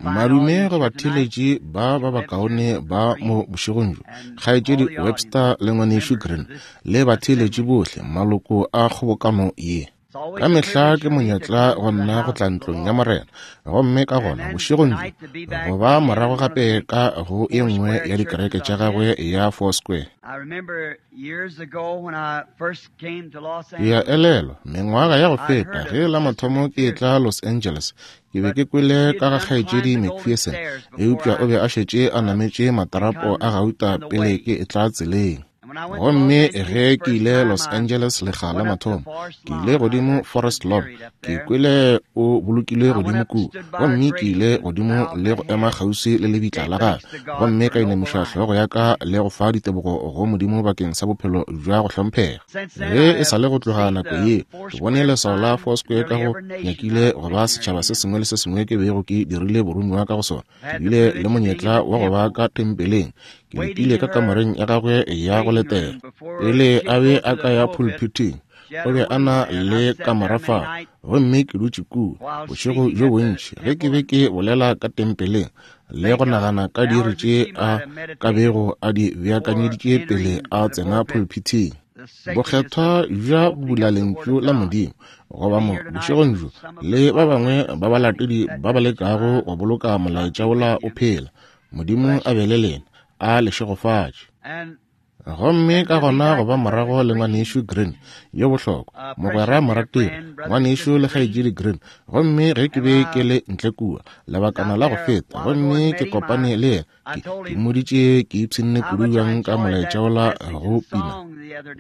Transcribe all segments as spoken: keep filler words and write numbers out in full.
Madume go batheeletši ba ba bakaone ba mo bošegong bjo, kgaetšedi Webster le ngwanešu Green, le batheeletši bohle, maloko a kgobokano ye. Ka mehla ke monyetla go nna go tla ntlong ya Morena, gomme ka gona bošegong bjo go ba morago gape ka go e nngwe ya dikereke tša gagwe ya Foursquare. Ke a elelwa mengwaga ya go feta ge la mathomo ke etla Los Angeles, ke be ke kwele ka ga kgaetšedi McPherson, eupša o be a šetše a nametše matarapo a gauta pele ke etla tseleng. Gomme ge ke ile Los Angeles lekga la mathomo, ke ile godimo Forest Lawn, ke kwele o bolokilwe godimo kua, gomme ke ile godimo le go ema kgauswi le lebitla la gagwe, gomme ka inamiša hlogo ya ka le go fa ditebogo go Modimo bakeng sa bophelo bja go hlomphega. Ge e sa le go tloga nako ye, ke bone leswao la Foursquare ka go nyakile go ba setšhaba se sengwe le se sengwe ke bego ke dirile boromiwa ka go sona. Ke bile le monyetla wa go ba ka tempeleng. Ke letile ka kamoreng ya gagwe ya go letela pele a be a ka ya pulpiting. O be a na le kamora fao, gomme ke dutše kua bošego bjo bontši ge ke be ke bolela ka tempeleng le go nagana ka diiri tše a ka bego a di beakanyeditše pele a tsena pulpiting. Bokgethwa bja go bula lentšu la Modimo goba mo bošegong bjo le ba bangwe ba balatedi ba ba lekago go boloka molaetša wola o phela. Modimo a be le lena, a le šegofatše. Gomme ka gona go ba morago le ngwanešu Green yo bohlokwa, mogwera morategi, ngwanešu le kgaetšedi Green. Gomme ge ke be ke le ntle kua lebakana la go feta, gomme ke kopane le yena, ke, ke mmoditše ke ipshinne kudu bjang ka molaetša wola go pina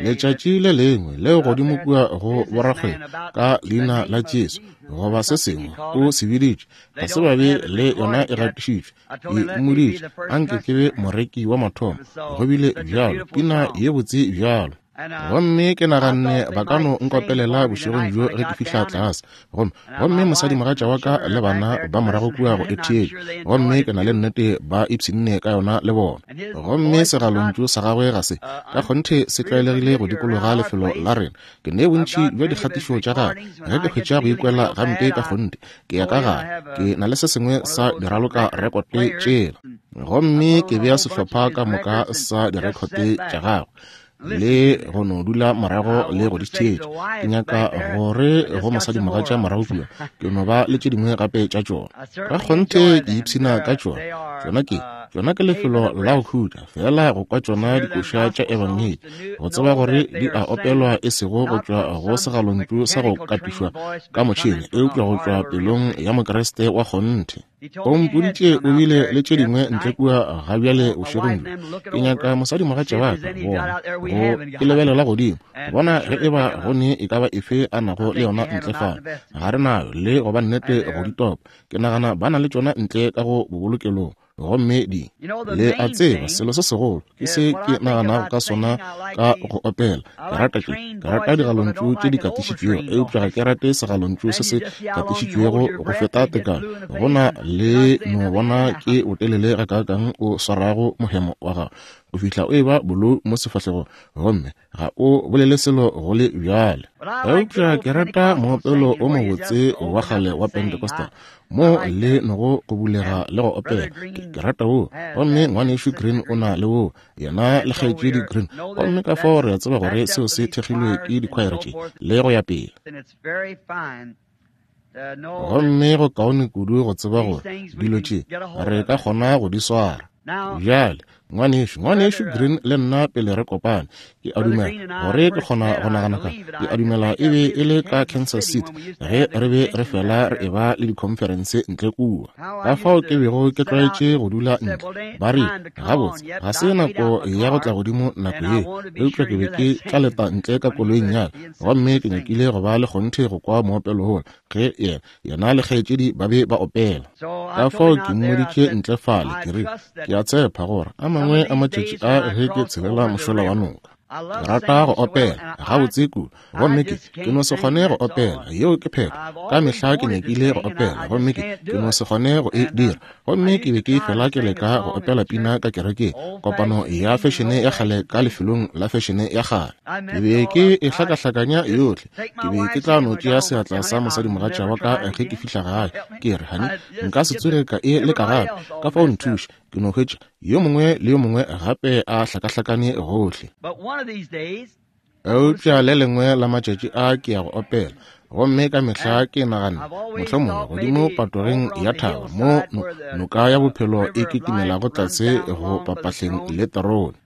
letšatši le lengwe leo godimo kua go borakgwebo ka leina la Jesu goba se sengwe o se biditše, ga se ba be le yona e gatišitšwe. Ke mmoditše anke ke be moreki wa mathomo, go bile bjalo, pina ye botse bjalo. Gomme ke naganne ba ka no nkopelela bošegong bjo ge ke fihla tlase. Gomme gomme mosadimogatša wa ka le bana ba morago kua go etheetša, gomme ke na le nnete ba ipshinne ka yona le bona. Gomme segalontšu sa gagwe ga se ka kgonthe se tlwaelegile go dikologa lefelo la rena. Ke ne bontši bja dikgatišo tša gagwe ge ke hwetša go ikwela gampe ka kgonthe, ke ya ka gare, ke na le se sengwe sa diraloka rekote tšela, gomme ke bea sehlopha ka moka sa direkhote tša gagwe le go no dula morago le go di theetša. Ke nyaka gore go mosadimogatša morago kua ke no ba le tše dingwe gape tša tšona. Ka kgonthe ke ipshina ka tšona. Tšona ke tšona ke lefelo la go khutša fela go kwa tšona dikoša tša ebangedi, go tseba gore di a opelwa e sego go tšwa go segalontšu sa go katišwa ka motšhene, eupša go tšwa pelong ya Mokriste wa kgonthe. O mpoditše o bile le tše dingwe ntle kua ga bjale bošegong bjo. Ke nyaka mosadimogatša wa ka bona go ke lebelela godimo go bona ge e ba go ne e ka ba efe a nago le yona ntle fao. Ga re nayo le go ba nnete go di topa. Ke nagana ba na le tšona ntle ka go bobolokelong, gomme di le a tseba selo se segolo ke se ke naganago ka sona ka go opela. Ke rata ke ke rata digalontšu tše di katišitšwego, eupša ga ke rate segalontšu se se katišitšwego go feta tekano. Go na le no bona ke botelele gakaakang o swarago mohemo wa gago go fihla o eba bolou mo sefahlegong, gomme ga o bolele selo go le bjale. Eupša ke rata moopelo o mobotse wa kgale wa Pentecostal mo le nogo go bulega le go opela. Ke rata wo, gomme ngwanešu Green o na le wo, yena le kgaetšedi Green, gomme ka fao re a tseba gore seo se thekgilwe ke dikhwaere tše le go ya pele. Gomme go kaone kudu go tseba gore dilo tše re ka kgona go di swara. Bjale ngwanešu ngwanešu Green le nna pele re kopane, ke a dumela gore ke kgona go nagana ka, ke a dumela e be e le ka Kansas City ge re be re fela re eba le dikhonferense ntle kua. Ka fao ke bego ke tlwaetše go dula ntle, ba rile gabotse ga se nako ya go tla godimo nako ye, eupša ke be ke tla leta ntle ka koloing ya ka, gomme ke nyakile go ba le kgonthe go kwa moopelo wola ge yena yena le kgaetšedi ba be ba opela. Ka fao ke mmoditše ntle fale, ke re ke a tshepa gore a mangwe a matšatši a ge ke tshelela mošola wa noka. Ke rata go opela gabotse kudu, gomme ke ke no se kgone go opela. Yeo ke phetho. Ka mehla ke nyakile go opela, gomme ke ke no se kgone go e dira. Gomme ke be ke fela ke leka go opela pina ka kerekeng, kopano ya fešene ya kgale ka lefelong la fešene ya kgale. Ke be ke e hlakahlakanya yohle. Ke be ke tla no tšea seatla sa mosadimogatša wa ka ge ke fihla gae, ke re, "Honey, nka se tsoge ka e leka gape, ka fao nthuše." Ke no hwetša yo mongwe le yo mongwe gape a hlakahlakane gohle. Eupša le lengwe la matšatši a ke ya go opela, gomme ka mehla ke naganne mohlomongwe godimo patogeng ya thaba mo noka ya bophelo e kitimelago tlase go papahleng le terone.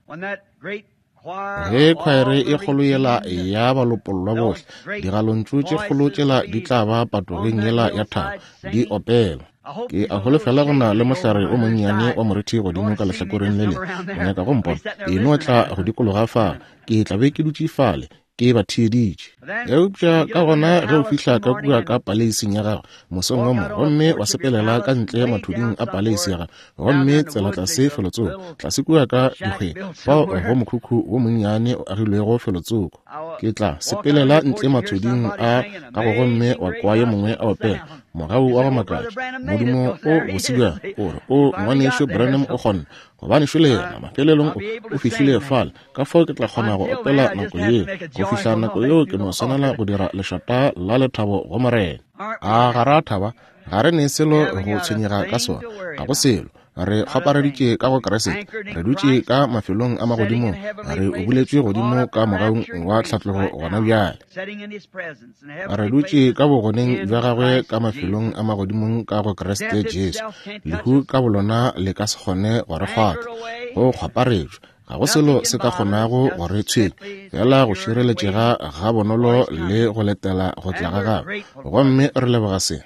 Ge khwaere e kgolo yela ya balopollwa bohle, digalontšu tše kgolo tšela di tla ba patogeng yela ya thaba di opela. Ke a holofela go na le mohlare o monnyane wa morithi godimo ka lehlakoreng le lengwe. O nyaka go mpona? E no tla go dikologa fale. Ke tla be ke dutše fale ke ba theeditše. Eupša ka gona ge o fihla ka kua ka paleising ya gago mosong wo mongwe, gomme wa sepelela ka ntle mathuding a paleisi ya gago, gomme tsela tlase felotsoko, tlase kua ka dikgweng, fao go mokhukhu wo monnyane o agilwego felotsoko. Ke tla sepelela ntle mathuding a gago gomme wa kwa yo mongwe a opela mogau wa go makatša, Modimo o bose bjang, o re, o ngwanešo Branham o kgonne, gobane šole yena mafelelong o fihlile fale. Ka fao ke tla kgona go opela nako yeo. Go fihla nako yeo ke no swanela go dira lešata la lethabo go Morena. A ga ra thaba? Ga re ne selo go tshwenyega ka sona, ga go selo. Re kgopareditše ka go Kriste, re dutše ka mafelong a magodimong, re obuletšwe godimo ka mogaung wa tlhatlogo gona bjale. Re dutše ka bogoneng bja gagwe ka mafelong a magodimong ka go Kriste Jesu. Lehu ka bolona le ka se kgone go re kgwatha, go kgwaparetšwa. Ga go selo se ka kgonago go re tshwenya, fela go šireletšega ga bonolo le go letela go tla ga gagwe. Gomme re leboga se.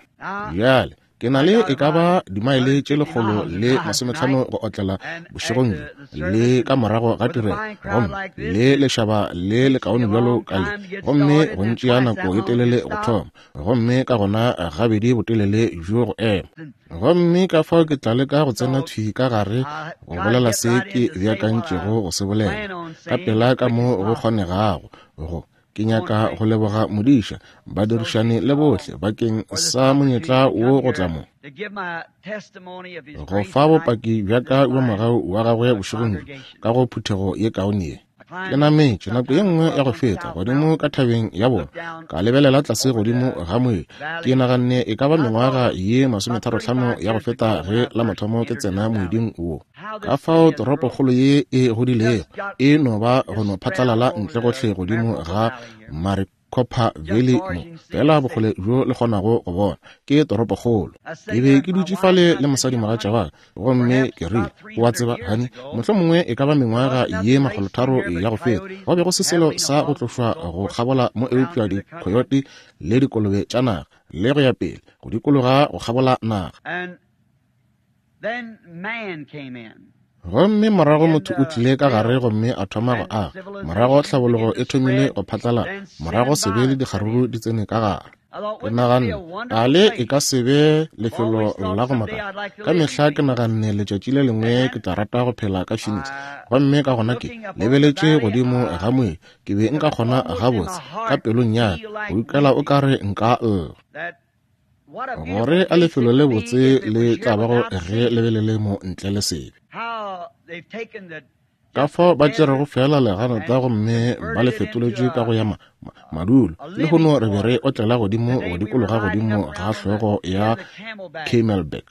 Bjale ke na le e ka ba dimaele tše lekgolo le masometlhano go otlela bošegong bjo le ka morago ga tirelo, gomme le lešaba le lekaone bjalo ka le, gomme go ntšea nako e telele go thoma, gomme ka gona gabedi botelele bjo go ema. Gomme ka fao ke tla leka go tsena thwi ka gare go bolela se ke beakantšego go se bolela ka pela ka mo go kgonegago. Go ke nyaka go leboga modiša, badirišani le bohle bakeng sa monyetla wo go tla mo go fa bopaki bja ka bja mogau wa gagwe bošegong bjo ka go phuthego ye kaone ye. Ke nametše nako ye nngwe ya go feta godimo ka thabeng ya bona, ka lebelela tlase godimo ga moedi. Ke naganne e ka ba mengwaga ye masometharo-hlano ya go feta ge la mathomo ke tsena moeding wo. Ka fao toropokgolo ye e godilego e no ba go no phatlalala ntle gohle godimo ga Maricopa Valley mo, fela bokgole bjo le kgonago go bona ke toropokgolo. Ke be ke dutše fale le mosadimogatša wa ka, gomme ke rile, o a tseba, honey, mohlomongwe e ka ba mengwaga ye makgolotharo ya go feta, go be go se selo sa go tlošwa go kgabola mo eupša dikhoyote le dikolobe tša naga le go ya pele go dikologa go kgabola naga. Gomme morago motho o tlile ka gare gomme a thoma go aga. Morago tlhabologo e thomile go phatlalala, morago sebe le dikgaruru di tsene ka gare. Ke naganne, a le e ka se be lefelo la go makatša? Ka mehla ke naganne letšatši le lengwe ke tla rata go phela ka Phoenix. Gomme ka gona ke lebeletše godimo ga moedi, ke be nka kgona gabotse ka pelong ya ka go ikwela o ka re nka lla. Gore a lefelo le botse le tla bago ge le be le le mo ntle le sebe. Ka fao ba tšerego fela leganata gomme ba le fetoletše ka go ya ma, ma, madulo. Lehono re be re otlela godimo go dikologa godimo ga hlogo ya Camelback.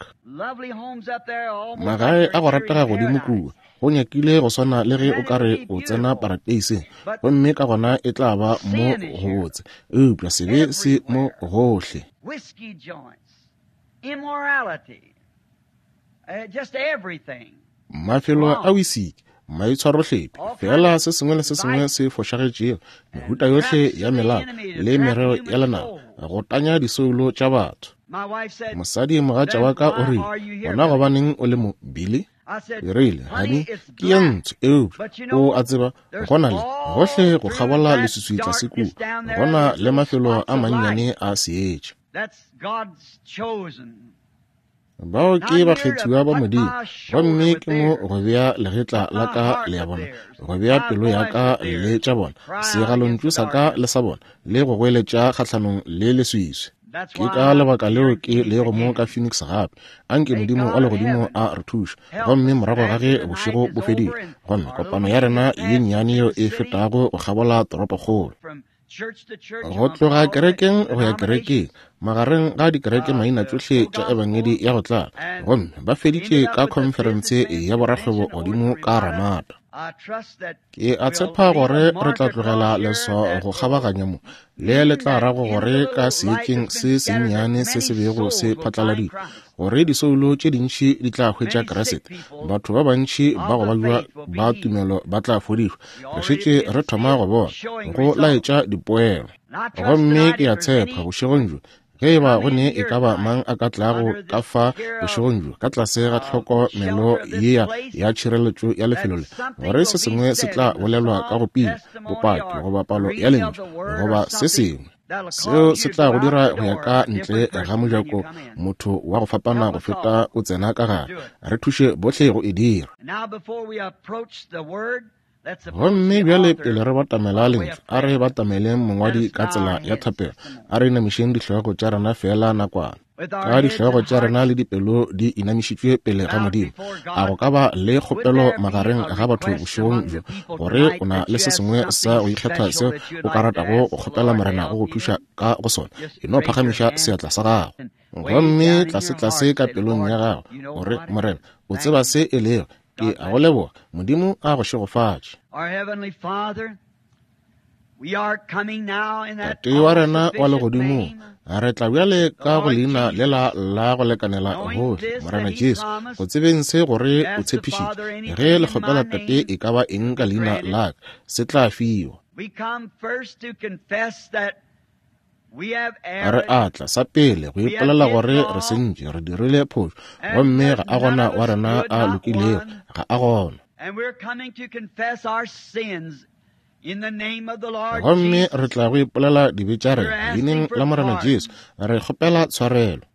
Magae a go ratega godimo kua, go nyakile go swana le ge o ka re o tsena parateiseng, gomme ka gona e tla ba mo go botse. Eupša sebe se mo gohle. Whiskey joints, immorality, uh, just everything. Mafelo a wisiki, maitshwarohlephi, fela se sengwe le se sengwe se fošagetšego, mehuta yohle ya melao le merero ya lenaba, go tanya disoulo tša batho. Mosadi mogatša wa ka o rile, gona gobaneng o le mo, Billy? Ke rile, honey, ke ye ntsho, eupša o a tseba, go na le gohle go kgabola leswiswi tlase kua, go na le mafelo a mannyane a seetša. Bao ke bakgethiwa ba Modimo, gomme ke mo go bea legetla la ka le ya bona, go bea pelo ya ka le tša bona, segalontšu sa ka le sa bona, le go goeletša kgahlanong le leswiswi. Ke ka lebaka leo ke lego mo ka Phoenix gape. Anke Modimo wa legodimo a re thuše. Gomme morago ga ge bošego bo fedile, gomme kopano ya rena ye nnyane yeo e fetago go kgabola toropokgolo, go tloga kerekeng go ya kerekeng, magareng ga dikereke maina tšohle tša ebangedi ya go tlala, gomme ba feditše ka khonferense ya borakgwebo godimo ka Ramada. Ke a tshepa gore re tla tlogela leswao go kgabaganya mo, le le tla rago gore ka seetšeng se sennyane se se bego se phatlaladitšwe, gore disoulo tše dintši di tla hwetša Kriste, batho ba bantši ba go babja ba tumelo ba tla fodišwa. Re šetše re thoma go bona go laetša dipoelo. Gomme ke a tshepa bošegong bjo, ge e ba go ne e ka ba mang a ka tlago ka fa bošegong bjo ka tlase ga tlhokomelo yea ya tšhireletšo ya lefelo le, gore se sengwe se tla bolelwa ka go pina, bopaki goba palo ya lentšu goba se sengwe seo se tla go dira go ya ka ntle ga mojako motho wa go fapana go feta o tsena ka gare. Re thuše bohle go e dira. Gomme bjale pele re batamela lentšu, a re batameleng mongwadi ka tsela ya thapelo. A re inamišeng dihlogo tša rena fela nakwana. Ka dihlogo tša rena le dipelo di inamišitšwe pele ga Modimo, a go ka ba le kgopelo magareng ga batho bošegong bjo, gore o na le se sengwe sa go ikgetha seo o ka ratago go kgopela Morena go go thuša ka go sona, e no phagamiša seatla sa gago. Gomme tlase-tlase ka pelong ya gago, gore Morena, o tseba se e lego. Ke a go leboga. Modimo a go šegofatše. Tate wa rena wa legodimong, re tla bjale ka go leina lela la go lekanela gohle, Morena Jesu, go tsebeng se gore o tshepišitše, ge le kgopela Tate e ka ba eng ka leina la ka, se tla fiwa. Re atla sa pele go ipolela gore re sentše, re dirile phošo, gomme ga a gona wa rena a lokilego, ga a gona. Gomme re tla go ipolela dibe tša rena leineng la Morena Jesu, re kgopela tshwarelo.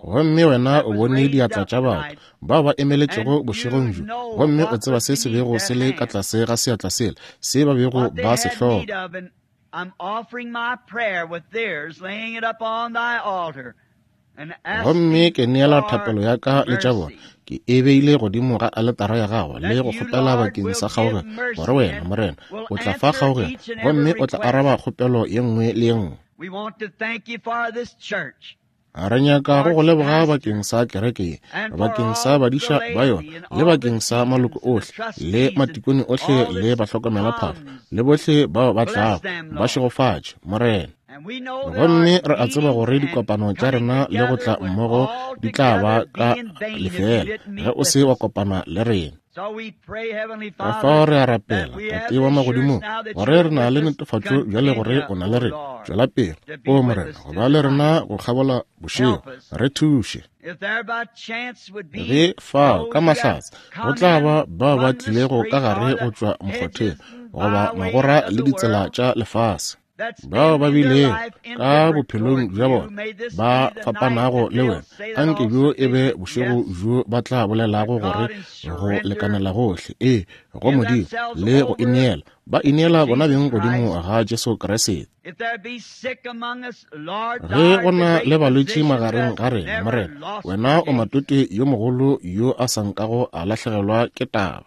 Gomme wena o bone diatla tša batho bao ba emeletšego bošegong bjo, gomme o tseba se se bego se le ka tlase ga seatla sela, se ba bego ba se hloka. Gomme ke neela thapelo ya ka le tša bona, ke e beile godimo ga aletara ya gago le go kgopela bakeng sa kgaogelo, gore wena Morena o tla fa kgaogelo, gomme o tla araba kgopelo ye nngwe le ye nngwe. Re nyaka go go leboga bakeng sa kereke ye, bakeng sa badiša ba yona, le bakeng sa maloko ohle, le matikone ohle, le bahlokomelaphahlo, le bohle bao ba tlago. Ba šegofatše, Morena. Gomme re a tseba gore dikopano tša rena le go tla mmogo di tla ba ka lefeela ge o se wa kopana le rena. Ka fao re a rapela, Tate wa magodimong, gore re na le netefatšo bjale gore o na le rena. Tšwela pele, o Morena, go ba le rena go kgabola bošego. Re thuše. Ge fao ka mahlatse go tla ba bao ba tlilego ka gare go tšwa mokgotheng goba magora le ditsela tša lefase, bao ba bilego ka bophelong bja bona ba fapanago le wena, anke bjo e be bošego bjo ba tla bolelago gore go lekanela gohle, ee, go Modimo, le go ineela, ba ineela bona beng godimo ga Jesu Kriste. Ge go na le balwetši magareng ga rena, Morena, wena o matote yo mogolo yo a sa nkago a lahlegelwa ke taba.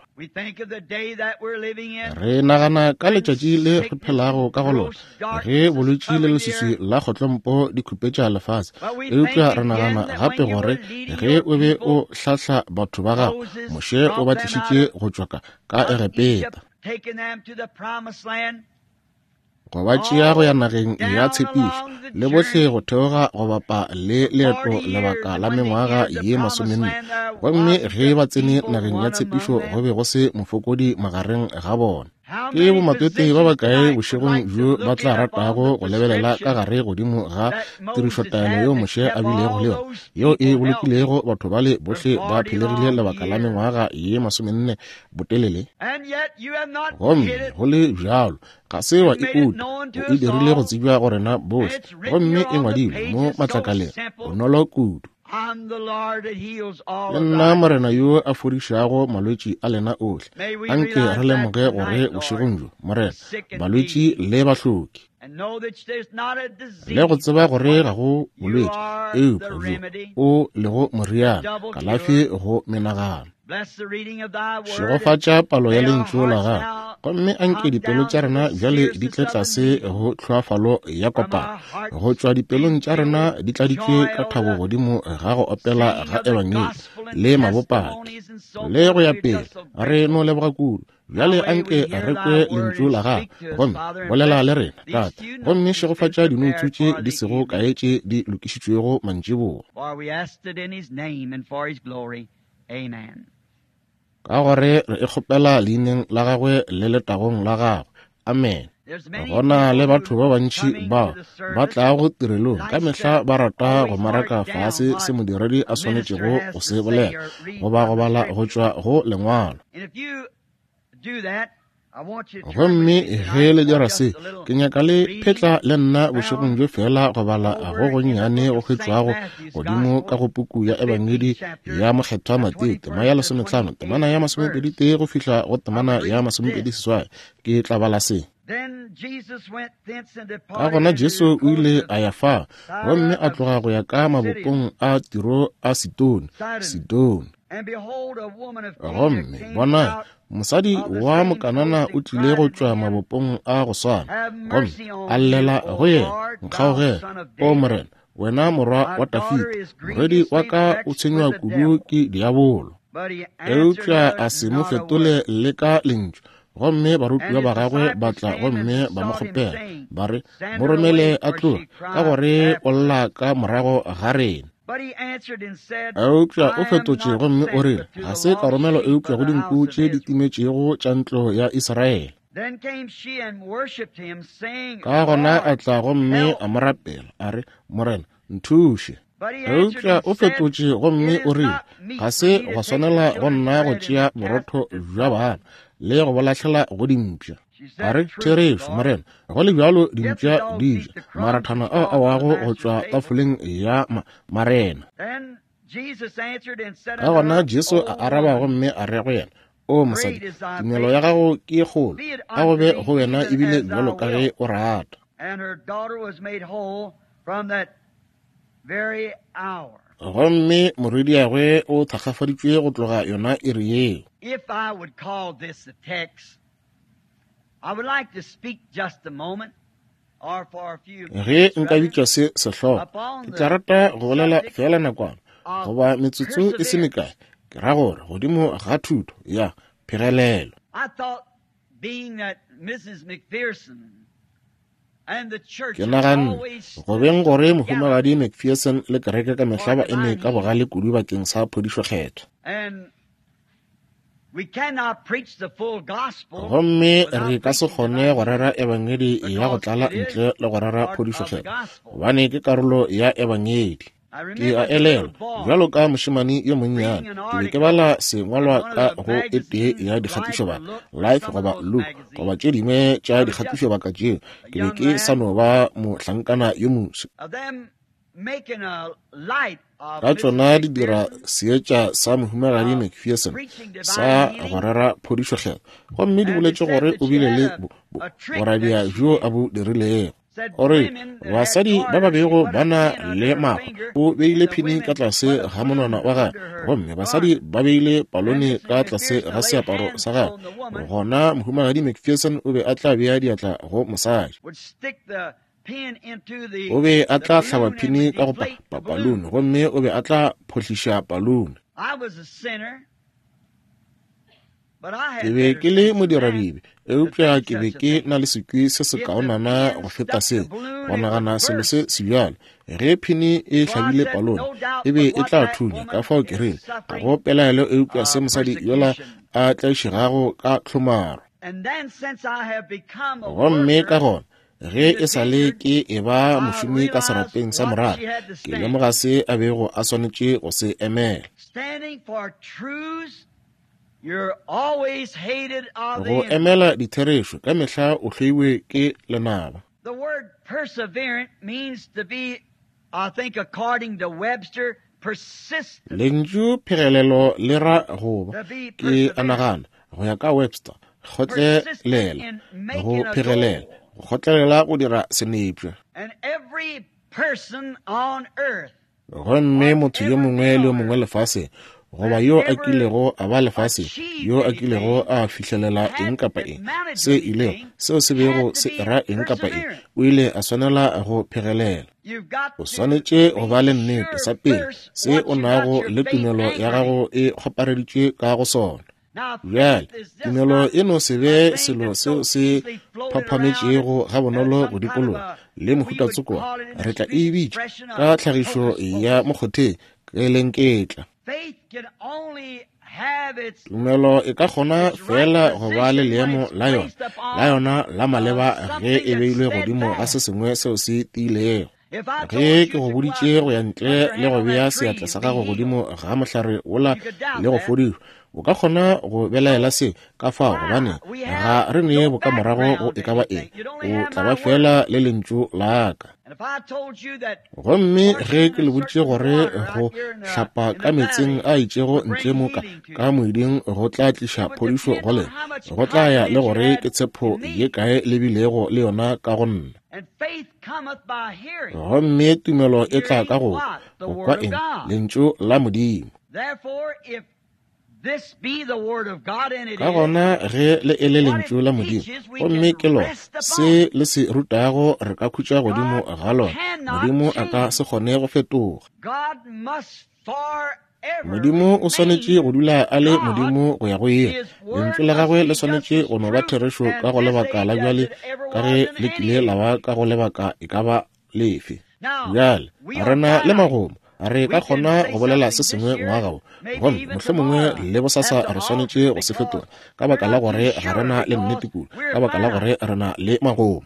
Re nagana ka letšatši le re phelago ka go lona, ge bolwetši le leswiswi la kgotlompo di khupetša lefase, eupša re nagana gape gore ge o be o hlahla batho ba gago, Moshe o ba tlišitše go tšwa ka Egepeta, go ba tšea go ya nageng ya tshepišo, le bohle go theoga go bapa le leeto lebaka la mengwaga ye masomenne. Gomme ge ba tsene nageng ya tshepišo, go be go se mofokodi magareng ga bona. Ke bomatwetwe ba bakae bošegong bjo ba tla ratago go lebelela ka gare godimo ga tirišotaelo yeo Moshe a bilego le yona, yeo e bolokilego batho bale bohle ba phelegile lebaka la mengwaga ye masomenne botelele? Gomme go le bjalo ga se wa e uta, o e dirile go tsebja go rena bohle, gomme e ngwadilwe mo matlakaleng bonolo kudu. Ke nna Morena yo a fodišago malwetši a lena ohle. Anke re lemoge gore bošegong bjo, Morena, balwetši le bahloki, le go tseba gore ga go bolwetši eupša bjo o lego moriana, kalafi go menagano. Šegofatša palo ya lentšu la gago, gomme anke dipelo tša rena bjale di tle tlase go tlhoafalo ya kopano, go tšwa dipelong tša rena di tladitšwe ka thabo godimo ga go opela ga ebangedi le mabopaki le go ya pele. Re no leboga kudu. Bjale anke re kwe lentšu la gago, gomme bolela le rena, Tate, gomme šegofatša dinoutsu tše di sego kae tše di lokišitšwego mantšiboa. Ka gore re e kgopela leineng la gagwe le letagong la gagwe. Amen. Gona le batho ba bantši bao ba tlago tirelong ka mehla ba rata go maraka fase se modiredi a swanetšego go se bolela goba go bala go tšwa go lengwalo. Gomme ge le dira se, ke nyaka le phetla le nna bošegong bjo fela go bala go gonnyane go hwetšwago godimo ka go puku ya Ebangedi ya Mokgethwa Mateo, tema ya lesomehlano, temana ya masomepedi tee go fihla go temana ya masomepedi seswai. Ke tla bala se. Ka gona Jesu o ile a ya fa, gomme a tloga go ya ka mabopong a Tiro a Sidone, Sidone. Gomme bona, mosadi wa Mokanana o tlile go tšwa mabopong a go swana, gomme a llela go yena, Nkgaogele, o Morena, wena morwa wa Dafida, morwedi wa ka o tshwenywa kudu ke diabolo. Eupša a se mo fetole le ka lentšu. Gomme barutiwa ba gagwe ba tla gomme ba mo kgopela, ba re, mo romele a tloge, ka gore o lla ka morago ga rena. Eupša o fetotše gomme o rile, ga se ka romelwa eupša go dinku tše di timetšego tša ntlo ya Israele. Ka gona a tla gomme a mo rapela, a re, Morena, nthuše. Eupša o fetotše gomme o rile, ga se gwa swanela go nna go tšea borotho bja bana le go bo lahlela go dimpša. A re, therešo, Morena, go le bjalo dimpša di ja marathana ao a wago go tšwa tafoleng ya ma marena. Ka gona Jesu a araba gomme a re go yena, o mosadi, tumelo ya gago ke kgolo, a go be go wena ebile bjalo ka ge o rata. Gomme morwediagwe o thakgafaditšwe go tloga yona iri yeo. If I would call this a text, I would like to speak just a moment or for a few Ge nka bitša se sehlogo, ke tla rata go bolela fela nakwana goba metsotso e se mekae, ke ra gore godimo ga thuto ya phegelelo. I thought, being that Missus McPherson and the church Ke naganne go beng gore mohumagadi McPherson le kereke ka mehla ba eme ka bogale kudu bakeng sa phodišo kgethwa. And we cannot preach the full gospel Gomme re ka se kgone go rera ebangedi ya go tlala ntle le go rera phodišo kgethwa, gobane ke karolo ya ebangedi. Ke a elelwa bjalo ka mošemane yo monnyane, ke be ke bala sengwalwa ka go e tee ya dikgatišobaka, Life goba Look goba tše dingwe tša dikgatišobaka tšeo. Ke be ke sa no ba mohlankana yo moswa. Ka tšona di dira seetša sa mohumagadi McPherson sa go rera phodišo kgethwa, gomme di boletše gore o bile le boradia bjo a bo dirilego. Gore basadi ba ba bego ba na le makgwa, o beile phini ka tlase ga monwana wa gagwe, gomme basadi ba beile palone ka tlase ga seaparo sa gagwe. Gona mohumagadi McPherson o be a tla bea diatla go mosadi. O be a tla hlaba phini ka go pa palone, gomme o be a tla phohliša palone. Ke be ke le modiradibe, eupša ke be ke na le sekwi se sekaonana go feta seo, go nagana selo se sebjalo. Ge phini e hlabile palone, e be e tla thunya. Ka fao ke rile, ga go pelaelo eupša se mosadi yola a tlaišegago ka tlhomaro. Gomme ka gona ge e sa le ke e ba mošomi ka serapeng sa morara, ke lemoga se a bego a swanetše go se emela. Go emela ditherešo ka mehla o hloiwe ke lenaba. The word perseverant means to be, I think according to Webster, persistent. Lentšu phegelelo le ra go ba, ke a nagana, go ya ka Webster, kgotlelela, go phegelela, go kgotlelela go dira senepša. And every person on earth, Gomme motho yo mongwe le yo mongwe lefaseng, goba yo a kilego a ba lefaseng, yo a kilego a fihlelela eng kapa eng, se ilego, seo se bego se ra eng kapa eng, o ile a swanela go phegelela. O swanetše go ba le nnete sa pele se o nago le tumelo ya gago e kgopareditšwe ka go sona. Bjale, tumelo e no se be selo seo se phaphametšego gabonolo go dikologa le mohuta-tsoko, re tla e bitša ka tlhagišo ya mokgotheng ke lenketla. Tumelo e ka kgona fela go ba le leemo la yona, la yona la maleba ge e beilwe godimo ga se sengwe seo se tiilego. Ge ke go boditše go ya ntle le go bea seatla sa gago godimo ga mohlare wola le go fodišwa, o ka kgona go belaela se ka fao, gobane ga re ne bokamorago go e ka ba eng, o tla ba fela le lentšu la ka. Gomme ge ke le boditše gore go hlapa ka meetseng a itšego ntle mo ka ka moeding go tla tliša phodišo go lena, go tla ya le gore ke tshepo ye kae le bilego le yona ka go nna. Gomme tumelo e tla ka go go kwa eng? Lentšu la Modimo. Ka gona ge le e le lentšu la Modimo, gomme ke lona se le se rutago, re ka khutša godimo ga lona. Modimo a ka se kgone go fetoga. Modimo o swanetše go dula a le Modimo go ya go ile. Lentšu la gagwe le swanetše go no ba therešo ka go lebaka la bjale ka ge le kile la ba ka go lebaka e ka ba lefe. Bjale re na le magomo, re ka kgona go bolela se sengwe ngwaga wo, gomme mohlomongwe le bosasa re swanetše go se fetola ka baka la gore ga re na le nnete kudu, ka baka la gore re na le magomo.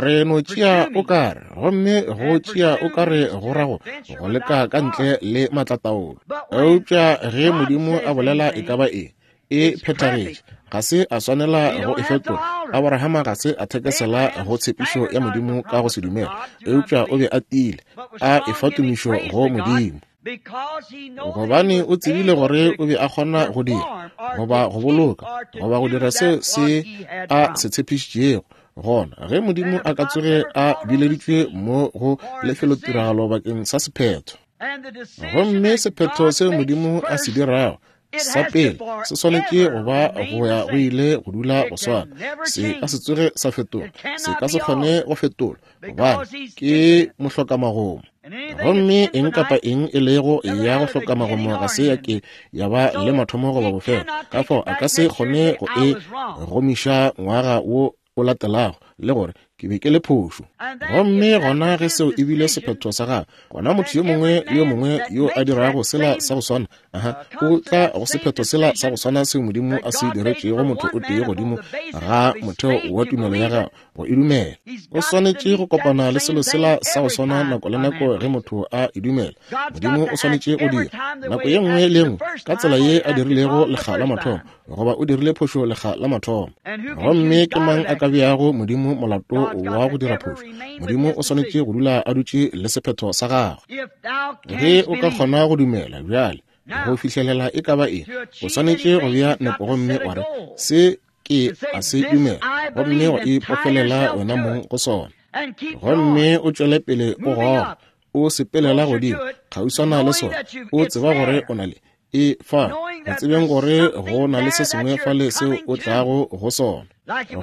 Re no tšea o kare, gomme go tšea o kare go rago go leka ka ntle le matlataolo. Eupša ge Modimo a bolela e ka ba eng, e phethagetše, ga se a swanela go e fetola. Abrahama ga se a thekesela go tshepišo ya Modimo ka go se dumela, eupša o be a tiile, a efa tumišo go Modimo, gobane o tsebile gore o be a kgona go dira, goba go boloka, goba go dira seo se a se tshepišitšego. Gona ge Modimo a ka tsoge a bileditšwe mo go lefelotiragalo bakeng sa sephetho, gomme sephetho seo Modimo a se dirago sa pele se swanetše go ba go ya go ile go dula go swana, se ka se tsoge sa fetola, se ka se kgone go fetola, gobane ke mohlokamagomo. Gomme eng kapa eng e lego ya go hloka magomo ga se ya ke ya ba le mathomo goba bofelo, ka fao a ka se kgone go e gomiša ngwaga wo o latelago le gore ke be ke le phošo. Gomme gona ge seo e bile sephetho sa gagwe, gona motho yo mongwe le yo mongwe yo a dirago sela sa go swana, aha, o tla go sephetho sela sa go swana seo Modimo a se diretšego motho o tee godimo ga motheo wa tumelo ya gagwe go e dumela. O swanetše go kopana le selo sela sa go swana nako le nako ge motho a e dumela. Modimo o swanetše go dira nako ye nngwe le nngwe ka tsela ye a dirilego lekga la mathomo, goba o dirile phošo lekga la mathomo. Gomme ke mang a ka beago Modimo molato wa go dira phošo? Modimo o swanetše go dula a dutše le sephetho sa gagwe. Ge o ka kgona go dumela bjale go fihlelela e ka ba eng, o swanetše go bea nepo gomme wa re se ke a se dumela, gomme wa ipofelela wena mong go sona, gomme o tšwele pele o goga, o sepelela godimo kgauswana le sona, o tseba gore o na le e fa, go tsebeng gore go na le se sengwe fale seo o tlago go sona.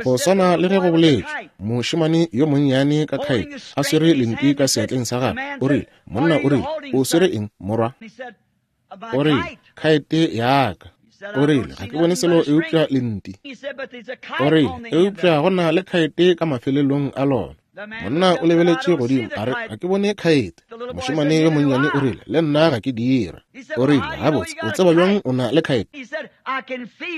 Go swana le ge go boletšwe, mošemane yo monnyane ka khaete a swere lenti ka seatleng sa gagwe, o rile, monna o rile, o swere eng morwa? O rile, khaete ya ka. O rile, ga ke bone selo eupša lenti. O rile, eupša go na le khaete ka mafelelong a lona. Monna o lebeletše godimo, a re, ga ke bone khaete. Mošemane yo monnyane o rile, le nna ga ke dira. O rile, gabotse, o tseba bjang o na le khaete?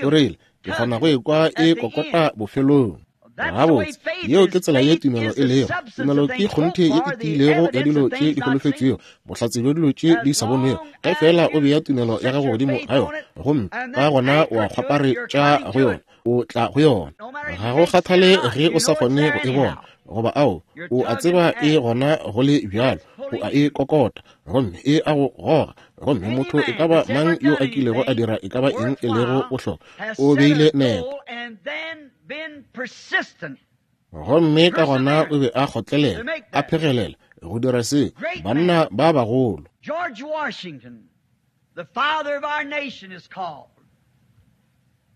O rile, Ke kgona go ekwa e kokota bofelong. Gabotse, yeo ke tsela ye tumelo e lego. Tumelo ke kgonthe ye e tiilego ya dilo tše di holofetšwego, bohlatse bja dilo tše di sa bonwego. Ge fela o bea tumelo ya gago godimo ga yona, gomme ka gona wa kgwaparetša go yona, o tla go yona. Ga go kgathale ge o sa kgone go e bona, goba ao, o a tseba e gona go le bjalo, o a e kokota, gomme e a go goga. Gomme motho e ka ba mang yo a kilego a dira e ka ba eng e lego bohlokwa, o beile nepo. Gomme ka gona o be a kgotlelela, a phegelela go dira se. Banna ba bagolo. George Washington, the father of our nation, is called.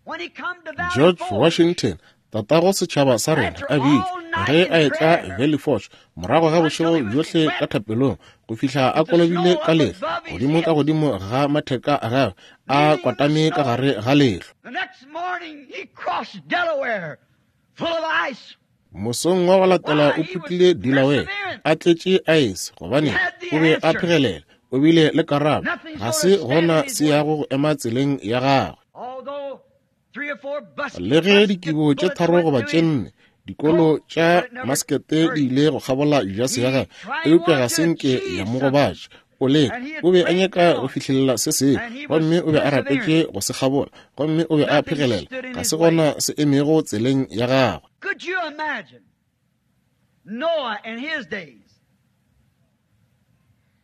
When he come to Valley George Forge, Washington, tatago setšhaba sa rena, a bitšwa ge a etla Valley Forge morago ga bošego bjohle ka thapelong, go fihla a kolobile ka lehlwa godimo ka godimo ga matheka a gagwe, a kwatame ka gare ga lehlwa. The next morning he crossed Delaware full of ice. Mosong wa go latela o phutlile Delaware a tletše aese, gobane o be a phegelela, o bile le karabo. Ga se gona se yago go ema tseleng ya gagwe. Although three or four bus- Le ge dikibo tše tharo goba tše nne dikolo tša maskete di ile go kgabola jase ya gagwe, eupša ga se nke ya mo gobatša. O leka, o be a nyaka go fihlelela se sengwe, gomme o be a rapetše go se kgabola, gomme o be a phegelela. Ga se gona se emego tseleng ya gagwe. Could you imagine Noah in his days?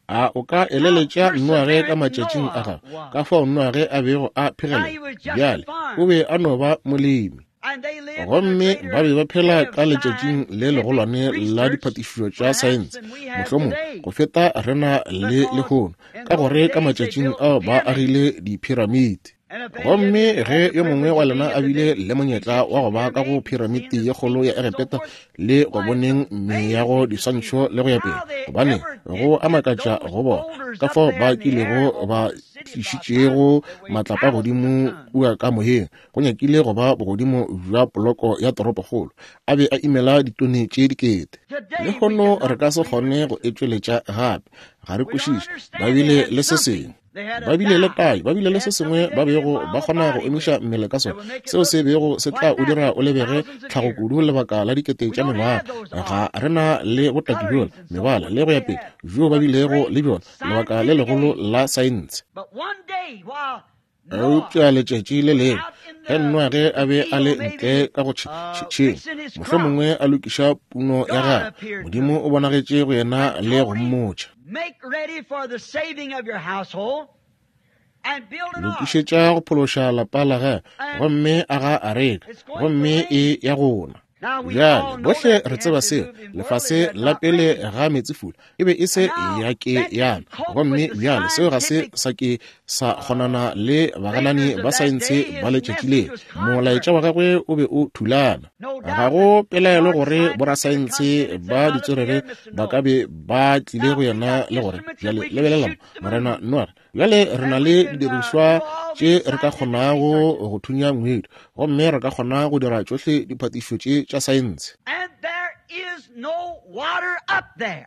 A o ka eleletša Noage ka matšatšing a gagwe, ka fao Noage a bego a phegelela? Bjale, o be a no ba molemi. And they lived in a Gomme greater ba be ba phela day of ka letšatšing le legolwane scientific la research diphatišišo tša perhaps saense, than we have mohlomong today. go feta rena le lehono, ka gore ka matšatšing ao ba agile diphiramiti. And if any of Gomme you had ge the yo mongwe wa privilege of lena being a at the bile big le monyetla wa go ba ka go Egyptian pyramid and phiramiti seeing ye the kgolo ya things and so Egepeta forth, le go why, it's boneng meago, amazing to see diswantšho le go ya pele, how they gobane ever go did a get makatša those go bona boulders ka up fao there ba in the air kilego over ba the city about tlišitšego that weighed matlapa thousands of godimo tons. kua ka moyeng, go nyakile go ba bogodimo bja poloko ya toropokgolo, a be a imela ditone tše dikete. Today we Lehono re cannot ka se kgone reproduce go it. e tšweletša gape. Ga re We don't kwešiše. Ba understand they bile had le se something. sengwe, They had a ba bile le dye. tayo, ba bile They le se had sengwe something ba they could bego embalm ba a kgona go body emiša with mmele ka that sona, would make it seo look se bego se tla quite o dira natural o for lebege thousands of tlhago years. kudu lebaka la dikete We tša don't mengwaga. have those Ga arts, re na le botaki bjola, colorings, and so mebala forth le go that ya they pele had. bjo ba But bilego great le bjona, lebaka le scientific legolo age. la saense. But one day while Noah Eupša letšatši le was lengwe out in ge the, Noage the a be a le field, ntle maybe ka go tšhe- uh, tšhe- tšhemo, fixing his crop, mohlomongwe a lokiša puno ya God gagwe, appeared to Modimo him o bonagetše go yena and le go told him, mmotša, Make ready for the saving of your household and build an ark. lokišetša go phološa lapa la gagwe, And gomme aga areka, it's going to gomme rain. e ya gona. Now we Bjale all know bohle that re the tseba seo. antediluvian world it Lefase had la not pele rained. ga meetsefula e be e se And now ya ke that yana, didn't cope gomme with the bjale seo ga se scientific sa ke sa kgonana le baganani thinkers of ba that saense day. ba His letšatši message le. was Molaetša wa contrary. gagwe o be o thulana. No Ga doubt go that pelaelo smart gore scientists would have come borasaense in and said, ba Now look ditswerere here, Mister ba ka Noah. be ba tlile Now go we yena got le gore instruments that bjale we can lebelela mo, shoot the Morena moon. Noage, bjale re na And we le can uh, didirišwa do all tše these re ka scientific kgonago researches. go thunya ngwedi, gomme re ka kgona go dira tšohle diphatišišo tše tša saense, And there is no water up there.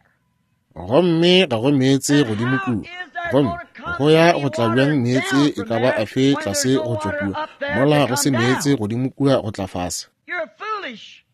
gomme ga go meetse Then godimo how kua. is there Gomme going to come go ya any go tla water bjang meetse down e from ka ba there afe when there's tlase no go tšwa water kua, up there to mola go se come meetse down? godimo kua go tla fase? You're foolish.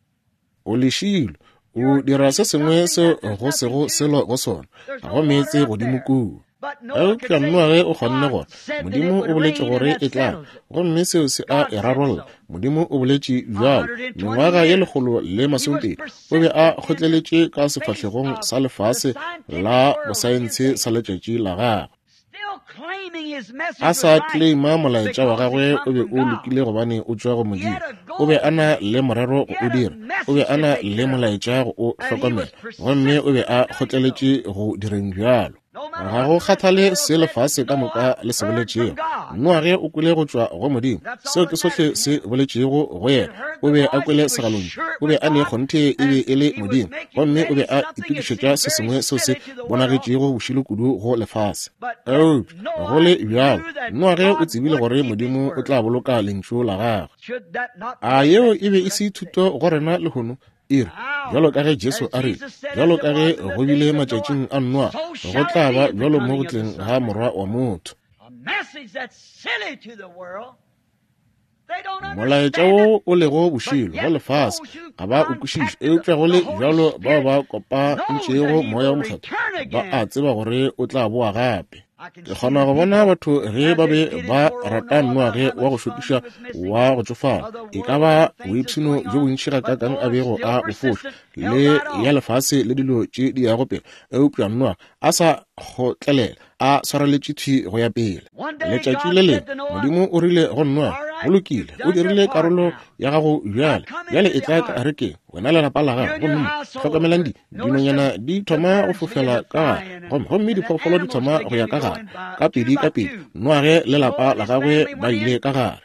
O lešilo, o You're dira se doing sengwe something seo that there's go nothing sego to. selo go sona. There's Ga no go meetse water up godimo there. kua. But Noah could Eupša say, Noage o kgonne God gore said that it Modimo o would boletše rain, and gore that e tla, settles it. gomme seo se a God e said rarolla. so. Modimo o boletše A bjalo. hundred and twenty Mengwaga ye years. lekgolo le He was masomepedi o be a persistent in the kgotleletše ka face sefahlegong of sa the lefase scientific la world of his bosaense day, sa letšatši la gagwe. still claiming his message A was sa right claima molaetša wa because it gagwe o come be from o God. lokile gobane o tšwa go He Modimo. had a O be goal. a na le morero He go o had a dira, o be message a to na take le care of. molaetša go o And he was hlokomela, gomme o be persistent a in doing so. kgotleletše go direng bjalo. No matter Ga what go the rest of the kgathale world se said, lefase ka Noah moka le se heard from boletšego. God. Noage o kwele go tšwa go Modimo. That's all Seo that ke sohle mattered to se him. boletšego go He yena. had heard O the be a voice. kwele He was segalontšu, sure it o be was a ne God, kgonthe e be and e le he was Modimo, making gomme o ready be a something that itokišetša seemed se very sengwe seo se silly to the world. bonagetšego bošilo kudu go lefase. But yet Eupša go Noah le bjalo, knew that Noage o God tsebile would gore keep his Modimo o word. tla boloka lentšu la gagwe. Should that not be A a yeo message e be for e us se today? thuto go rena lehono? E re, How, bjalo ka ge Jesu as a rile, Jesus said, bjalo as it ka ge was in the go bile days of Noah, matšatšing a Noa, so go shall tla it ba be at the bjalo mo coming go of the tleng Son ga of Man. Morwa wa motho. A message that's silly to the world, Molaetša wo o lego bošilo go lefase ga ba o kwešiše, eupša go le bjalo bao ba kopantšego Moya wo Mokgethwa ba a tseba gore o tla boa gape. Ke kgona go bona batho ge ba be ba rata Noage wa go šokiša wa go tšofala, e ka ba boipshino bjo bontši gakaakang a bego a bo foša le ya lefase le dilo tše di yago pele, eupša Noage a sa kgotlelela, a swareletše thwi go ya pele. Letšatši le lengwe Modimo o rile go Noage, go lokile, o dirile karolo ya gago bjale, bjale e tla ka arekeng, wena le lapa la gago. Gomme hlokomelang di dinonyana di thoma go fofela ka gare, gomme gomme diphoofolo di thoma go ya ka gare ka pedi ka pedi. Noage le lapa la gagwe ba ile ka gare.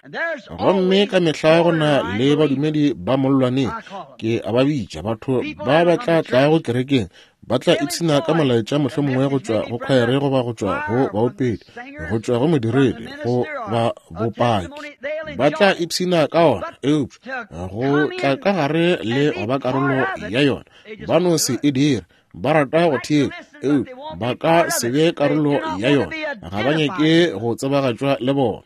Gomme ka mehla go na le badumedi ba mollwaneng, ke a ba bitša, batho ba ba tla tlago kerekeng ba tla ipshina ka molaetša mohlomongwe go tšwa go khwaere goba go tšwa go baopedi, go tšwa go modiredi goba bopaki. Ba tla ipshina ka ona, eupša go tla ka gare le go ba karolo ya yona ba no se e dire. Ba rata go theetša, eupša ba ka se be karolo ya yona. Ga ba nyake go tsebagatšwa le bona.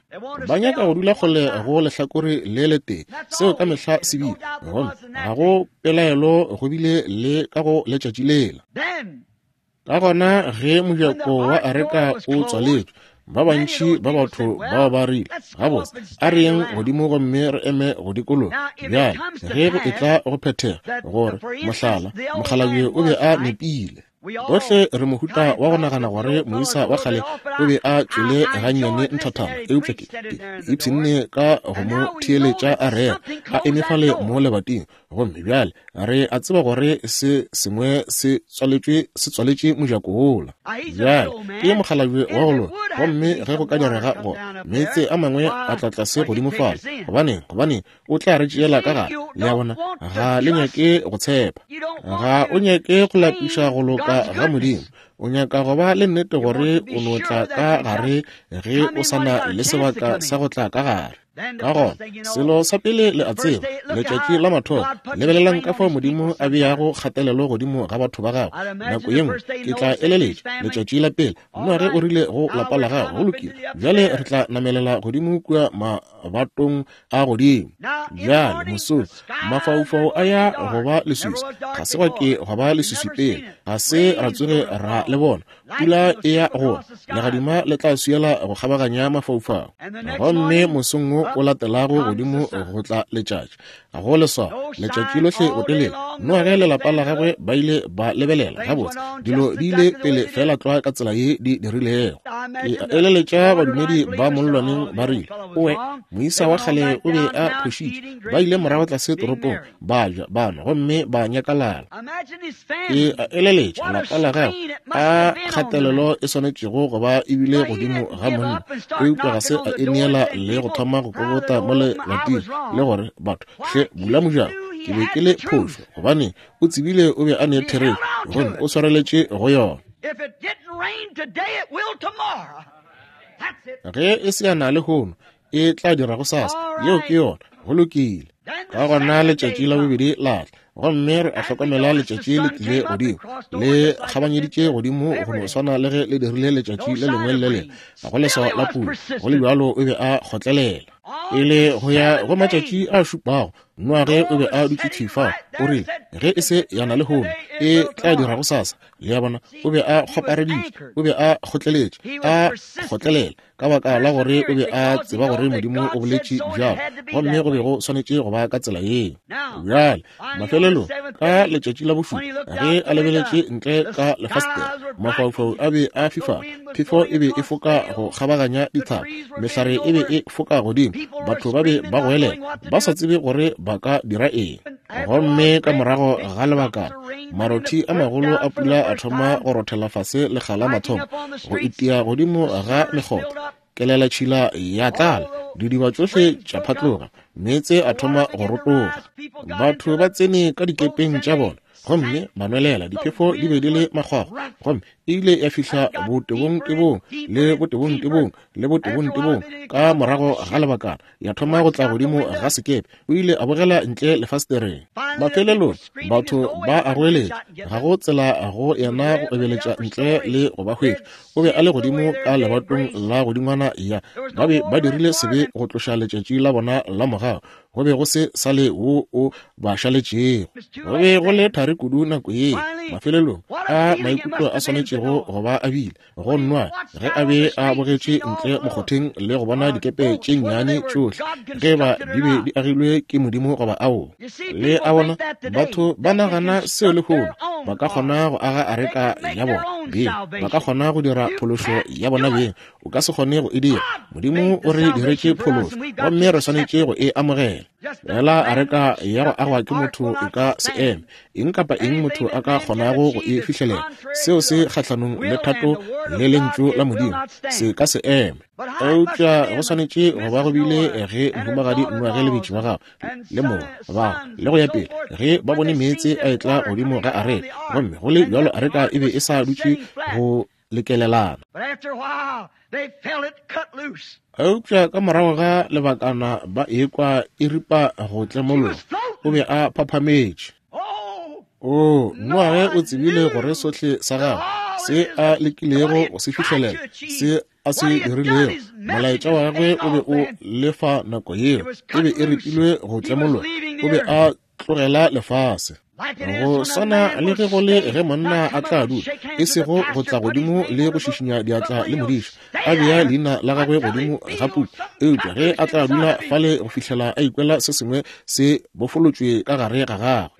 Ba nyaka go dula kgole go lehlakore le letee. Seo ka mehla se bile, gomme ga go pelaelo go bile le ka go letšatši lela. Ka gona ge mojako wa areka o tswaletšwe, ba bantši ba batho bao ba rile, gabotse, a re yeng godimo gomme re eme go dikologa. Bjale ge go etla go phethega gore mohlala mokgalabje o be a nepile. Bohle re mohuta wa go nagana gore moisa wa kgale o be a tšwele gannyane nthathana, eupša ke ipshinne ka go mo theeletša a rera a eme fale mo lebating. Gomme bjale re a tseba gore se sengwe se tswaletšwe se tswaletše mojako wola. Bjale ke mokgalabje wa go loka, gomme ge go ka direga go meetse a mangwe a tla tlase godimo fale, gobaneng gobaneng o tla re tšeela ka gare. Le a bona, ga le nyake go tshepa, ga o nyake go lapiša go loka ga Modimo. O nyaka go ba le nnete gore o no tla ka gare ge o sa na le sebaka sa go tla ka gare. Ka gona selo sa pele le a tseba, letšatši la mathomo, lebelelang ka fao Modimo a beago kgatelelo godimo ga batho ba gagwe. Nako ye nngwe ke tla eleletša letšatši la pele, Noage o rile go lapa la gagwe, go lokile, bjale re tla namelela godimo kua mabatong a godimo. Bjale mosong mafaufau a ya go ba leswiswi, ga se gwa ke gwa ba leswiswi pele, ga se ra tsoge ra le bona. Pula e ya go legadima le tla swiela go kgabaganya mafaufau. Gomme mosong wo o latelago godimo go tla letšatši, go leswao letšatši lohle botelele. Noage le lapa la gagwe ba ile ba lebelela gabotse, dilo di ile pele fela tlwa ka tsela ye di dirilego. Ke eleletša badumedi ba mollwaneng ba rile, owe, moisa wa kgale o be a phošitše. Ba ile morago tlase toropong, ba ja, ba nwa, gomme ba nyakalala. Ke eleletša lapa la gagwe a kgatelelo e swanetšego go ba ebile godimo ga monna, eupša ga se a ineela le go thoma go kokota mo lebating le gore, batho hle bula mojako, ke be ke le phošo. Gobane o tsebile o be a ne therešo, gomme o swareletše go yona. Ge e se ya na lehono, e tla dira go sasa. Yeo ke yona, go lokile. Ka gona letšatši la bobedi la tla, gomme re a hlokomela letšatši le tlile godimo, le kgabanyeditše godimo go no swana le ge le dirile letšatši le lengwe le lengwe. Ga go leswao la pula, go le bjalo o be a kgotlelela. Pele go ya go matšatši a šupago, Noage o be a dutše thwi fao. O rile, ge e se ya na lehono, e tla dira go sasa. Le a bona, o be a kgopareditše, o be a kgotleletše, a kgotlelela ka baka la gore o be a tseba gore Modimo o boletše bjalo, gomme go be go swanetše go ba ka tsela yeo. Bjale mafelelong ka letšatši la bošupa, ge a lebeletše ntle ka lefasetere, mafaufau a be a fifala, phefo e be e foka go kgabaganya dithaba, mehlare e be e foka godimo, batho ba be ba goelela ba sa tsebe gore ba ka dira eng. Gomme ka morago ga lebakana, marothi a magolo a pula a thoma go rothela fase lekga la mathomo, go itia godimo ga mekgotha, kelela tšhila ya tlala, didiba tšohle tša phatloga, meetse a thoma go rotoga. Batho ba tsene ka dikepeng tša bona gomme ba nwelela, diphefo di be di le makgwakgwa, gomme E ile ya fihla botebong-tebong le botebong-tebong le botebong-tebong ka morago ga lebakana ya thoma go tla godimo ga sekepe. O ile a bogela ntle lefastereng. Mafelelong batho ba a goeletša, ga go tsela go yena go ebeletša ntle le go ba hwetša. O be a le godimo ka lebatong la godingwana ya ba be ba dirile sebe go tloša letšatši la bona la mogau. Go be go se sa le wo o ba šaletšego. Go be go le thari kudu nako ye. Mafelelong a maikutlo a swanetšego go ba a bile go nwa ge a be a bogetše ntle mokgotheng le go bona dikepe tše nnyane tšohle, ge ba di be di agilwe ke Modimo goba ao. Le a bona, batho ba nagana seo lehono ba ka kgona go aga areka ya bona beng, ba ka kgona go dira phološo ya bona beng. O ka se kgone go e dira. Modimo o re diretše phološo gomme re swanetše go e amogela. Fela areka ya go agwa ke motho e ka se eme. Eng kapa eng motho a ka kgonago go e fihlelela, seo se kgahlanong le thato le lentšu la Modimo, se ka se eme. Eupša go swanetše go ba go bile ge mohumagadi Noage le betši ba gagwe le morwa ba le go ya pele, ge ba bone meetse a etla godimo ga areka, gomme go le bjalo areka e be e sa dutše go lekelelana. Eupša ka morago ga lebakana ba ekwa e ripa go tlemologa. O be a phaphametše. O Noage o tsebile gore sohle sa gagwe se a lekilego go se fihlelela, se a se dirilego, molaetša wa gagwe o be o lefa nako yeo, e be e ripilwe go tlemologa. O be a tlogela lefase. Go swana le ge go le ge monna a tla dula, e sego go tla godimo le go šišinya diatla le modiša, a bea leina la gagwe godimo ga puku, eupša ge a tla dula fale go fihlela a ikwela se sengwe se bofolotšwe ka gare ga gagwe,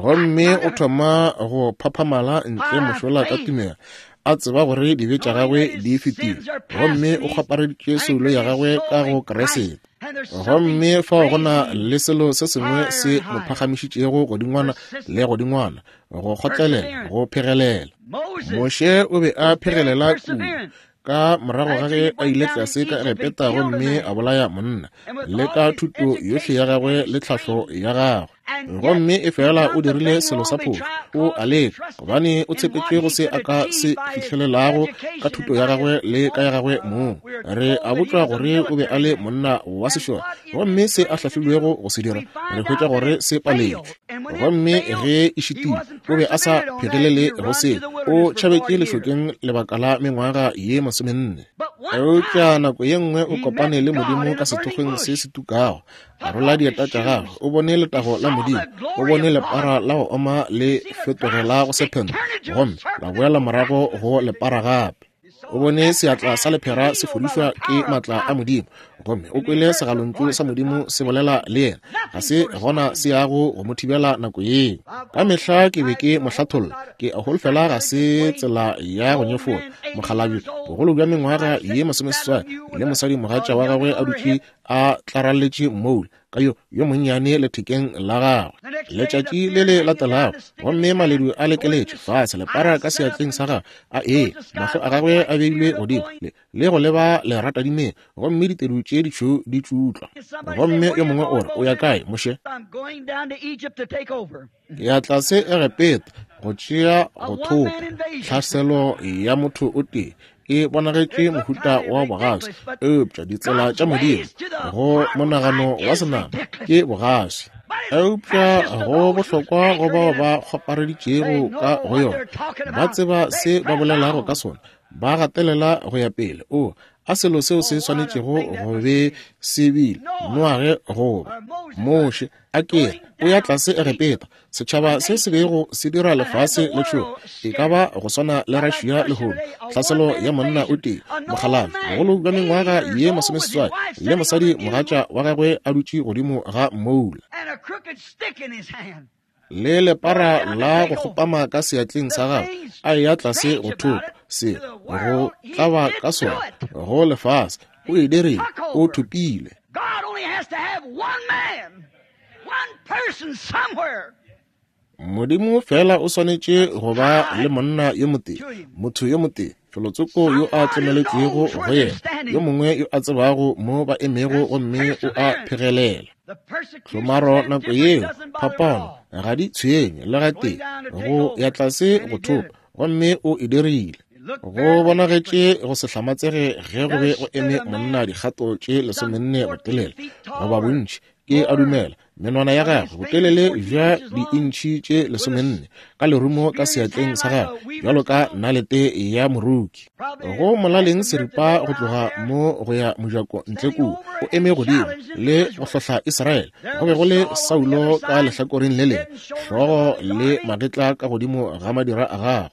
gomme o thoma go phaphamala ntle mošola ka tumelo, a tseba gore dibe tša gagwe di fetile, gomme o kgwapareditše soulo ya gagwe ka go Kriste. Gomme fao go na le selo se sengwe se mo phagamišitšego godingwana le godingwana, go kgotlelela, go phegelela. Moshe o be a phegelela kudu ka morago ga ge a ile tlase ka Egepeta gomme a bolaya monna, le ka thuto yohle ya gagwe le tlhahlo ya gagwe. Gomme e fela o dirile selo sa phošo, o a leka, gobane o tshepetše go se a ka se fihlelelago ka thuto ya gagwe le ka ya gagwe mong. Re a botšwa gore o be a le monna wa sešole, gomme se a hlahlilwego go se dira, re hwetša gore se paletšwe. Gomme ge e šitile, o be a sa phegelele go se, o tšhabetše lešokeng lebaka la mengwaga ye masomenne. Eupša nako ye nngwe o kopane le Modimo ka sethokgweng se se tukago, a rola dieta tša gagwe, o bone letago la Modimo, o bone lepara la go oma le fetogela go sephente, gomme la boela morago go lepara gape. O bone seatla sa lephera se fodišwa ke matla a Modimo, gomme o kwele segalontšu sa Modimo se bolela le yena. Ga se gona se yago go mo thibela nako yeo. Ka mehla ke be ke mo hlatholla, ke a holofela ga se tsela ya go nyefola mokgalabje, bogolo bja mengwaga ye masomeseswai, le mosadi mogatša wa gagwe a dutše a tlaralletše mmoula ka yo yo monnyane lethekeng la gagwe. Letšatši le le latelago, gomme maledu a lekeletše fase, lepara ka seatleng sa gagwe a ee, mahlo a gagwe a beilwe godimo le, le go leba leratadimeng, gomme ditedu tše ditšhweu di tšutlwa. Gomme yo mongwe o re, o ya kae, Moshe? Ke ya tlase Egepeta go tšea go thopa. Tlhaselo ya motho o tee e bonagetše mohuta wa bogaswi, eupša ditsela tša Modimo go monagano wa senama ke bogaswi. Eupša go bohlokwa go bao ba kgwapareditšego ka go yona, ba tseba se ba bolelago ka sona, ba gatelela go ya pele. O a selo seo se swanetšego go be se bile Noage goba Moshe a kere o ya tlase Egepeta, setšhaba se se bego se dira lefase le tšhoga, e ka ba go swana le Russia lehono. Tlhaselo ya monna o tee, mokgalabje, bogolo bja mengwaga ye masomeseswai, le mosadi mogatša wa gagwe a dutše godimo ga mmoula, le lepara la go kgopama ka seatleng sa gagwe, a eya tlase go thopa se go tlaba ka sona go lefase. O e dirile, o thopile. Modimo fela o swanetše go ba le monna yo motee, motho yo motee, felotsoko yo a tlemeletšwego go yena, yo mongwe yo a tsebago mo ba emego, gomme o a phegelela. Tlhomaro nako yeo, phapano ga di tshwenye le gatee, go ya tlase go thopa, Gomme o e dirile. Go bonagetše go se hlamatsege ge go be go eme monna dikgato tše lesomenne botelele goba bontši, ke a dumela, menwana ya gagwe botelele bja diintšhi tše lesomenne, ka lerumo ka seatleng sa gagwe bjalo ka nalete ya moruki. Go molaleng seripa go tloga mo go ya mojako ntle kua, o eme godimo le go hlohla Israele. Go be go le Saulo ka lehlakoreng le lengwe, hlogo le magetla ka godimo ga madira a gagwe.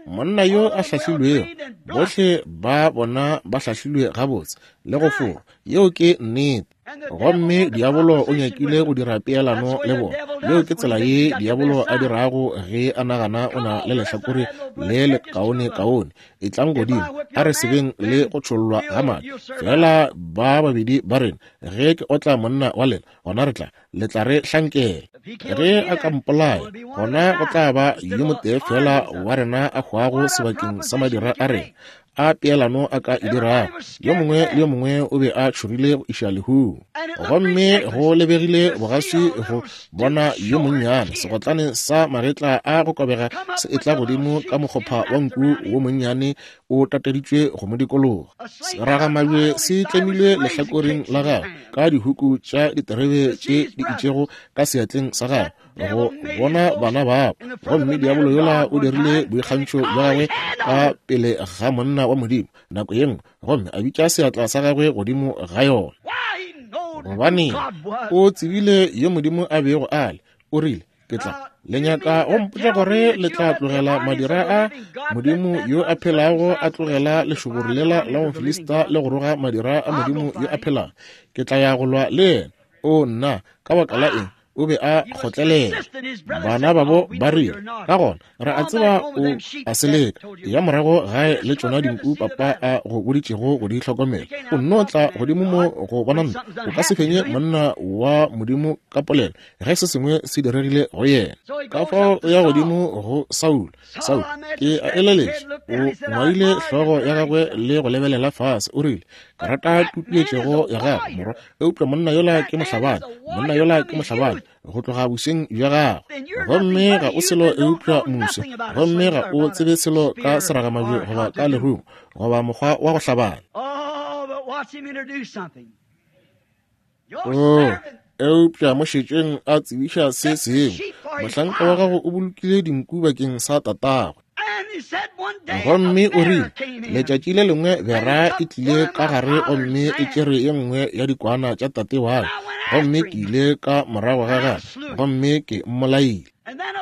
Monna yo a hlahlilwego, bohle ba bona ba hlahlilwe gabotse le go forwa. Yeo ke nnete. Gomme diabolo o nyakile go dira peelano le bona. Yeo ke tsela ye diabolo a dirago ge a nagana o na le lehlakore le le kaone-kaone. Etlang godimo, a re sebeng le go tšhollwa ga madi. Fela ba babedi ba rena, ge ke otla monna wa lena, gona re tla, le tla re hlankela. Ge a ka mpolaya, gona go tla ba yo motee fela wa rena a hwago sebakeng sa madira a rena a peelano a ka e dirago. Yo mongwe le yo mongwe o be a tšhogile go iša lehung. Gomme go lebegile bogaswi go bona yo monnyane segotlane sa magetla a go kobega se etla godimo ka mokgopha wa nku wo monnyane o tateditšwe go mo dikologa. Seragamabje se tlemilwe lehlakoreng la gagwe ka dihuku tša diterebe tše di itšego ka seatleng sa gagwe go bona bana babo. Gomme diabolo yola o dirile boikgantšho bja gagwe ka pele ga monna wa Modimo nako ye nngwe, gomme a bitša seatla sa gagwe godimo ga yona. Gobane o tsebile yo Modimo a bego a le. O rile, ke tla le nyaka go mpotša gore le tla tlogela madira a Modimo yo a phelago, a tlogela lešoboro lela la Mofilista le go roga madira a Modimo yo a phelago. Ke tla ya go lwa le yena. O nna, ka baka la eng? O be a kgotlelela. Bana babo ba rile, ka gona re a tseba o a seleka. Ya morago gae le tšona dinku papa a go boditšego go di hlokomela. O nno tla godimo mo go bona nna. O ka se fenye monna wa Modimo ka polelo ge se sengwe se diregile go yena. Ka fao o ya godimo go Saulo. Saulo, ke a eleletša, o ngwaile hlogo ya gagwe le go lebelela fase. O rile, ke rata tutuetšego ya gago, morwa, eupša monna yola ke mohlabani. Monna yola ke mohlabani go tloga boseng bja gagwe. Gomme ga o selo eupša muso, gomme ga o tsebe selo ka seragamabje goba ka lerumo goba mokgwa wa go hlabana. Oh, eupša mo šetšeng a tsebiša se sengwe. Mohlanka wa gago o bolokile dinku bakeng sa tatagwe. Gomme o rile, letšatši le lengwe bera e tlile ka gare gomme e tšere ye nngwe ya dikwana tša tate wa ka, gomme ke ile ka morago ga gagwe gomme ke mmolaile.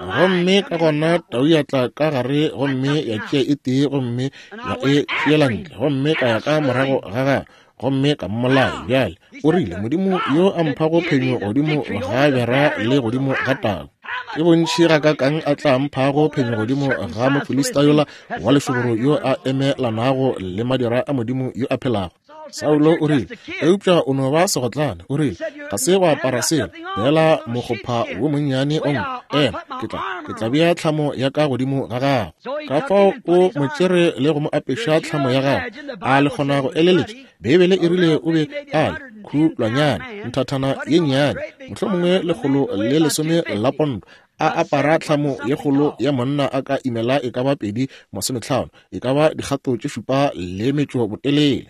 Gomme ka gona tau ya tla ka gare gomme ya tšea e tee gomme ya e tšeela ntle, gomme ka ya ka morago ga gagwe gomme ka mmolaya. Bjale o rile, Modimo yo a mphago phenyo godimo ga bera le godimo ga tau, ke bontši gakakang a tla mphago phenyo godimo ga Mofilista yola wa lešoboro yo a emelanago le madira a Modimo yo a phelago. Saulo o rile, eupša o no ba segotlane. O rile, ga se go apara selo, beela mokgopha wo monnyane o nngwe. Ema, ke tla, ke tla bea tlhamo ya ka godimo ga gago. Ka fao o mo tšere le go mo apeša tlhamo ya gagwe. A le kgona go eleletša? Beibele e rile o be a le khulwanyane, nthathana ye nnyane, mohlomongwe lekgolo le lesome la pondo, a apara tlhamo ye kgolo ya monna a ka imela e ka ba pedi masometlhano, e ka ba dikgato tše šupa le metšo botelele.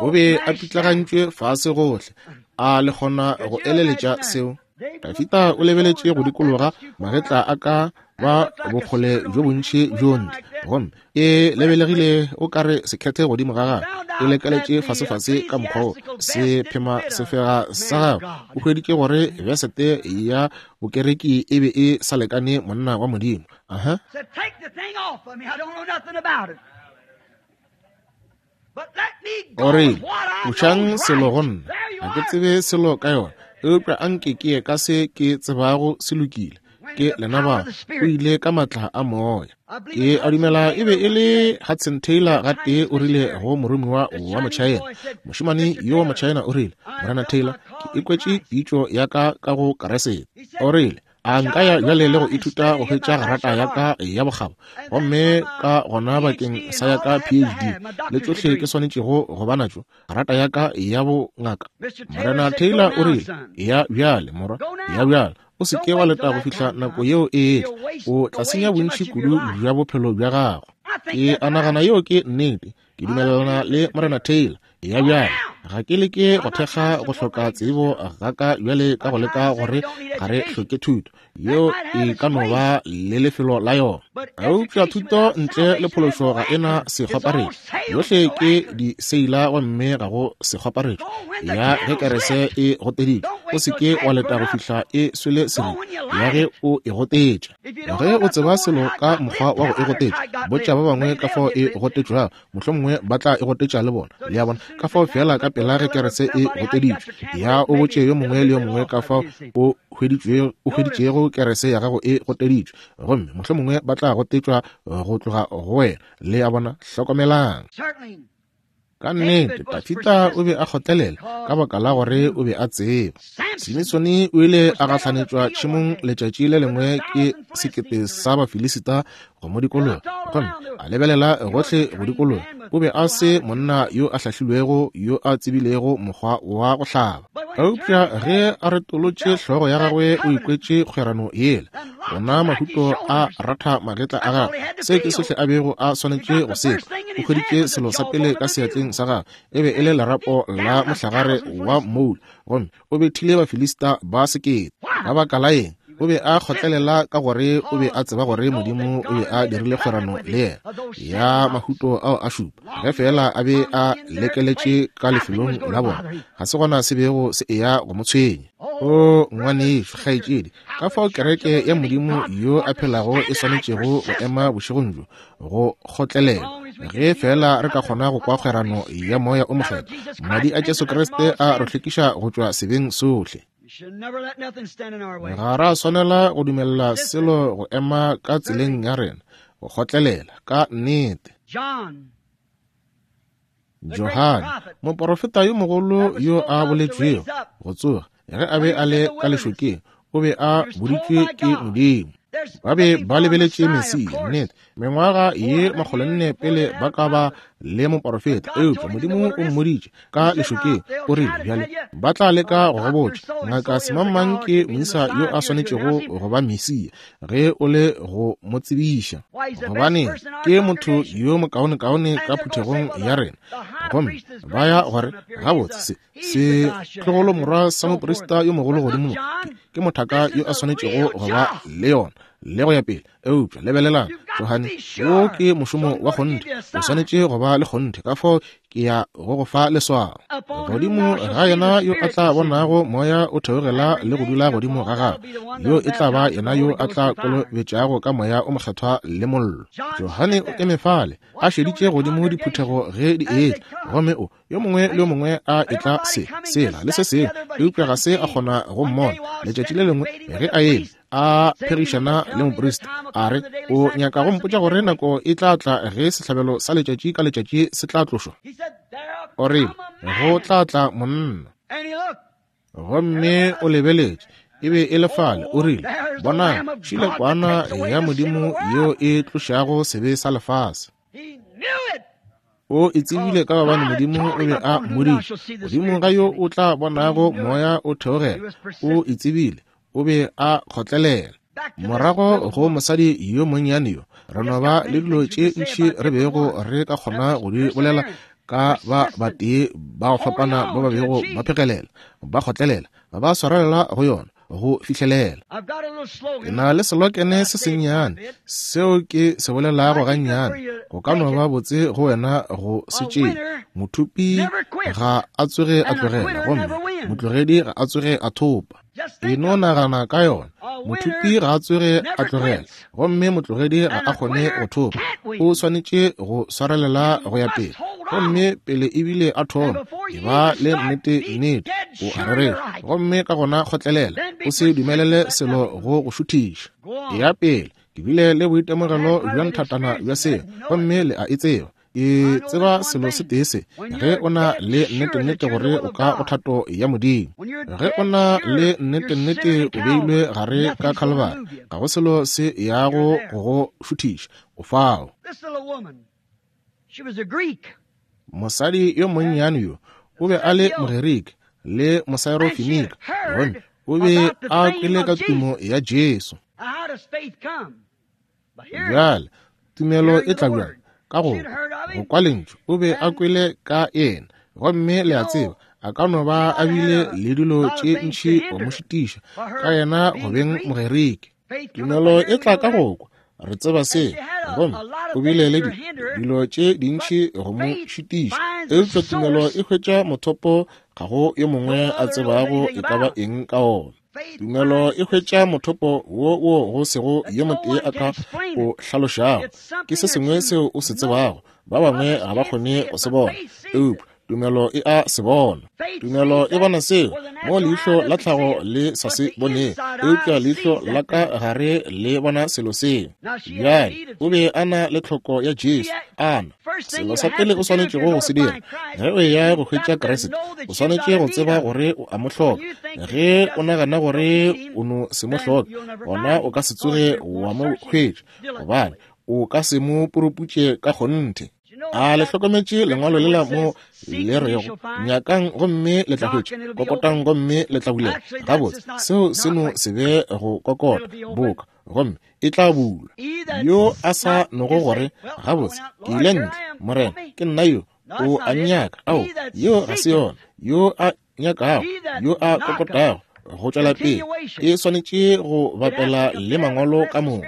O be a pitlagantšwe fase gohle. A le kgona go eleletša seo? Dafita o lebeletše go dikologa, magetla a ka ba bokgole bjo bontši bjo ntle, gomme e lebelegile o kare sekhethe godimo ga gagwe, e lekeletše fasefase ka mokgwa wo se phema sefega sa gagwe. O hweditše gore besete ya bokereki e be e sa lekane monna wa Modimo. Aha. O rile, tlošang selo go nna, ga ke tsebe selo ka yona, eupša anke ke ye ka se ke tsebago se lokile. Ke lena ba o ile ka matla a moya. Ke a dumela e be e le Hudson Taylor gatee o rile go moromiwa wa Mochina, mošemane yo wa Mochina o rile, Morena Taylor, ke ikwetše pitšo ya ka ka go Keresete. O rile, a nka ya bjale le go ithuta go hwetša grata ya ka ya bokgabo, gomme ka gona bakeng sa ya ka P H D le tšohle ke swanetšego go ba natšo, grata ya ka ya bongaka. Morena Taylor o rile, ya bjale morwa, ya bjale. O se ke wa leta go fihla nako yeo e etla, o tla senya bontši kudu bja bophelo bja gago. Ke a nagana yeo ke nnete. Ke dumelelana le Morena Taylor. Ya bjale, ga ke leke go thekga go hloka tsebo ga ka bjale ka go leka gore ga re hloke thuto. Yeo e ka no ba le lefelo la yona. Eupša thuto ntle le phološo ga e na sekgwaparetšo. Yohle ke diseila gomme ga go sekgwaparetšo. Ya ge kerese e gotteditšwe, o se ke wa leta go fihla e swele serite. Ya ge o e gotetša. Ge o tseba selo ka mokgwa wa go e gotetša, botša ba bangwe ka fao e gotetšwago, mohlomongwe ba tla e gotetša le bona. Le a bona, ka fao fela ka pela ge kerese e gotteditšwe, ya o botše yo mongwe le yo mongwe ka fao o o hweditšego kerese ya gago e gotteditšwe, gomme mohlomongwe ba tla gotetšwa go tloga go wena. Le a bona, hlokomelang. Ka nnete, Dafida o be a kgotlelela ka baka la gore o be a tseba. Simisone o ile a gahlanetšwa tšhemong letšatši le lengwe ke sekete sa Bafilisita go mo dikologa, gomme a lebelela gohle go dikologa. O be a se monna yo a hlahlilwego yo a tsebilego mokgwa wa go hlaba. Eupša ge a retolotše hlogo ya gagwe o ikwetše kgwerano yela. Ona mahuto a ratha magetla a gagwe. Se ke sohle a bego a swanetše go se kwa. O hweditše selo sa pele ka seatleng sa gagwe, e be e le lerapo la mohlagare wa moula, gomme o bethile Bafilista ba sekete. Ka baka la eng? O be a kgotlelela ka gore o be a tseba gore Modimo o be a dirile kgwerano le yena ya mahuto ao a šupa. Ge fela a be a lekeletše ka lefelong la bona, ga se gona se bego se eya go mo tshwenya. O ngwanešo, kgaetšedi, ka fao kereke ya Modimo yo a phelago e swanetšego go ema bošegong bjo go kgotlelela. Ge fela re ka kgona go kwa kgwerano ya Moya o Mokgethwa, madi a Jesu Kriste a re hlwekiša go tšwa sebeng sohle. Ga ra swanela go dumella selo go ema ka tseleng ya rena, go kgotlelela ka nnete. Johane, moporofeta yo mogolo yo a boletšwego go tsoga ge a be a le ka lešokeng, o be a boditšwe ke Modimo. Ba be ba lebeletše Mesia, nnete, mengwaga ye makgolonne pele ba ka ba le moporofeta, eupša Modimo o mmoditše ka lešokeng. O rile, bjale ba tla leka go go botša, Ngaka Semangmang ke moisa yo a swanetšego go ba Mesia, ge o le go mo tsebiša, gobane ke motho yo mokaonekaone ka phuthegong ya rena. Gomme ba ya gore gabotse se se tlogolo morwa sa moprista yo mogolo godimo ke mothaka yo a swanetšego go ba le yona le go ya pele. Eupša lebelelang, Johane, wo ke mošomo wa kgonthe, o swanetše go ba le kgonthe, ka fao ke ya go go fa leswao. Godimo ga yena yo a tla bonago moya o theogela le go dula godimo ga gagwe, yo e tla ba yena yo a tla kolobetšago ka Moya o Mokgethwa le mollo. Johane o eme fale a šeditše godimo diphuthego ge di etla, gomme o yo mongwe le yo mongwe a etla se sela le se sengwe, eupša ga se a kgona go mmona. Letšatši le lengwe ge a eme a phegišana le moprista, a re, o nyaka go mpotša gore nako e tla tla ge sehlabelo sa letšatši ka letšatši se tla tlošwa? O rile, go tla tla monna. Gomme o lebeletše, e be e le fale. O rile, bonang, šile kwana ya Modimo yeo e tlošago sebe sa lefase. O e tsebile ka gobane Modimo o be a mmoditše. Godimo ga yo o tla bonago moya o theogela. O e tsebile, o be a kgotlelela. Morago go mosadi yo monnyane yo, re no ba le dilo tše ntši re bego re ka kgona go di bolela ka ba batee ba go fapana ba ba bego ba phegelela, ba kgotlelela, ba swarelela go yona go fihlelela. Ke na le selokene se sennyane seo ke se bolelago gannyane, go ka no ba botse go wena go se tšee. Mothupi ga a tsoge a tlogela, gomme motlogedi ga a tsoge a thopa. E no nagana ka yona. Mothupi ga a tsoge a tlogela, gomme motlogedi ga a kgone go thopa. O swanetše go swarelela go ya pele, gomme pele ebile a thoma, e ba le nnete nnete, o a rereša, gomme ka gona kgotlelela, o se dumelele selo go go šuthiša. Ya pele, ke bile le boitemogelo bja nthatana bja seo, gomme le a e tseba. Ke tseba selo se tee se, ge o na le nnete-nnete gore o ka go thato ya Modimo, ge o na le nnete-nnete o beilwe gare ka Calvary, ga go selo se yago go go šuthiša, o fao. Mosadi yo monnyane yo o be a le Mogerike le Mosaerofenika, gomme O be a kwele ka tumo ya Jesu. Bjale, tumelo e tla bjang? Ka go go kwa lentšu. O be a kwele ka yena. Gomme le a tseba, a ka no ba a bile le dilo tše ntši go mo šitiša ka yena go beng Mogerike. Tumelo e tla ka go kwa. Re tseba se. Gomme o bile le dilo tše dintši go mo šitiša. Eupša tumelo e hwetša mothopo ga go yo mongwe a tsebago e ka ba eng ka ona. Tumelo e hwetša mothopo wo wo go sego yo motee a ka o hlalošago. Ke se sengwe seo o se tsebago. Ba bangwe ga ba kgone go se bona, eupša tumelo e a se bona. Tumelo e bona seo mo leihlo la tlhago le sa se boneng, eupša leihlo la ka gare le bona selo seo. Bjale o be a na le tlhoko ya Jesu. Ana selo sa pele o swanetšego go se dira ge o eya go hwetša Kriste, o swanetše go tseba gore o a mo hloka. Ge o nagana gore o no se mo hloke, gona o ka se tsoge wa mo hwetša, gobane o ka se mo puruputše ka kgonthe. A le hlokometše lengwalo lela mo le rego, nyakang gomme le tla hwetša, kokotang gomme le tla bulela. Gabotse, seo se no se be go kokota boka, gomme e tla bulwa. Yo a sa nogo gore, gabotse, ke ile ntle, Morena, ke nna yo, o a nnyaka. Ao, yeo ga se yona. Yo a nyakago, yo a kokotago, go tšwela pele e swanetše go bapela le mangwalo ka moka.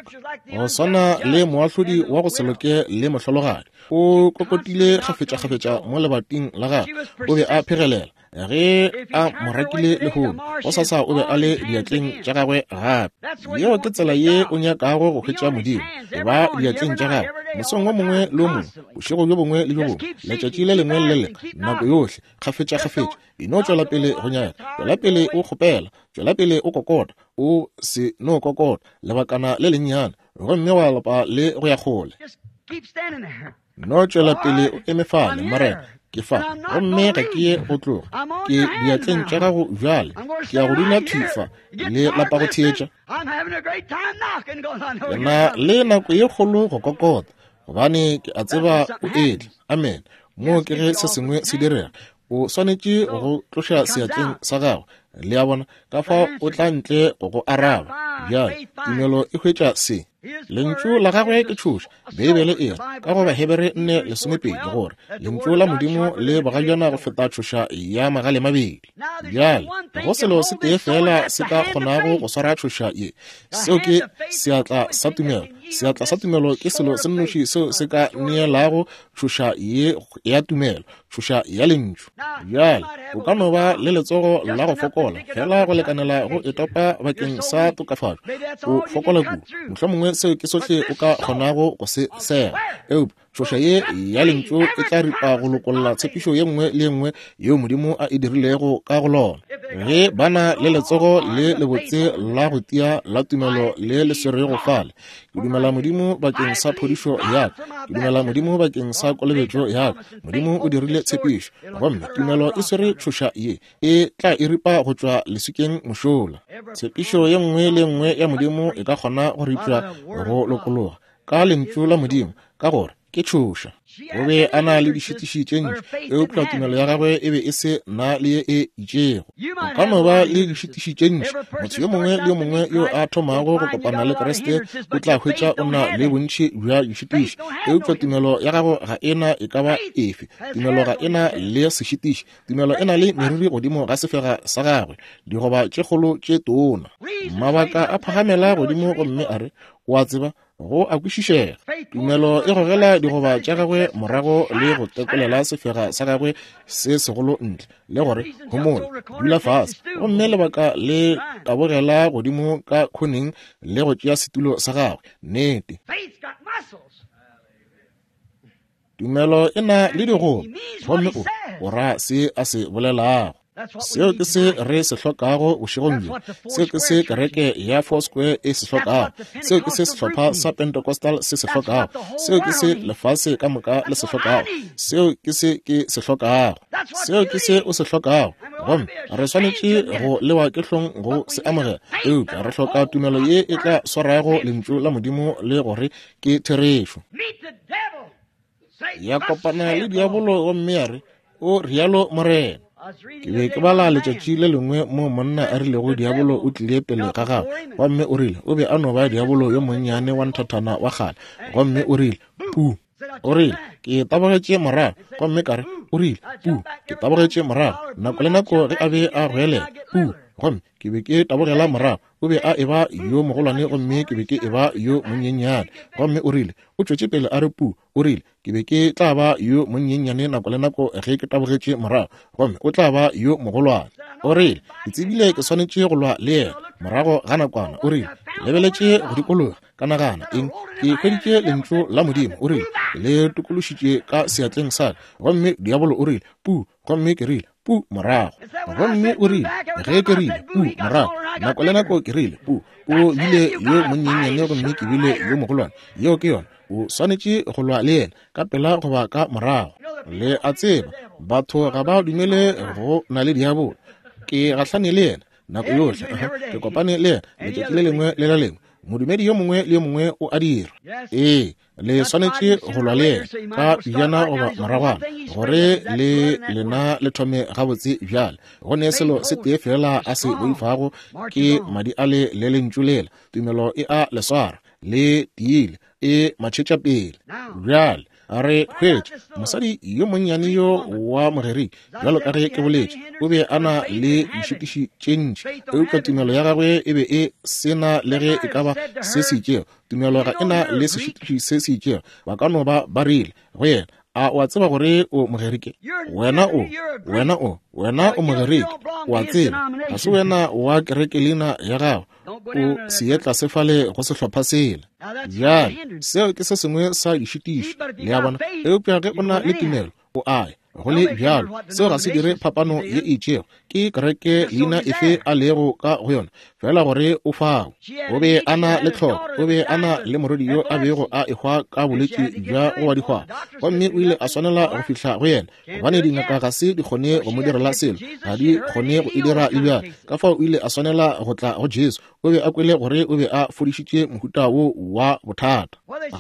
Go swana le moahlodi wa go se loke le mohlologadi, o kokotile kgafetša-kgafetša mo lebating la gagwe. O be a phegelela ge a mo rakile lehono, gosasa o be a le diatleng tša gagwe gape. Yeo ke tsela ye o nyakago go hwetša Modimo, e ba diatleng tša gagwe mosong wo mongwe le wo mongwe, bošego bjo bongwe le bjo bongwe, letšatši le lengwe le le lengwe, nako yohle, kgafetša-kgafetša. E no tšwela pele go nyaka, tšwela pele o kgopela, tšwela pele o kokota, o se no kokota lebakana le lennyane, gomme wa lapa le go ya kgole. No tšwela pele o eme fale, Morena, ke fa, gomme ga ke ye go tloga. Ke diatleng tša gago bjale. Ke ya go dula thwi fa le lapa go theetša. Ke na le nako ye kgolo go kokota, gobane ke a tseba o etla. Amen. Mo ke ge se sengwe se direga, o swanetše go tloša seatleng sa gago. Le a bona, ka fao o tla ntle go go araba. Bjale tumelo e hwetša se. Lentšu la gagwe ke tšhoša. Beibele e re ka go Bahebere nne lesomepedi gore lentšu la Modimo le bogajana go feta tšhoša ya magale mabedi. Bjale go selo se tee fela se ka kgonago go swara tšhoša ye, seo ke seatla sa tumelo. Seatla sa tumelo ke selo se nnoši seo se ka neelago tšhoša ye ya tumelo, tšhoša ya lentšu. Bjale o ka no ba le letsogo la go fokola fela go lekanela go e topa bakeng sa tokafatšo. O fokola kudu, mohlomongwe seo ke sohle o ka kgonago go se sega. Eupša tšhoša ye ya lentšu e tla ripa go lokolla tshepišo ye nngwe le ye nngwe yeo Modimo a e dirilego ka go lona. Ge ba na le letsogo le lebotse la go tia la tumelo le le swerego fale, ke dumela Modimo bakeng sa phodišo ya ka, ke dumela Modimo bakeng sa kolobetšo ya ka. Modimo o dirile tshepišo, gomme tumelo e swere tšhoša ye, e tla e ripa go tšwa leswikeng mošola. Tshepišo ye nngwe le nngwe ya Modimo e ka kgona go ripša go lokologa ka lentšu la Modimo, ka gore ke tšhoša. O be a na le dišitiši tše ntši, eupša tumelo ya gagwe e be e se na le ye e itšego. O ka no ba le dišitiši tše ntši. Motho yo mongwe le yo mongwe yo a thomago go kopana le Kriste o tla hwetša o na le bontši bja dišitiši, eupša tumelo ya gago ga e na e ka ba efe. Tumelo ga e na le sešitiši. Tumelo e na le meriri godimo ga sefega sa gagwe, digoba tše kgolo tše tona. Mabaka a phagamela godimo gomme a re, o a tseba, go a kwešišega. Tumelo e gogela digoba tša gagwe morago le go tekolela sefega sa gagwe se segolo ntle, le gore homola, dula fase, gomme lebaka le tabogela godimo ka khoneng le go tšea setulo sa gagwe. Nnete. Tumelo e na le digoba, gomme o o ra se a se bolelago. Seo ke se re se hlokago bošegong bjo. Seo ke se kereke ya Four Square e se hlokago. Seo ke se sehlopha sa Pentecostal se se hlokago. Seo ke se lefase ka moka le se hlokago. Seo ke se ke se hlokago. Seo ke se o se hlokago. Gomme re swanetše go lewa ke hlong go se amogela, eupša re hloka tumelo ye e tla swarago lentšu la Modimo le gore ke therešo. Ya kopana le diabolo gomme ya re, o rialo Morena. Ke be ke bala letšatši le lengwe mo monna a rilego diabolo o tlile pele ga gagwe, gomme o rile o be a no ba diabolo yo monnyane wa nthathana wa kgale, gomme o rile pu. O rile ke tabogetše morago, gomme ka re o rile pu, ke tabogetše morago nako le nako ge a be a goelela pu, gomme ke be ke tabogela morago. O be a eba yo mogolwane gomme ke be ke eba yo monyenyane. Gomme o rile o tšwetše pele a re pu, o rile ke be ke tla ba yo monyenyane nako le nako ge ke tabogetše morago, gomme o tla ba yo mogolwane. O rile ke tsebile ke swanetše go lwa le yena. Morago ga nakwana o rile ke lebeletše go dikologa, ka nagana eng, ke hweditše lentšu la Modimo. O rile ke le tokološitše ka seatleng sa ka, gomme diabolo o rile pu, gomme ke rile pu morago. Gomme o rile ge ke rile pu morago, nako le nako ke rile pu, o bile yo monyenyane gomme ke bile yo mogolwane. Yeo ke yona, o swanetše go lwa le yena ka pela goba ka morago. Le a tseba batho ga ba dumele go na le diabolo. Ke gahlane le yena nako yohle, ke kopane le yena letšatši le lengwe le le lengwe. Modumedi yo mongwe le yo mongwe o a dira. Ee, le swanetše go lwa le yena ka pejana goba moragwana gore le lena le thome gabotse bjale. Go ne selo se tee fela a se boifago ke madi a le le lentšu lela. Tumelo e a le swara, le tiile, e matšhetša pele. Bjale re hwetša mosadi yo monnyane yo wa Mogerike, bjalo ka ge ke boletše, o be a na le dišitiši tše ntši, eupša tumelo ya gagwe e be e se na le ge e ka ba se se itšego. Tumelo ga e na le sešitiši se se itšego. Ba ka no ba ba rile go yena, a o a tseba gore o Mogerike? Wena o, wena o, wena o Mogerike, o a tseba, ga se wena wa kerekelina ya gago, o seetla se fale go sehlopha sela. Bjale seo ke se sengwe sa dišitiši, le a bona. Eupša ge o na le tumelo, o a ya. Go le bjalo, seo ga se dire phapano ye e itšego ke kereke leina efe a lego ka go yona, fela gore o fao. O be a na le tlhoko, o be a na le morwedi yo a bego a ehwa ka bolwetši bja go wa dihwang, gomme o ile a swanela go fihla go yena, gobane dingaka ga se di kgone go mo direla selo, ga di kgone go e dira le bjale. Ka fao o ile a swanela go tla go Jesu. O be a kwele gore o be a fodišitše mohuta wo wa bothata.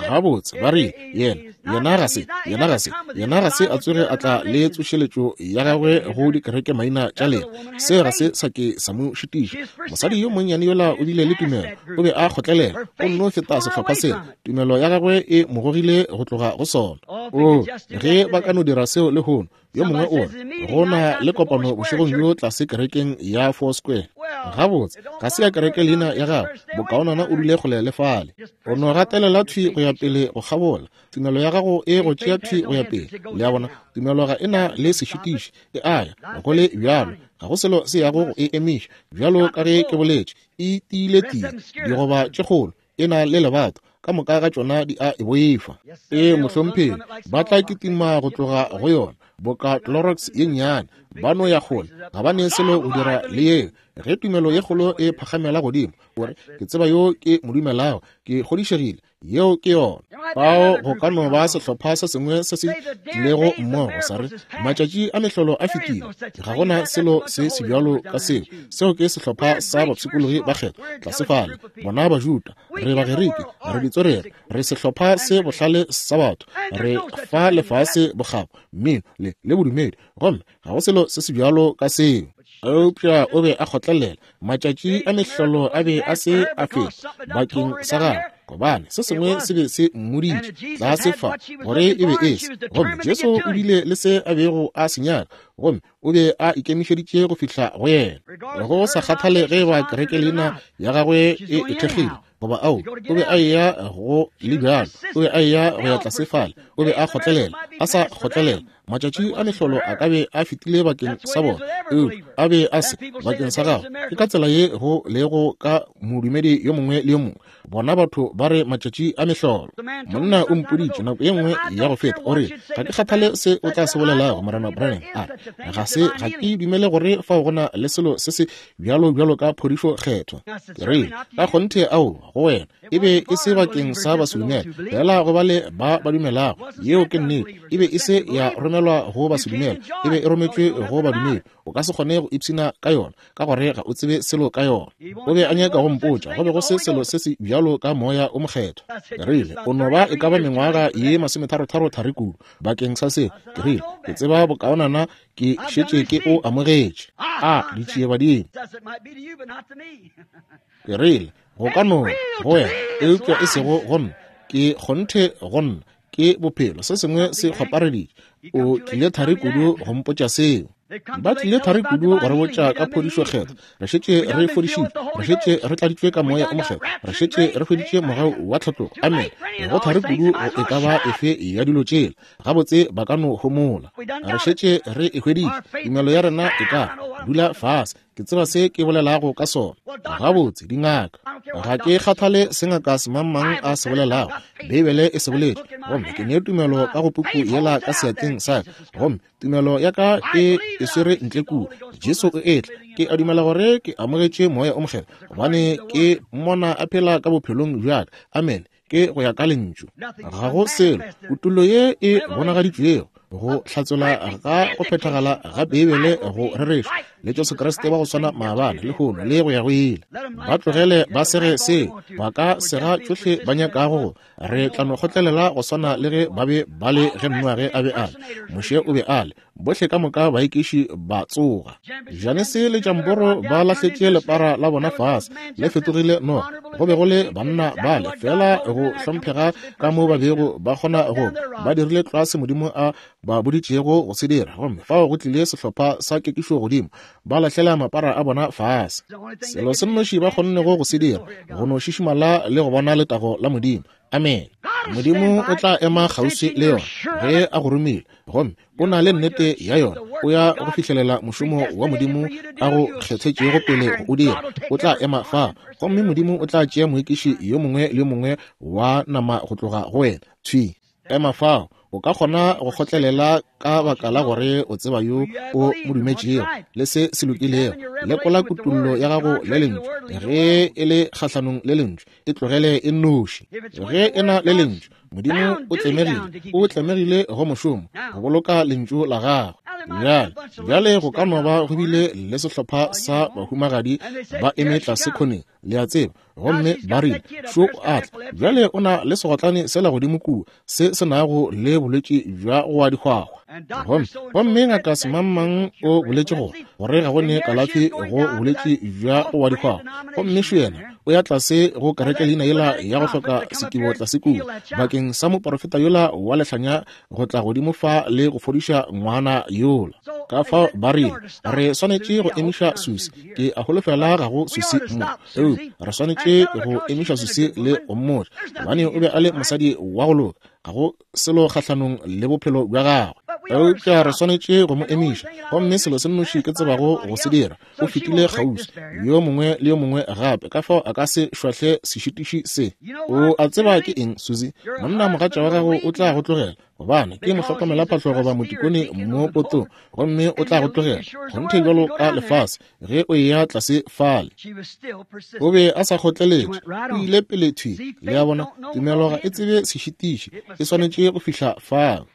Gabotse ba re yena, yena ga se, yena ga se, yena ga se a tsoge a tla le tsošeletšo ya gagwe go dikereke maina tša lena. Se ga se sa ke sa mo šitiša. Mosadi yo monnyane yola o bile le tumelo, o be a kgotlelela, o nno feta sehlopha sela. Tumelo ya gagwe e mo gogile go tloga go sona. O ge ba ka no dira seo lehono, yo mongwe o re go na le kopano bošegong bjo tlase kerekeng ya Four Square. Gabotse ga se ya kereke leina ya gago, bokaonana o dule kgole le fale. O no gatelela thwi go ya pele go kgabola. Tumelo ya gago e go tšea thwi go ya pele. Le a bona, tumelo ga e na le sešitiši, e a ya go le bjalo, ga go selo se yago go e emiša. Bjalo ka ge ke boletše, e tiile tie, digoba tše kgolo, e na le lebato, ka moka ga tšona di a e boifa. E mohlomphegi, ba tla kitima go tloga go yona boka Clorox ye nnyane, ba no ya kgole, ga ba ne selo go dira le yeo. Ge tumelo ye kgolo e phagamela godimo, o re ke tseba yo ke mo dumelago, ke kgodišegile, yeo ke yona. Fao go ka no ba sehlopha se sengwe se se tlilego mmogo sa re matšatši a mehlolo a fetile, ga gona selo se se bjalo ka seo. Seo ke sehlopha sa bapshikologi ba kgethwa tlase fale, bona Bajuda, re Bagerike, re ditswerere, re sehlopha se bohlale sa batho, re fa lefase bokgabo, mmino le le bodumedi, gomme ga go selo se se bjalo ka seo. Eupša o be a kgotlelela. Matšatši a mehlolo a be a se a feta bakeng sa gagwe, gobane se sengwe se be se mmoditše tlase fa gore e be e se. Gomme Jesu o bile le se a bego a se nyaka, gomme o be a ikemišeditše go fihla go yena, go sa kgathale ge ba kereke leina ya gagwe e e thekgile goba ao. O be a eya go le bjalo, o be a eya go ya tlase fale, o be a kgotlelela, a sa kgotlelela. Matšatši a mehlolo a ka be a fetile bakeng sa bona, eupša a be a se bakeng sa gagwe. Ke ka tsela ye go lego ka modumedi yo mongwe le yo mongwe. Bona batho ba re matšatši a mehlolo. Monna o mpoditše nako ye nngwe ya go feta, o re ga ke kgathale se o tla se bolelago, Morena Branham, a re ga se, ga ke dumele gore fao go na le selo se se bjalo bjalo ka phodišo kgethwa. Ke rile ka kgonthe ao go wena e be e se bakeng sa basedumele fela, go ba le ba ba dumelago. Yeo ke nnete. E be e se ya romelwa go basedumele, e be e rometšwe go badumedi. O ka ka se kgone go ipshina ka yona, ka gore ga o tsebe selo ka yona. O be a nyaka go mpotša go be go se selo se se bjalo ka Moya o Mokgethwa. Ke rile, o no ba e ka ba mengwaga ye masometharotharo thari kudu bakeng sa seo. Ke rile, ke tseba bokaonana, ke šetše ke o amogetše. A ditšiebadimo. Ke rile, go ka no go wena, eupša e sego go nna. Ke kgonthe go nna, ke bophelo. Se sengwe se kgwapareditše. O tlile thari kudu go mpotša seo. Ba tlile thari kudu go re botša ka phodišo kgethwa. Re šetše re fodišitšwe, re šetše re tladitšwe ka Moya o Mokgethwa, re šetše re hweditše mogau wa tlhatlogo. Amen. Go thari kudu go e ka ba efe ya dilo tšela. Gabotse ba ka no homola. Re šetše re e hweditše. Tumelo ya rena e ka dula fase. Ke tseba se ke bolelago ka sona. Gabotse dingaka, ga ke kgathale se ngaka semangmang a se bolelago. Beibele e se boletše, gomme ke ne tumelo ka go puku yela ka seatleng sa ka, gomme tumelo ya ka e e swere ntle kua. Jesu o etla. Ke a dumela gore ke amogetše Moya o Mokgethwa, gobane ke mmona a phela ka bophelong bja ka. Amen. Ke go ya ka lentšu. Ga go selo kutollo ye e bonagaditšwego go hlatsola ga go phethagala ga Beibele go rereša le Jesu Kriste wa go swana maabane, lehono le go ya go ile. Ba tlogele ba sege seo, ba ka sega tšohle ba nyakago go. Re tla no kgotlelela go swana le ge ba be ba le ge Noage a be a le, Moshe o be a le, bohle ka moka baekiši ba tsoga. Janese le Jamboro ba lahletše lepara la bona fase, le fetogile noga. Go be go le banna bale fela go hlomphega ka mo ba bego ba kgona go ba dirile tlwa se Modimo a ba boditšego go se dira, gomme fao go tlile sehlopha sa kekišo godimo, ba lahlela mapara a bona fase. Selo se nnoši ba kgonnego go se dira, go no šišimala le go bona letago la Modimo. Amen. Modimo o tla ema kgauswi le yona ge a go romile, gomme o na le nnete ya yona. O ya go fihlelela mošomo wa Modimo a go kgethetšego pele go o dira. O tla ema fa, gomme Modimo o tla tšea moekiši yo mongwe le yo mongwe wa nama go tloga go wena. Thwi, ema fao. O ka kgona go kgotlelela ka baka la gore o tseba yo o mo dumetšego le se se lokilego. Lekola kutollo ya gago le lentšu. Ge e le kgahlanong le lentšu, e tlogele e nnoši. Ge e na le lentšu, Modimo o tlemegile, o tlemegile go mošomo go boloka lentšu la gagwe. Bjale, bjale go ka no ba go bile le sehlopha sa bahumagadi ba eme tlase khoneng, le a tseba, gomme ba rile, šo o a tla. Bjale o na le segotlane sela godimo kua se se nago le bolwetši bja go wa dihwahwa. Gomme gomme ngaka semangmang o boletše gore gore ga go ne kalafi go bolwetši bja go wa dihwahwa. Gomme šo yena o ya tlase go kereke leina yela ya go hloka sekibo tlase kua bakeng sa moporofeta yola wa lehlanya go tla godimo fa le go fodiša ngwana yola. Ka fao ba rile, re swanetše go emiša Susi. Ke a holofela ga go Susi mo, eupša re swanetše go emiša Susi le go mmotša, gobane o be a le mosadi wa go loka, ga go selo kgahlanong le bophelo bja gagwe. Eupša re swanetše go mo emiša, gomme selo se nnoši ke tsebago go se dira, o fetile kgauswi yo mongwe le yo mongwe gape, ka fao a ka se šwahle sešitiši se. O a tseba ke eng, Susi? Monna mogatša wa gago o tla go tlogela, gobane ke mohlokomelaphahlo goba motikone mo potong, gomme o tla go tlogela kgonthe bjalo ka lefase ge o eya tlase fale. O be a sa kgotleletše, o ile pele thwi. Le a bona, tumelo ga e tsebe sešitiši, e swanetše go fihla fao.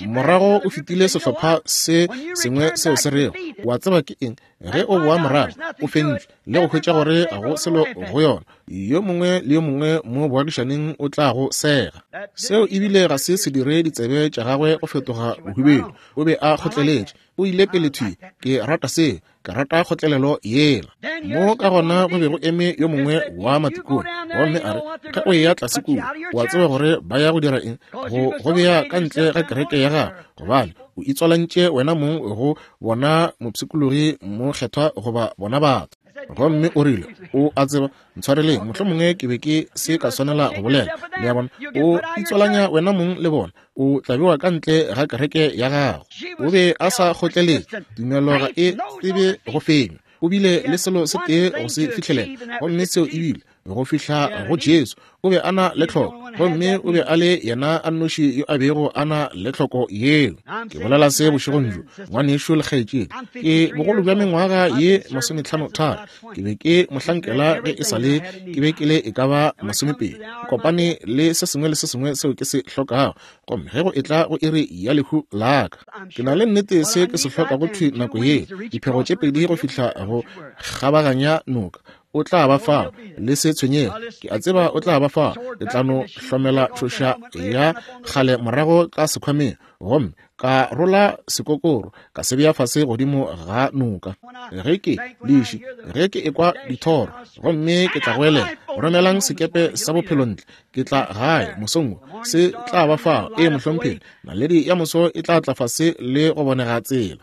Morago o fetile sehlopha se sengwe seo se rego, wa tseba ke eng, ge o boa morago o fentšwe le go hwetša gore ga go selo go yona, yo mongwe le yo mongwe mo boagišaneng o tla go sega. Seo ebile ga se se dire ditsebe tša gagwe go fetoga bohubedu. O be a kgotleletše, o ile pele thwi. Ke rata seo, ke rata kgotlelelo yela. Mo ka gona go be go eme yo mongwe wa matikone, gomme a re, ge o eya tlase kua, o a tseba gore ba ya go dira eng, go go bea ka ntle ga kereke ya gago, gobane o itswalantše wena mong go bona mopshikologi mokgethwa goba bona batho. Gomme o rile, o a tseba, ntshwareleng, mohlomongwe ke be ke se ka swanela go bolela. Le a bona, o itswalanya wena mong le bona, o tla bewa ka ntle ga kereke ya gago. O be a sa kgotleletše, tumelo ga e tsebe go fenywa. O bile le selo se tee go se fihlelela, gomme seo ebile go fihla go Jesu. O be a na le tlhoko, gomme o be a le yena a nnoši yo a bego a na le tlhoko yeo. Ke bolela se bošegong bjo, ngwanešu le kgaetšedi. Ke bogolo bja mengwaga ye masometlhano tharo. Ke be ke mohlankela ge e sa le ke be ke le e ka ba masomepedi. Kopane le se sengwe le se sengwe seo ke se hlokago, gomme ge go etla go iri ya lehu la ka, ke na le nnete se ke se hlokago thwi nako ye, diphego tše pedi go fihla go kgabaganya noka. O tla ba fao, le se tshwenyege. Ke a tseba o tla ba fao. Ke tla no hlomela tšhoša ya kgale morago ka sekhwameng, gomme ka rola sekokoro ka se bea fase godimo ga noka. Ge ke leši, ge ke ekwa dithoro, gomme ke tla goelela, romelang sekepe sa bophelo ntle, ke tla gae mosong wo. Se tla ba fao. Ee, mohlomphegi, naledi ya moso e tla tla fase le go bonega tsela.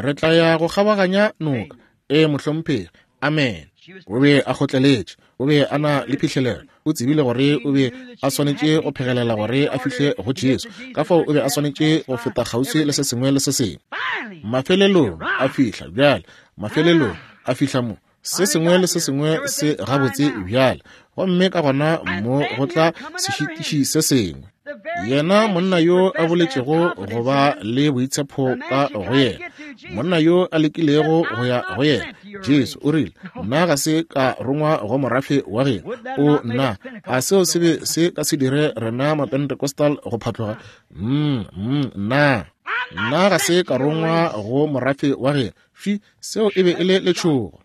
Re tla ya go kgabaganya noka. Ee, mohlomphegi. Amen. O be a kgotleletše, o be a na le phihlelelo, o tsebile gore o be a swanetše go phegelela gore a fihle go Jesu. Ka fao o be a swanetše go feta kgauswi le se sengwe le se sengwe. Mafelelong a fihla bjale, mafelelong a fihla mo. Se sengwe le se sengwe se gabotse bjale, gomme ka gona mo go tla sešitiši se sengwe. Yena monna yo a boletšego go ba le boitshepo ka go yena, monna yo a lekilego go ya go yena, Jesu o rile, nna ga se ka rongwa go morafe wa geno. O nna, a seo se be se ka se dire rena Mapentecostal go phatloga? Mm, mm, nna nna ga se ka rongwa go morafe wa geno. Fi, seo e be e le letšhogo.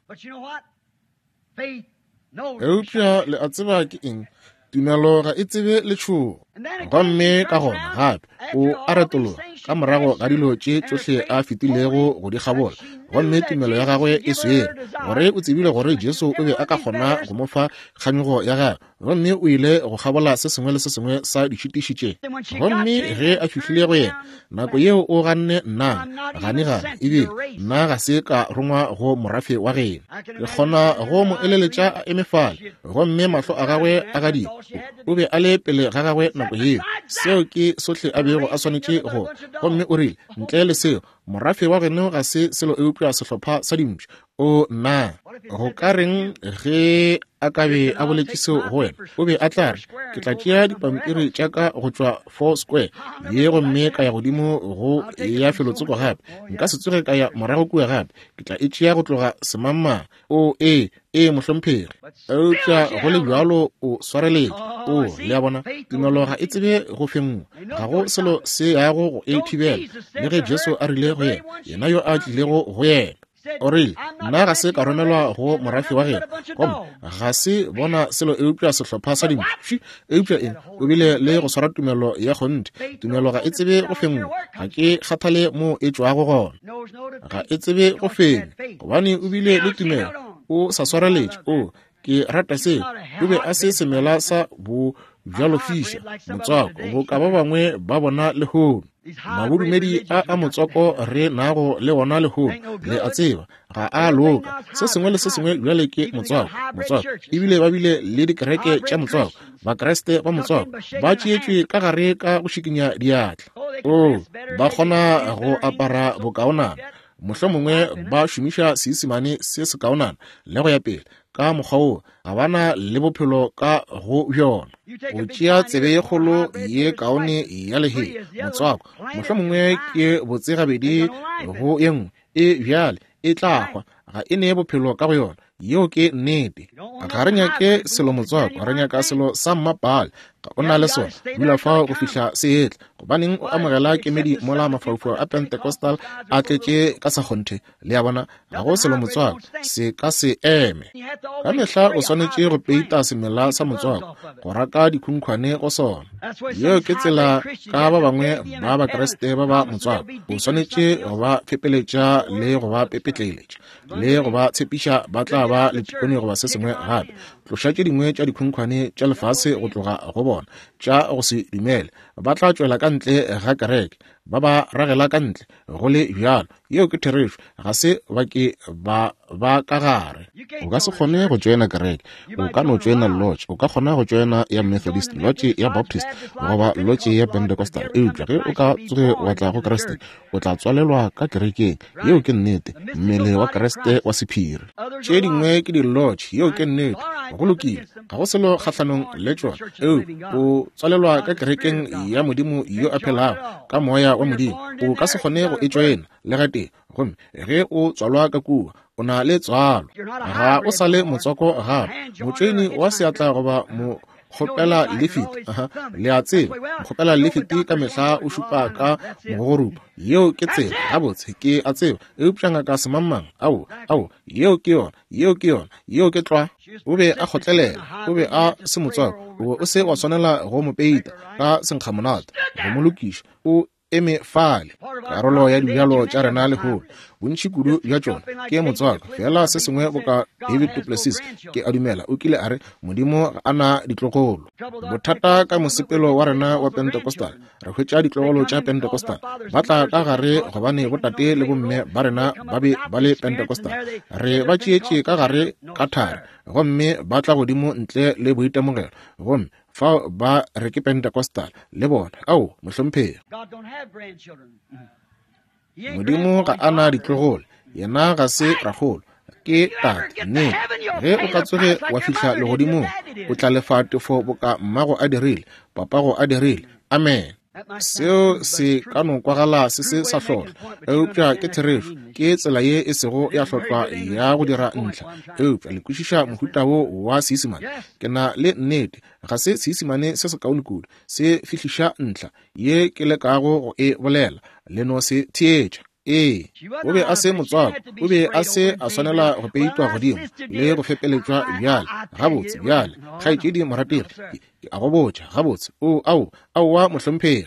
Eupša le a tseba ke eng? Tumelo ga e tsebe letšhogo. Gomme ka gona gape o a retologa ka morago ga dilo tše tšohle a fetilego go di kgabola, gomme tumelo ya gagwe e swere gore o tsebile gore Jesu o be a ka kgona go mo fa kganyogo ya gagwe, gomme o ile go kgabola se sengwe le se sengwe sa ditšhitiši tše. Gomme ge a fihlile go yena, nako yeo o ganne nna gane gane, ebile nna ga se ka rongwa go morafe wa geno. Ke kgona go mo eleletša a eme fale, gomme mahlo a gagwe a gadima. O be a le pele ga gagwe nako yeo. Seo ke sohle a bego a swanetše go. Gomme o rile, ntle le seo, morafe wa geno ga se selo eupša sehlopha sa dimpša. O nna, go ka reng ge a ka be a boletše seo go wena? O be a tla re, ke tla tšea dipampiri tša ka go tšwa Four Square ye gomme ka ya godimo go ya felotsoko gape. Nka se tsoge ka ya morago kua gape. Ke tla e tšea go tloga semangmang. O ee, ee, mohlomphegi. Eupša go le bjalo o swareletše. O, le a bona, tumelo ga e tsebe go fenngwa. Ga go selo se yago go e thibela. Le ge Jesu a rile go yena, yena yo a tlilego go yena, o rile, nna ga se ka romelwa go morafe wa geno, gomme ga se bona selo eupša sehlopha sa dimpši. Eupša eng? O bile le go swara tumelo ya kgonthe. Tumelo ga e tsebe go fenngwa. Ga ke kgathale mo e tšwago gona. Ga e tsebe go fenya, gobane o bile le tumelo. O sa swareletše. O, ke rata seo. O be a se semela sa bo bjalo fiša motswako boka ba bangwe ba bona lehono. Mabodumedi a a motswako re nago le ona lehono, le a tseba, ga a loka. Se sengwe le se sengwe bjale ke motswako, motswako. Ebile ba bile le dikereke tša motswako, Bakreste ba motswako ba tšeetšwe ka gare ka go šikinya diatla. O, ba kgona go apara bokaonana, mohlomongwe ba šomiša Seisemane se sekaonana le go ya pele. Ka mokgwa wo ga ba na le bophelo ka go bjona. Go tšea tsebe ye kgolo ye kaone ya lehea motswako, mohlomongwe ke botse gabedi go ye nngwe, e bjale e tla hwa, ga e nee bophelo ka go yona. Yeo ke nnete. Ga re nyake selo motswako, re nyaka selo sa mmapale. Ga o na le sona, dula fao go fihla se etla. Gobaneng o amogela kemedi mola mafaufau a Pentecostal a tletše ka sa kgonthe? Le a bona, ga go selo motswako, se ka se eme. Ka mehla o swanetše go peita semela sa motswako, go raka dikhunkhwane go sona. Yeo ke tsela ka ba bangwe ba Bakreste ba ba motswako. O swanetše go ba fepeletša le go ba pepetleletša le go ba tshepiša ba tla ba le tikone goba se sengwe gape. Tloša tše dingwe tša dikhunkhwane tša lefase go tloga go bona, tša go se dumele. Ba tla tšwela ka ntle ga kereke, ba ba ragela ka ntle go le bjalo. Yeo ke therešo. Ga se ba ke ba ba ka gare. O ka se kgone go tšoena kereke. O ka no tšoena lodge. O ka kgona go tšoena ya Methodist, lodge ya Baptist goba lodge ya Pentecostal. Eupša ge o ka tsoge wa tla go Kriste, o tla tswalelwa ka kerekeng. Yeo ke nnete. Mmele wa Kriste wa sephiri. Tše dingwe ke di-lodge, yeo ke nnete. Go lokile, ga go selo kgahlanong le tšona. Eupša o tswalelwa ka kerekeng ya Modimo yo a phelago, ka moya wa Modimo. O ka se kgone go e tšoena le gatee. Gomme ge o tswalwa ka kua, o na le tswalo. Ga o sa le motswako gape. Motšoeni wa seatla goba mo kgopela lifiti, aha, le a tseba, kgopela lifiti ka mehla o šupa ka mogorupo. Yeo ke tsela, gabotse ke a tseba. Eupša ngaka semangmang, ao, ao, yeo ke yona, yeo ke yona, yeo ke tlwa. O be a kgotlelela, o be a se motswako, o be o se wa swanela go mo peita ka senkgamonate, go mo lokiša. O eme fale. Karolo ya dibjalo tša rena lehono, bontši kudu bja tšona ke motswako. Fela se sengwe boka David Duplessis, ke a dumela o kile a re, Modimo ga a na ditlogolo. Bothata ka mosepelo wa rena wa Pentecostal, re hwetša ditlogolo tša Pentecostal ba tla ka gare gobane botate le bomme ba rena ba be ba le Pentecostal. Re ba tšeetše ka gare ka thari, gomme ba tla godimo ntle le boitemogelo, gomme fao ba re ke Pentecostal le bona. Ao, mohlomphegi, Modimo ga a na ditlogolo, yena ga se rakgolo, ke tate. Nnete, ge o ka tsoge wa fihla legodimong, o tla lefa tefo boka mmago a dirile, papago a dirile. Amen. Seo se ka no kwagala se se sa hlotla, eupša ke therešo. Ke tsela ye e sego ya hlotlwa ya go dira ntlha, eupša le kwešiša mohuta wo wa Seisemane. Ke na le nnete, ga se Seisemane se sekaone kudu, se fihliša ntlha ye ke lekago go e bolela. Le no se theetša. Ee, o be a se motswako, o be a se a swanela go peitwa godimo le go fepeletšwa bjale. Gabotse bjale, kgaetšedi morategi, ke a go botša, gabotse, o ao, aowa mohlomphegi.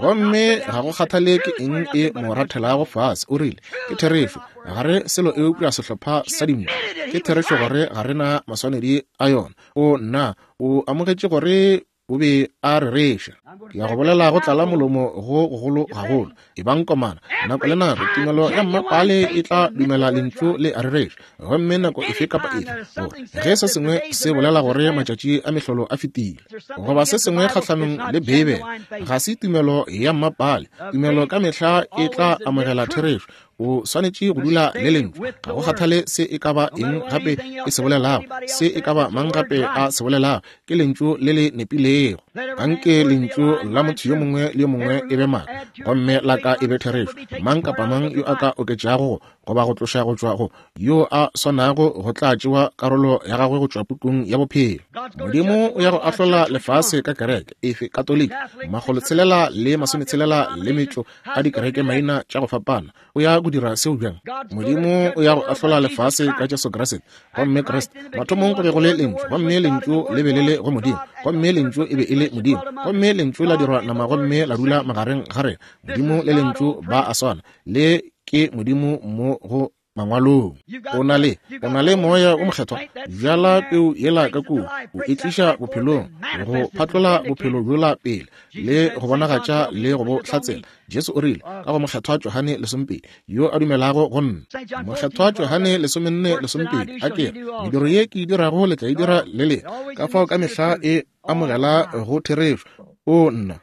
Gomme ga go kgathale ke eng e mo rathelago fase, o rile, ke therešo, ga re selo eupša sehlopha sa dinku. Ke therešo gore ga re na maswanedi a yona. O nna, o amogetše gore o be a rereša. Ke ya go bolela go tlala molomo go gogolo gagolo. E bang komana, nako le nako tumelo ya mmapale e tla dumela lentšu le a rereša. Gomme nako efe kapa efe, gore ge se sengwe se bolela gore matšatši a mehlolo a fetile, goba se sengwe kgahlanong le Beibele, ga se tumelo ya mmapale. Tumelo ka mehla e tla amogela therešo. O swanetše go dula le lentšu. Ga go kgathale se e ka ba eng gape e se bolelago, se e ka ba mang gape a se bolelago, ke lentšu le le nepilego. Anke lentšu la motho yo mongwe le yo mongwe e be maaka, gomme la ka e be therešo. Mang kapa mang yo a ka oketšago goba go tloša go tšwa go yo a swanago, go tla tšewa karolo ya gagwe go tšwa pukung ya bophelo. Modimo o ya go ahlola lefase ka kereke efe? Katoliki, makgolo tshelela le masometshelela le metšo a dikereke maina tša go fapana. O ya go dira seo bjang? Modimo o ya go ahlola lefase ka Jesu Kriste. Gomme Kriste, mathomong go be go le lentšu, gomme lentšu le be le le go Modimo, gomme lentšu e be e le Modimo, gomme lentšu la dirwa nama gomme la dula magareng ga rena. Modimo le lentšu ba a swana, le ke Modimo mo go mangwalong. O na le, o na le moya o mokgethwa. Bjala peu yela ka kua, o e tliša bophelong, go phatlola bophelo bjola pele, le go bonagatša le go bo hlatsela. Jesu o rile ka go mokgethwa Johane lesomepedi, yo a dumelago go nna. Mokgethwa Johane lesomenne lesomepedi, a ke re, mediro ye ke e dirago le tla e dira le lena. Ka fao ka mehla e amogela go therešo. O nna.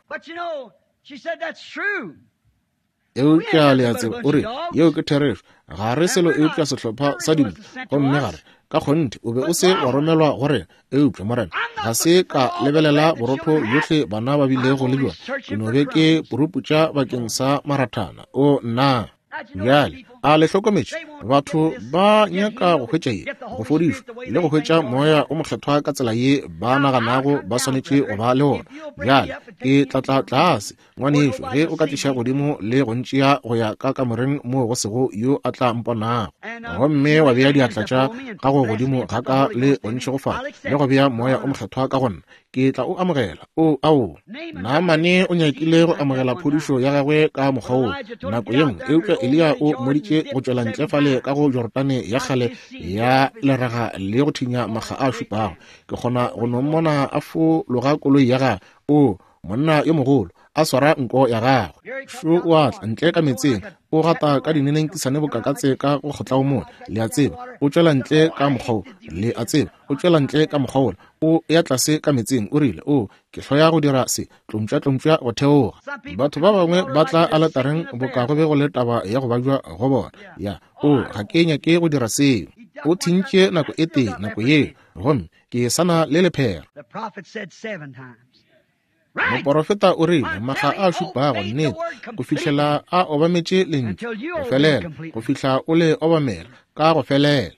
Eupša le a tseba, o re, yeo ke therešo, ga re selo eupša sehlopha sa dinku, gomme gare ka kgonthe o be o se wa romelwa go rena. Eupša Morena, ga se ka lebelela borotho bjohle bana ba bilego le bjona, ke no be ke puruputša bakeng sa marathana. O nna. Bjale, a le hlokometše, batho ba nyaka go hwetša ye, go fodišwa le go hwetša moya o mokgethwa ka tsela ye ba naganago ba swanetše go ba le ona. Bjale, ke tla tla tlase, ngwanešu, ge o ka tliša godimo le go ntšea go ya ka kamoreng moo go sego yo a tla mponago, gomme wa bea diatla tša gago godimo ga ka le go ntšhegofatša le go bea moya o mokgethwa ka go nna, ke tla o amogela. O ao, Naamane o nyakile go amogela phodišo ya gagwe ka mokgwa woo nako ye nngwe, eupša Eliya o mmoditše go tšwela ntle fale ka go Jorodane ya kgale ya leraga le go thinya makga a šupago. Ke kgona go no mmona a fologa koloi ya gagwe, o monna yo mogolo, a swara nko ya gagwe. Šo o a tla ntle ka meetseng, o gata ka dinenenkisane boka katse ka go kgotla o mone, le a tseba, o tšwela ntle ka mokgwa wo, le a tseba, o tšwela ntle ka mokgwa wola, o ya tlase ka metseng, o rile, o ke hloya go dira se, tlompša tlompša go theoga. Batho ba bangwe ba tla aletareng boka go be go le taba ya go babja go bona. Ya, o ga ke nyake go dira seo. O thintše nako e tee nako yeo, gomme ke sa na le lephera. Moporofeta o rile makga a šupago, nnete, go fihlela a obametše lentšu go felela, go fihla o le obamela ka go felela.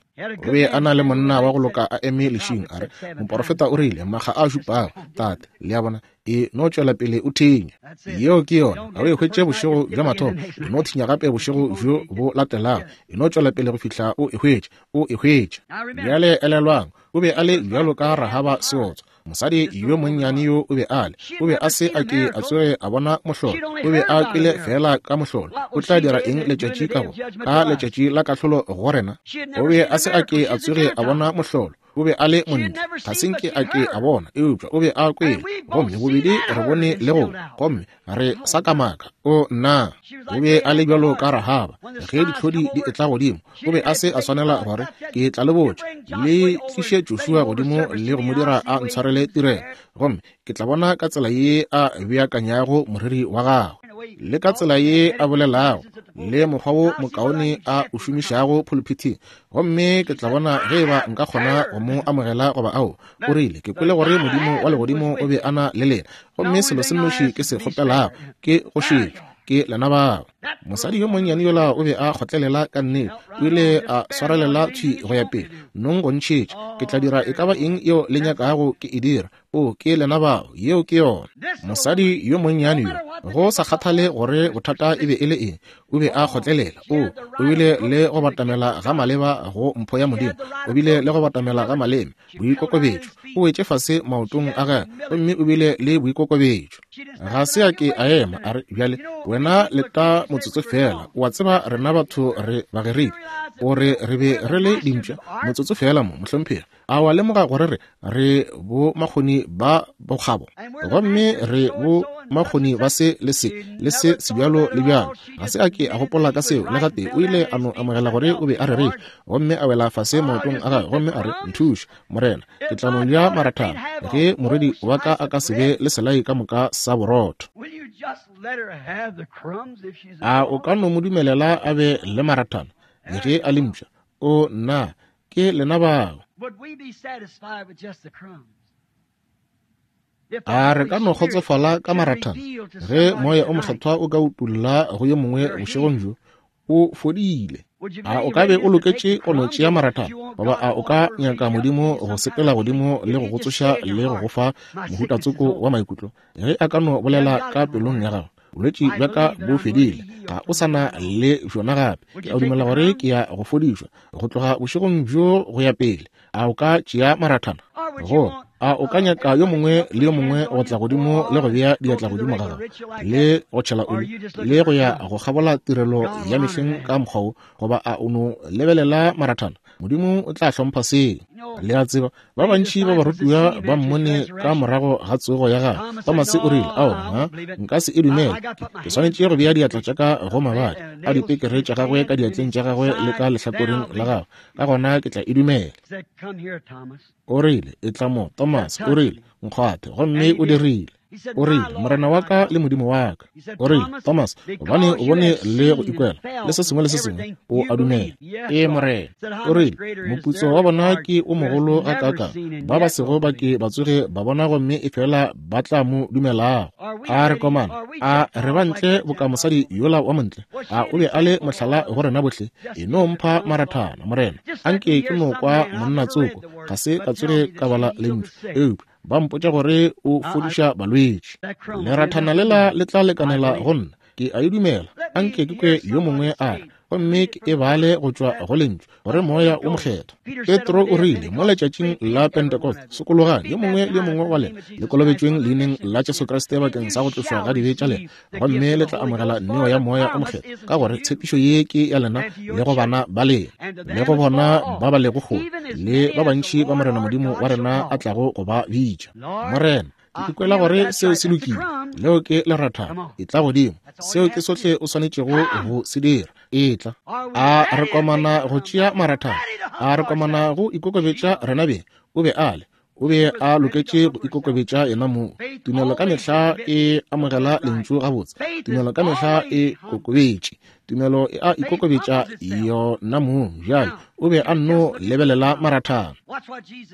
O be a na le monna wa go loka a eme lešing, a re, moporofeta o rile makga a šupago, tate, le a bona, e no tšwela pele o thinya. Yeo ke yona. Ga o e hwetše bošego bja mathomo, e no thinya gape bošego bjo bo latelago, e no tšwela pele go fihla o e hwetše, o e hwetše. Bjale elelwang, o be a le bjalo ka Rahaba seotswa. Mosadi yo monnyane yo o be a le, o be a se a ke a tsoge a bona mohlolo, o be a kwele fela ka mohlolo. O tla dira eng letšatši ka go, ka letšatši la kahlolo go rena? O be a se a ke a tsoge a bona mohlolo, o be a le montle, ga se nke a ke a bona, eupša o be a kwele, gomme bobedi re bone le go, gomme re sa kamaka. O nna, o be a le bjalo ka Rahaba ge ditlhodi di etla godimo, o be a se a swanela gore ke tla le botša, le tliše Joshua godimo le go mo dira a ntshwarele tirelo, gomme ke tla bona ka tsela ye a beakanyago moriri wa gagwe, le ka tsela ye a bolelago, le mokgwa wo mokaone a o šomišago pulpithing, gomme ke tla bona ge eba nka kgona go mo amogela goba ao. O rile, ke kwele gore Modimo wa legodimo o be a na le lena, gomme selo se nnoši ke se kgopelago ke go šetšwa ke lena bao. Mosadi yo monnyane yola o be a kgotlelela ka nnete, o ile a swarelela thwi go ya pele. Nong go ntšhetša, ke tla dira e ka ba eng yeo le nyakago ke e dira. O ke lena bao, yeo ke yona. Mosadi yo monnyane yo, go sa kgathale gore bothata e be e le eng, o be a kgotlelela. O o bile le go batamela ga maleba go mpho ya Modimo, o bile le go batamela ga maleme, boikokobetšo. O wetše fase maotong a gagwe, gomme o bile le boikokobetšo. Ga se a ke a ema a re, bjale wena leta motsotso fela, o a tseba rena batho re Bagerike, o re re be re le dimpša, motsotso fela mo, mohlomphegi. A wa lemoga gore re re bo makgoni ba bokgabo, gomme re bo makgoni ba se le se le se sebjalo le bjalo. Ga se a ke a gopola ka seo le gatee. O ile a no amogela gore o be a rerile, gomme a wela fase maotong a gagwe, gomme a re, nthuše Morena, ke tla no ja marathana ge morwedi wa ka a ka se be le selai ka moka sa borotho. A o ka no mo dumelela a be le marathana le ge a le mpša? O nna, ke lena bao. A re ka no kgotsofala ka marathana ge moya o mokgethwa o ka utulla go yo mongwe bošegong bjo, o fodile? A o ka be o loketše go no tšea marathana, goba a o ka nyaka Modimo go sepela godimo le go go tsoša le go go fa mohutatsoko wa maikutlo? Ge a ka no bolela ka pelong ya gago, bolwetši bja ka bo fedile, ga o sa na le bjona gape, ke a dumela gore ke ya go fodišwa go tloga bošegong bjo go ya pele. A o ka tšea marathana? Go a o ka nyaka yo mongwe le yo mongwe go tla godimo le go bea diatla godimo ga gago, le go tšhela oli, le go ya go kgabola tirelo ya mehleng ka mokgwa wo, goba a o no lebelela marathana? Modimo o tla hlompha seo. Le a tseba, ba bantši ba barutiwa ba mmone ka morago ga tsogo ya gagwe. Tomase o rile, ao, ha, nka se e dumele, ke swanetše go bea diatla tša ka go mabadi a dipekere tša gagwe ka diatleng tša gagwe le ka lehlakoreng la gagwe, ka gona ke tla e dumela. O rile, e tla mo, Thomas, o rile, nkgwathe, gomme o dirile. O rile, Morena wa ka le Modimo wa ka. O rile, Thomas, gobane o bone le go ikwela le se sengwe le se sengwe, o a dumela. Ee, Morena. O rile, moputso wa bona ke o mogolo gakaakang, ba ba sego ba ke ba tsoge ba bona, gomme e fela ba tla mo dumelago. A re komana, a re ba ntle boka mosadi yola wa montle? A o be a le mohlala go rena bohle? E no mpha marathana, Morena. Anke ke no kwa monna tsoko, ga se ka tsoge ka bala lentšu, eupša ba mpotša gore o fodiša balwetši. Lerathana lela le tla lekanela go nna, ke a e dumela. Anke ke kwe yo mongwe a re, gomme ke e bale go tšwa go lentšu, gore moya o mokgethwa. Petro o rile mo letšatšing la Pentecost, sokologang yo mongwe le yo mongwe wa lena, le kolobetšweng leineng la Jesu Kriste bakeng sa go tlošwa ga dibe tša lena, gomme le tla amogela neo ya moya o mokgethwa, ka gore tshepišo ye ke ya lena le go bana ba lena, le go bona ba ba lego kgole, le ba bantši ba Morena Modimo wa rena a tlago go ba bitša. Morena, ke ikwela gore seo se lokile. Leo ke lerathana, e tla godimo. Seo ke sohle o swanetšego go se dira. E tla. A re komana go tšea marathana, a re komana go ikokobetša rena beng. O be a le, o be a loketše go ikokobetša yena mong. Tumelo ka mehla e amogela lentšu gabotse. Tumelo ka mehla e kokobetše. Tumelo e a ikokobetša yona mong. Bjale o be a nno lebelela marathana.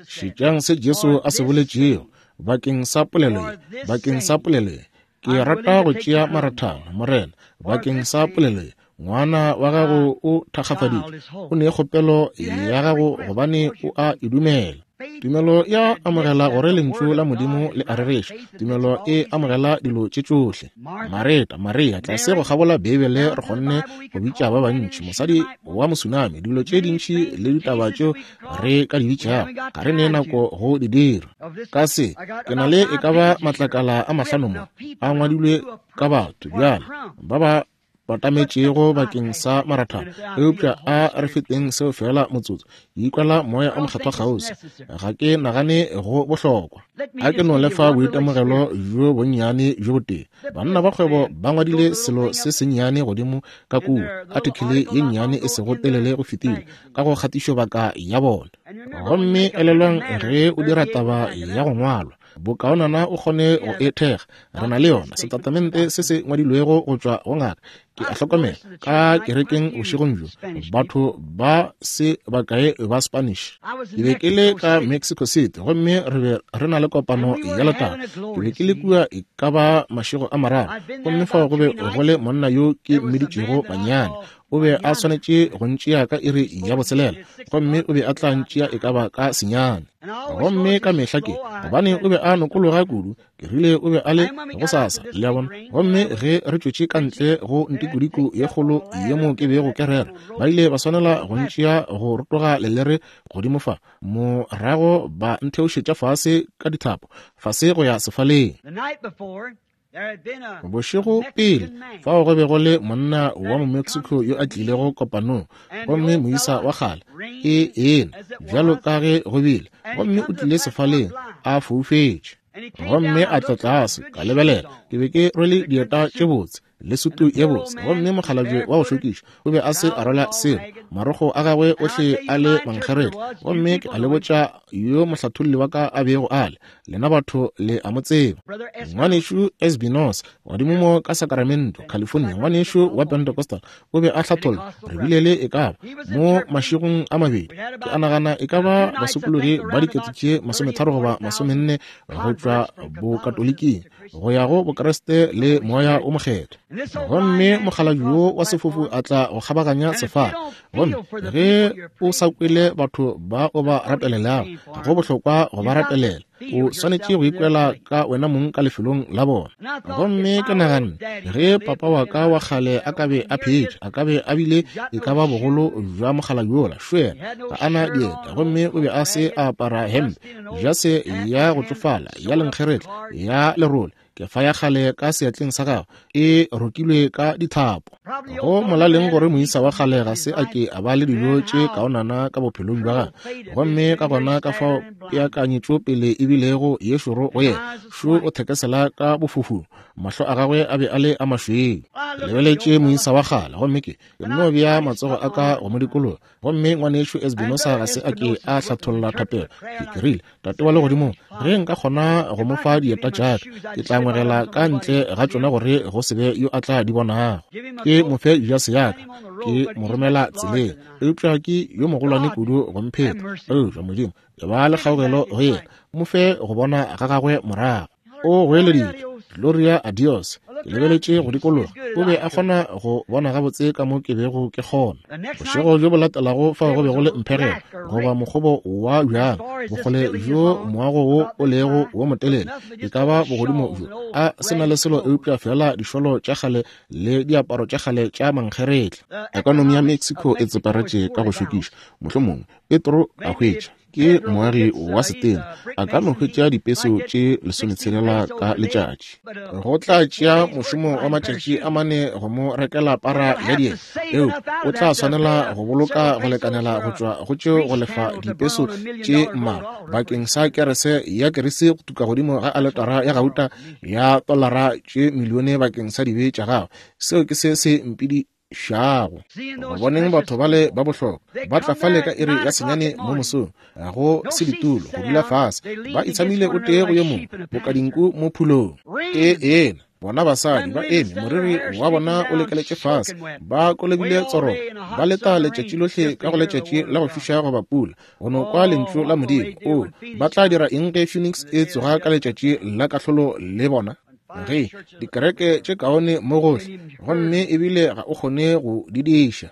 Šetšang se Jesu a se boletšego bakeng sa polelo ye, bakeng sa polelo ye. Ke rata go tšea marathana, Morena, bakeng sa polelo ye. Ngwana wa gago o thakgafaditšwe, o ne kgopelo ya gago gobane o a e dumela. Tumelo ya amogela gore lentšu la Modimo le a rereša. Tumelo e amogela dilo tše tšohle. Mareta, Maria, tlase go kgabola Beibele re kgonne go bitša ba bantši, mosadi wa mosunami, dilo tše dintši le ditaba tšeo re ka di bitšago, ga re ne nako go di dira. Ka se, ke na le e ka ba matlakala a mahlano mo, a ngwadilwe ka batho bjale ba ba batametšego bakeng sa marathana, eupša a re feteng seo fela motsotso. Ikwela moya o mokgethwa kgauswi, ga ke nagane go bohlokwa. A ke no lefa boitemogelo bjo bonnyane bjo botee. Banna ba kgwebo ba ngwadile selo se sennyane godimo ka kua, artikele ye nnyane e sego telele go fetile, ka go kgatišobaka ya bona. Gomme elelwang, ge o dira taba ya go ngwalwa, bokaonana o kgone go e thekga. Re na le yona setatamente se se ngwadilwego go tšwa go ngaka. Ke a hlokomela ka kerekeng bošegong bjo, batho ba se bakae ba Spanish. Ke be ke le ka Mexico City gomme re be re na le kopano ya letago. Ke be ke le kua e ka ba mašego a mararo, gomme fao go be go le monna yo ke mmiditšego Manyane. O be a swanetše go ntšea ka iri ya botshelela, gomme o be a tla ntšea e ka ba ka senyane. Gomme ka mehla ke, gobane o be a nokologa kudu, ke rile o be a le gosasa, le a bona. Gomme ge re tšwetše ka ntle go ntikodiko ye kgolo ye mo ke bego ke rera, ba ile ba swanela go ntšea go rotoga lelere godimo fa, morago ba ntheošetša fase ka dithapo, fase go ya sefaleng. Bošego pele, fao go be go le monna wa mo-Mexico yo a tlilego kopanong, gomme moisa wa kgale ke yena, bjalo ka ge go bile, gomme o tlile sefaleng a foufetše. Gomme a tla tlase, ka lebelela, ke be ke rwele dieta tše botse le sutu ye botse, gomme mokgalabje wa go šokiša o be a se a rwala selo, marokgo a gagwe ohle a le mankgeretla. Gomme ke a le botša yo mohlatholli wa ka a bego a le, lena batho le a mo tseba, ngwanešu Espinosa, godimo mo ka Sacramento, California, ngwanešu wa Pentecostal, o be a hlatholla. Re bile le e ka ba mo mašegong a mabedi, ke a nagana e ka ba basokologi ba dikete tše masometharo goba masomenne go tšwa bokatoliking go ya go Bokreste le moya o mokgethwa. Gomme mokgalabje yo wa sefofu a tla go kgabaganya sefala. Gomme ge o sa kwele batho ba o ba rapelelago, ga go bohlokwa go ba rapelela. O swanetše go ikwela ka wena mong ka lefelong la bona. Gomme ke naganne, ge papa wa ka wa kgale a ka be a phetše, a ka be a bile e ka ba bogolo bja mokgalabje yola. Šwela, ga a na dieta, gomme o be a se a apara hempe, jase ya go tšofala, ya lenkgeretla, ya lerole, kefa ya kgale ka seatleng sa gagwe e rokilwe ka dithapo. Go molaleng gore moisa wa kgale ga se a ke a ba le dilo tše kaonana ka bophelong bja gagwe, gomme ka gona ka fao peakanyetšo pele e bilego ye šoro go yena. Šo o thekesela ka bofofung, mahlo a gagwe a be a le a mašweu. Ke lebeletše moisa wa kgale, gomme ke nno bea matsogo a ka go mo dikologa. Gomme ngwanešu Espinosa ga se a ke a hlatholla thapelo. Ke ke rile, Tate wa legodimong, ge nka kgona go mo fa dieta tša ka, ke tla ngwegela ka ntle ga tšona gore go se be yo a tla di bonago. Ke mo fe jase ya ka, ke mo romela tseleng, eupša ke yo mogolwane kudu go mpheta. Eupša Modimo, e ba le kgaogelo go yena, mo fe go bona ga gagwe morago. O goeleditše, Gloria a Dios. Ke lebeletše go dikologa, o be a kgona go bona gabotse ka mo ke bego ke kgona. Bošego bjo bo latelago fao go be go le mpherelo goba mokgobo wa bjang, bokgole bjo moago wo o lego wo motelele, e ka ba bogodimo bjo, a se na le selo eupša fela dišolo tša kgale le diaparo tša kgale tša mankgeretla. Ekonomi ya Mexico e tseparetše ka go šokiša. Mohlomongwe Petro a hwetša ke moagi wa setena, a ka no hwetša dipeso tše lesometshelela ka letšatši. Go tla tšea mošomo wa matšatši a mane go mo rekela para ya dieta, eupša o tla swanela go boloka go lekanela go tšwa go tšeo go lefa dipeso tše mmalwa bakeng sa kerese ya kerese go tuka godimo ga aletara ya gauta ya tolara tše milione bakeng sa dibe tša gagwe. Seo ke se se mpidi šago. Go boneng batho bale ba bohlokwa ba tla fale ka iri ya senyane mo mosong, go se ditulo go dula fase, ba itshamile o tee go yo mongwe boka dinku mo phulong. E ena Bona basadi ba eme, moriri wa bona o lekeletše fase, ba kolobile tsorogo, ba leta letšatši lohle ka go letšatši la go fiša goba pula, go no kwa lentšu la Modimo. O, ba tla dira eng ge Phoenix e tsoga ka letšatši la kahlolo le bona? Ge dikereke tše kaone mo gohle, gomme ebile ga o kgone go di diša.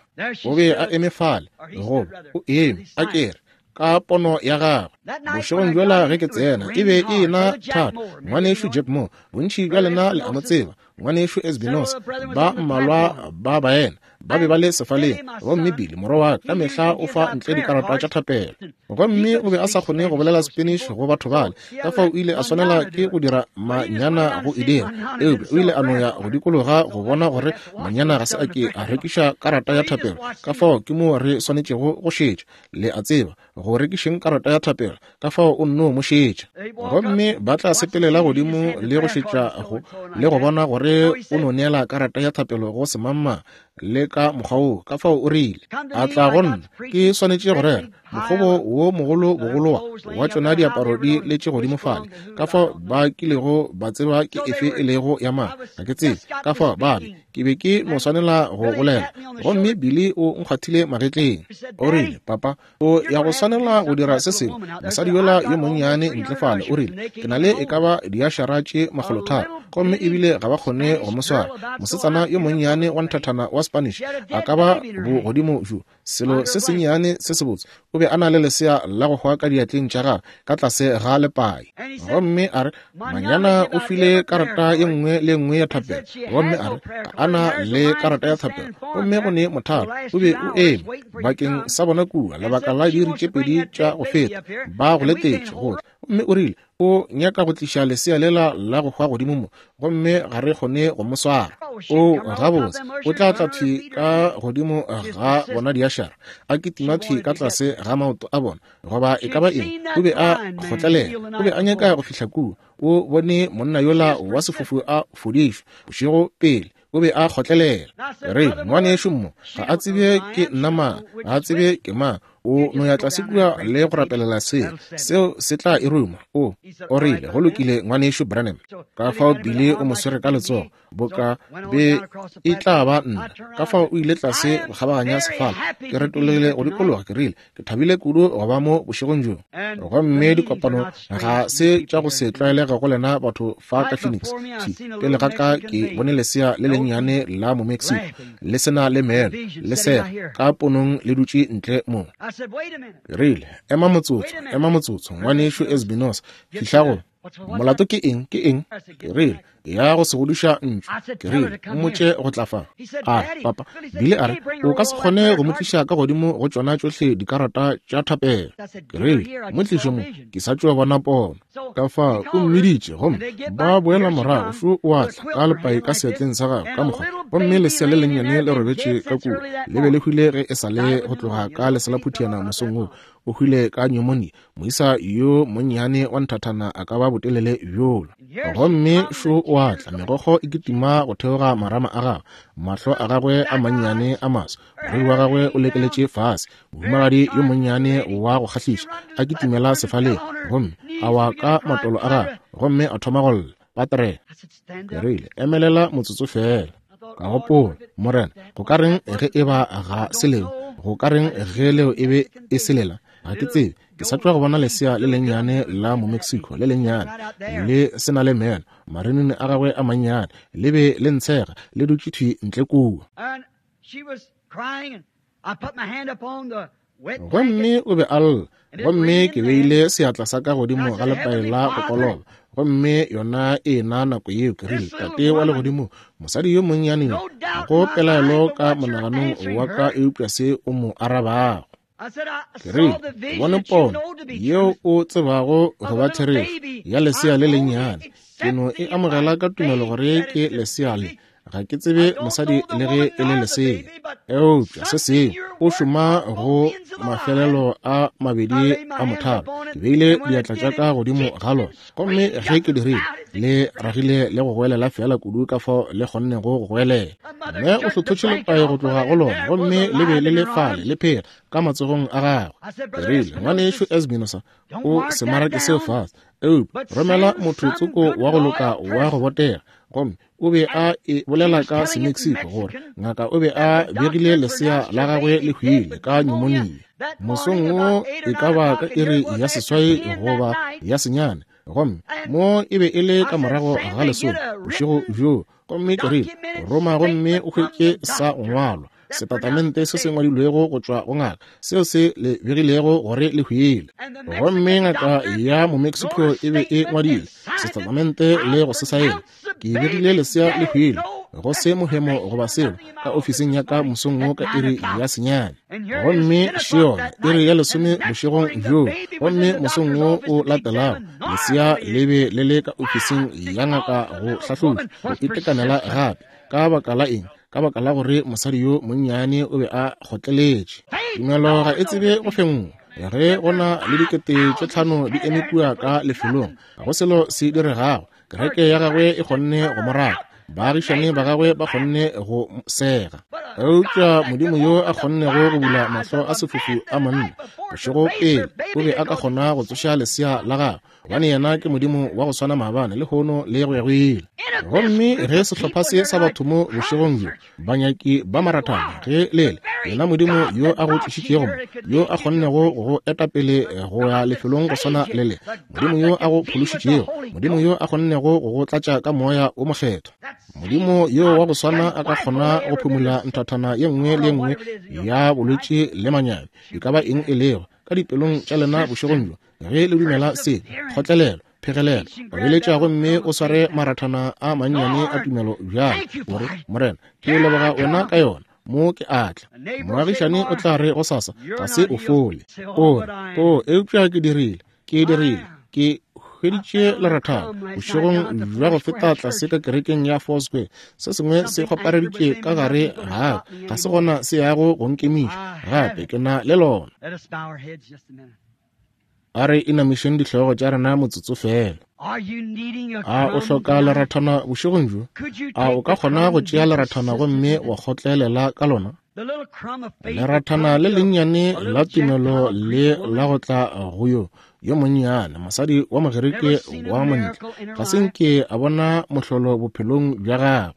O be a eme fale, goba o eme, a kere ka pono ya gagwe. Bošegong bjola ge ke tsena, e be e ena thata. Ngwanešu Jack Moore, bontši bja lena le a mo tseba. Ngwanešu Esbinosa, ba mmalwa ba baena ba be ba le sefaleng. Gomme Billy, morwa wa ka, ka mehla o fa ntle dikarata tša thapelo. Gomme o be a sa kgone go bolela Spanish go batho bale, ka fao o ile a swanela ke go dira manyana go e dira. Eupša o ile a no ya go dikologa go bona gore manyana ga se a ke a rekiša karata ya thapelo. Ka fao ke moo re swanetšego go šetša, le a tseba, go rekišeng karata ya thapelo. Ka fao o nno mo šetša. Gomme ba tla sepelela godimo le go šetša go le go bona gore o no neela karata ya thapelo go semangmang le ka mokgwa woo. Ka fao o rile, a tla go nna, ke swanetše go rera mokgobo wo mogolo bogolowa wa tšona diaparo di letše godimo fale. Ka fao ba kilego ba tseba ke efe e lego ya mang, ga ke tsebe. Ka fao ba be ke be ke no swanela go bolela. Gomme Billy o nkgwathile magetleng. O rile, papa, o ya go swanela go dira se sengwe. Mosadi yola yo monnyane ntle fale, o rile, ke na le e ka ba diašara tše makgolotharo, gomme ebile ga ba kgone go mo swara. Mosetsana yo monnyane wa nthathana wa Spanish a ka ba bogodimo bjo, selo se sennyane se sebotse. O be a na le lesea la go hwa ka diatleng tša gagwe ka tlase ga lepai. Gomme a re, manyana o file karata ye nngwe le nngwe ya thapelo. Gomme a re, ga a na le karata ya thapelo. Gomme go ne mothalo o be o eme bakeng sa bona kua lebaka la diiri tše pedi tša go feta, ba go letetše go tla. Gomme o rile, o nyaka go tliša lesea lela la go hwa godimo mo, gomme ga re kgone go mo swara. O gabotse, o tla tla thwi ka godimo ga bona diašara, a kitima thwi ka tlase ga maoto a bona, goba e ka ba eng. O be a kgotlelela, o be a nyaka go fihla kua. O bone monna yola wa sefofu a fodišwa bošego pele. O be a kgotlelela. Re, ngwanešu mo, ga a tsebe ke nna mang, ga a tsebe ke mang. O no ya tlase kua le go rapelela seo, seo se tla e ruma. O, o rile, go lokile ngwanešu Branham. Ka fao Billy o mo swere ka letsogo, boka be e tla ba nna. Ka fao o ile tlase go kgabaganya sefala. Ke retologile go dikologa, ke rile, ke thabile kudu go ba mo bošegong bjo. Gomme dikopano ga se tša go se tlwaelege go lena batho fa ka Phoenix. Pele ga ka ke bone lesea le lennyane la mo Mexico, le sena le meno, le sega ka ponong le dutše ntle mo. Rile, ema motsotso, ema motsotso, ngwanešu Esbinosa, fihla go. Molato ke eng, ke eng? Ke rile, ya go se godiša ntšu. Ke rile, mmotše go tla fa. A re, papa, Billy a re, o ka se kgone go mo tliša ka godimo go tšona tšohle dikarata tša thapelo. Ke rile, mo tliše mo, ke sa tšo bona pono. Ka fao o mmiditše, gomme ba boela morago. Šo o a tla ka lepai ka seatleng sa gagwe ka mokgwa. Gomme lesea le lennyane le robetše ka kua, le be le hwile ge e sa le go tloga ka leselaphutiana mosong wo. O hwile ka pneumonia. Moisa yo monnyane wa nthathana a ka ba botelele bjola. Gomme šo o a tla, megokgo e kitima go theoga marama a gagwe, mahlo a gagwe a mannyane a maso, moriri wa gagwe o lekeletše fase. Mohumagadi yo monnyane wa go kgahliša a kitimela sefaleng, gomme a wa ka matolo a gagwe, gomme a thoma go lla. Patre, ke rile, emelela motsotso fela. Ka gopola, Morena, go ka reng ge e ba ga se leo? Go ka reng ge leo e be e selela? Ga ke tsebe. Ke sa tšwa go bona lesea le lennyane la mo Mexico, le lennyane, le se na le meno, marinini a gagwe a mannyane, le be le ntshega, le dutše thwi ntle kua. Gomme o be a lla, gomme ke beile seatla sa ka godimo ga lepai la go koloba. Gomme yona e na nako yeo ke rile, Tate wa legodimo, mosadi yo monnyane yo, ga go pelaelo ka monaganong wa ka eupša se o mo arabago. Ke rile, ke bone pono yeo o tsebago go ba therešo ya lesea le lennyane. Ke no e amogela ka tumelo gore ke lesea le. Ga ke tsebe mosadi le ge e le lesea, eupša se sengwe o šoma go mafelelo a mabedi a mothalo. Ke beile diatla tša ka godimo ga lona, gomme ge ke dirile, le ragile le go goelela fela kudu ka fao le kgonnego go goelela. Mme o hlothotše lepai go tloga go lona, gomme le be le le fale le phela ka matsogong a gagwe. Ke rile, ngwanešu Esbinosa, o se marake seo fase, eupša romela motho tsoko wa go loka wa go botega Gomme o be a e bolela ka Semexico gore ngaka o be a begile lesea la gagwe le hwile ka pneumonia mosong wo e ka ba ka iri ya seswai goba ya senyane, gomme mo e be e le ka morago ga lesome bošego bjoo. Gomme ke rile, roma gomme o hwetše sa go ngwalwa setatamente se se ngwadilwego go tšwa go ngaka seo se le begilego gore le hwile. Gomme ngaka ya Momexico e be e ngwadile setatamente le go se saena. Ke begile lesea le hwile go se mohemo goba selo ka ofising ya ka mosong wo ka iri ya senyane. Gomme šeona iri ya lesome bošegong bjoo. Gomme mosong wo o latelago lesea le be le le ka ofising ya ngaka go hlahloba go itekanela gape. Ka baka la eng? Ka baka la gore mosadi yo monnyane o be a kgotleletše. Tumelo ga e tsebe go fenngwa. Ge go na le dikete tše tlhano di eme kua ka lefelong, ga go selo se diregago. Kereke ya gagwe e kgonne go mo raka, baagišane ba gagwe ba kgonne go sega. Eupša Modimo yo a kgonnego go bula mahlo a sefofu a monna bošego pele o be a ka kgona go tsoša lesea la gagwe, gobane yena ke Modimo wa go swana maabane, lehono le go ya go ile. Gomme ge sehlopha se sa batho mo bošegong bjo, banyaki ba marathana, ge lele yena Modimo yo a go tlišitšego mo, yo a kgonnego go eta pele go ya lefelong go swana le le, Modimo yo a go phološitšego, Modimo yo a kgonnego go go tlatša ka moya o mokgethwa, Modimo yo wa go swana a ka kgona go phumula nthathana ye nngwe le ye nngwe ya bolwetši le manyami, e ka ba eng e lego, ka dipelong tša lena bošegong bjo. Ge le dumela se, kgotlelelo, phegelelo, obeletša gomme o sware marathana a mannyane a tumelo bjalo, gore Morena, ke leboga wena ka yona. Mo ke atla. Moagišane o tla re gosasa ga se o fole. O re, o eupša ke dirile, ke dirile, ke hweditše lerathana bošegong bja go feta tlase ka kerekeng ya Foursquare. Se sengwe se kgopareditše ka gare ga ga se gona se yago go nkemiša gape, ke na le lona. A re inamišeng dihlogo tša rena motsotso fela. A o hloka lerathana bošegong bjo? A o ka kgona go tšea lerathana gomme wa kgotlelela ka lona? Lerathana le lennyane la tumelo le la go tla go yo yo monnyane mosadi wa Mogerike wa montle, ga se nke a bona mohlolo bophelong bja gagwe.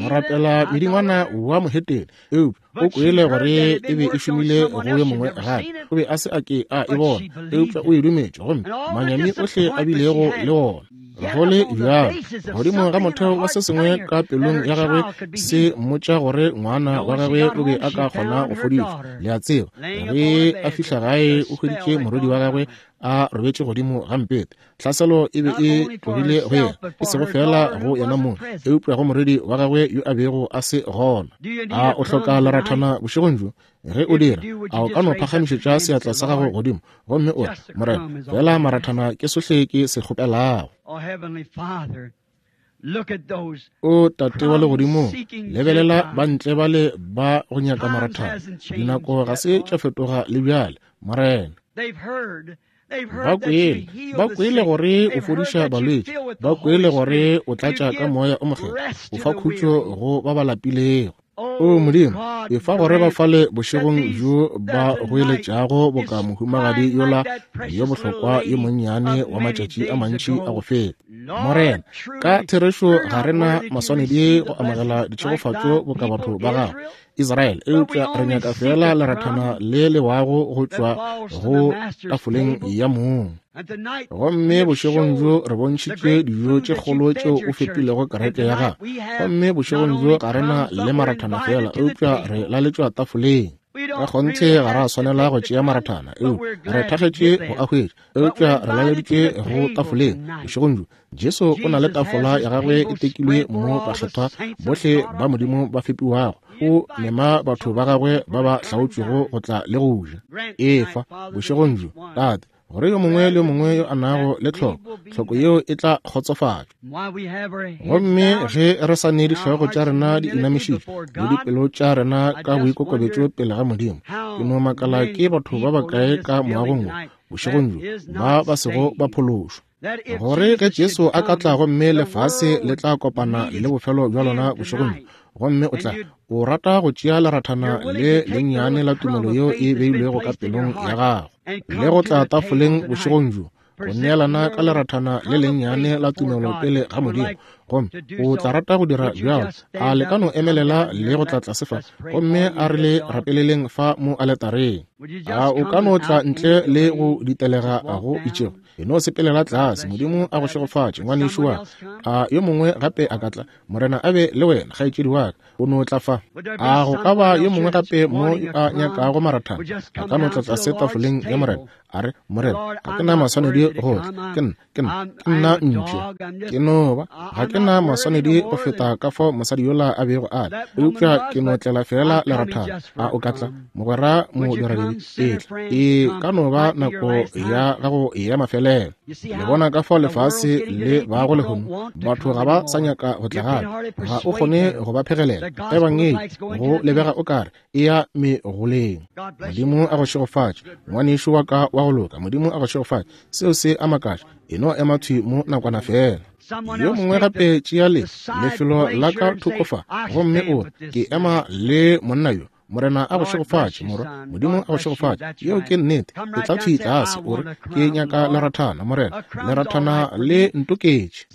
Morapela medingwana wa mohetene, eupša o kwele gore e be e šomile go yo mongwe gape. O be a se a ke a e bona, eupša o e dumetše, gomme manyami ohle a bilego le ona. Go le bjalo, godimo ga motheo wa se sengwe ka pelong ya gagwe se mmotša gore ngwana wa gagwe o be a ka kgona go fodišwa. Le a tseba, ge a fihla gae o hweditše morwedi wa gagwe a robetše godimo ga mpete. Tlhaselo e be e tlogile go yena, e sego fela go yena mong, eupša go morwedi wa gagwe yo a bego a se gona. A o hloka lerathana bošegong bjo? Ge o dira, a o ka no phagamišetša seatla sa gago godimo gomme o re, Morena, fela marathana ke sohle ke se kgopelago. O Tate wa legodimong, lebelela bantle bale ba go nyaka marathana. Dinako ga se tša fetoga le bjale, Morena. Ba kwele, ba kwele gore o fodiša balwetši, ba kwele gore o tlatša ka moya o mokgethwa, o fa khutšo go ba ba lapilego. O Modimo, efa gore ba fale bošegong bjo ba goeletšago boka mohumagadi yola yo bohlokwa yo monnyane wa matšatši a mantši a go feta. Morena, ka therešo ga re na maswanedi go amogela ditšhegofatšo boka batho ba gago Israel, eupša re nyaka fela lerathana le lewago go tšwa go tafoleng ya mong. Gomme bošegong bjo re bontšhitše dijo tše kgolo tšeo o fepilego kereke ya gago. Gomme bošegong bjo ga re na le marathana fela, eupša re laletšwa tafoleng. Ka kgonthe ga ra swanela go tšea marathana, eupša re thakgetše go a hwetša, eupša re laleditšwe go tafoleng bošegong bjo. Jesu o na le tafola ya gagwe e tekilwe mo bakgethwa bohle ba Modimo ba fepiwago. O mema batho ba gagwe ba ba hlaotšwego go tla le go ja. Efa bošegong bjo, Tate, gore yo mongwe le yo mongwe yo a nago le tlhoko, tlhoko yeo e tla kgotsofatšwa. Gomme ge re sa ne dihlogo tša rena di inamišitšwe le dipelo tša rena ka boikokobetšo pele ga Modimo, ke no makala ke batho ba bakae ka moagong wo bošegong bjo ba ba sego ba phološwa, gore ge Jesu a ka tla gomme lefase le tla kopana le bofelo bja lona bošegong bjo, gomme o tla o rata go tšea lerathana le lennyane la tumelo yeo e beilwego ka pelong ya gago le go tla tafoleng bošegong bjo, go neelana ka lerathana le lennyane la tumelo pele ga Modimo, Gomme o tla rata go dira bjalo, a le ka no emelela le go tla tlase fa, gomme a re le rapeleleng fa mo aletareng. A o ka no tla ntle le go ditelega go itšego, e no sepelela tlase. Modimo a go šegofatše, ngwanešu wa ka. A yo mongwe gape a ka tla? Morena a be le wena, kgaetšedi wa ka. O no tla fa. A go ka ba yo mongwe gape mo a nyakago marathana? A ka no tla tlase tafoleng ya Morena, a re, Morena, ga ke na maswanedi go tla. Ke nna, ke nna, ke nna mpša. Ke no ba, ga ke na maswanedi go feta ka fao mosadi yola a bego a le, eupša ke no tlela fela lerathana. A o ka tla, mogwera modiradibe? Etla. E ka no ba nako ya gago ya mafelelo. Le bona ka fao lefase le bago lehono, batho ga ba sa nyaka go tla gape. Ga o kgone go ba phegelela. Ebangedi go lebega o kare e ya megoleng. Modimo a go šegofatše, ngwanešu wa ka wa go loka. Modimo a go šegofatše. Seo se a makatša. E no ema thwi mo nakwana fela. Yo mongwe gape tšea le lefelo la ka thoko fa, gomme o re, ke ema le monna yo. Morena a go šegofatše, morwa. Modimo a go šegofatše. Yeo ke nnete. E tla thwi tlase, o re, ke nyaka lerathana, Morena. Lerathana le ntoketše.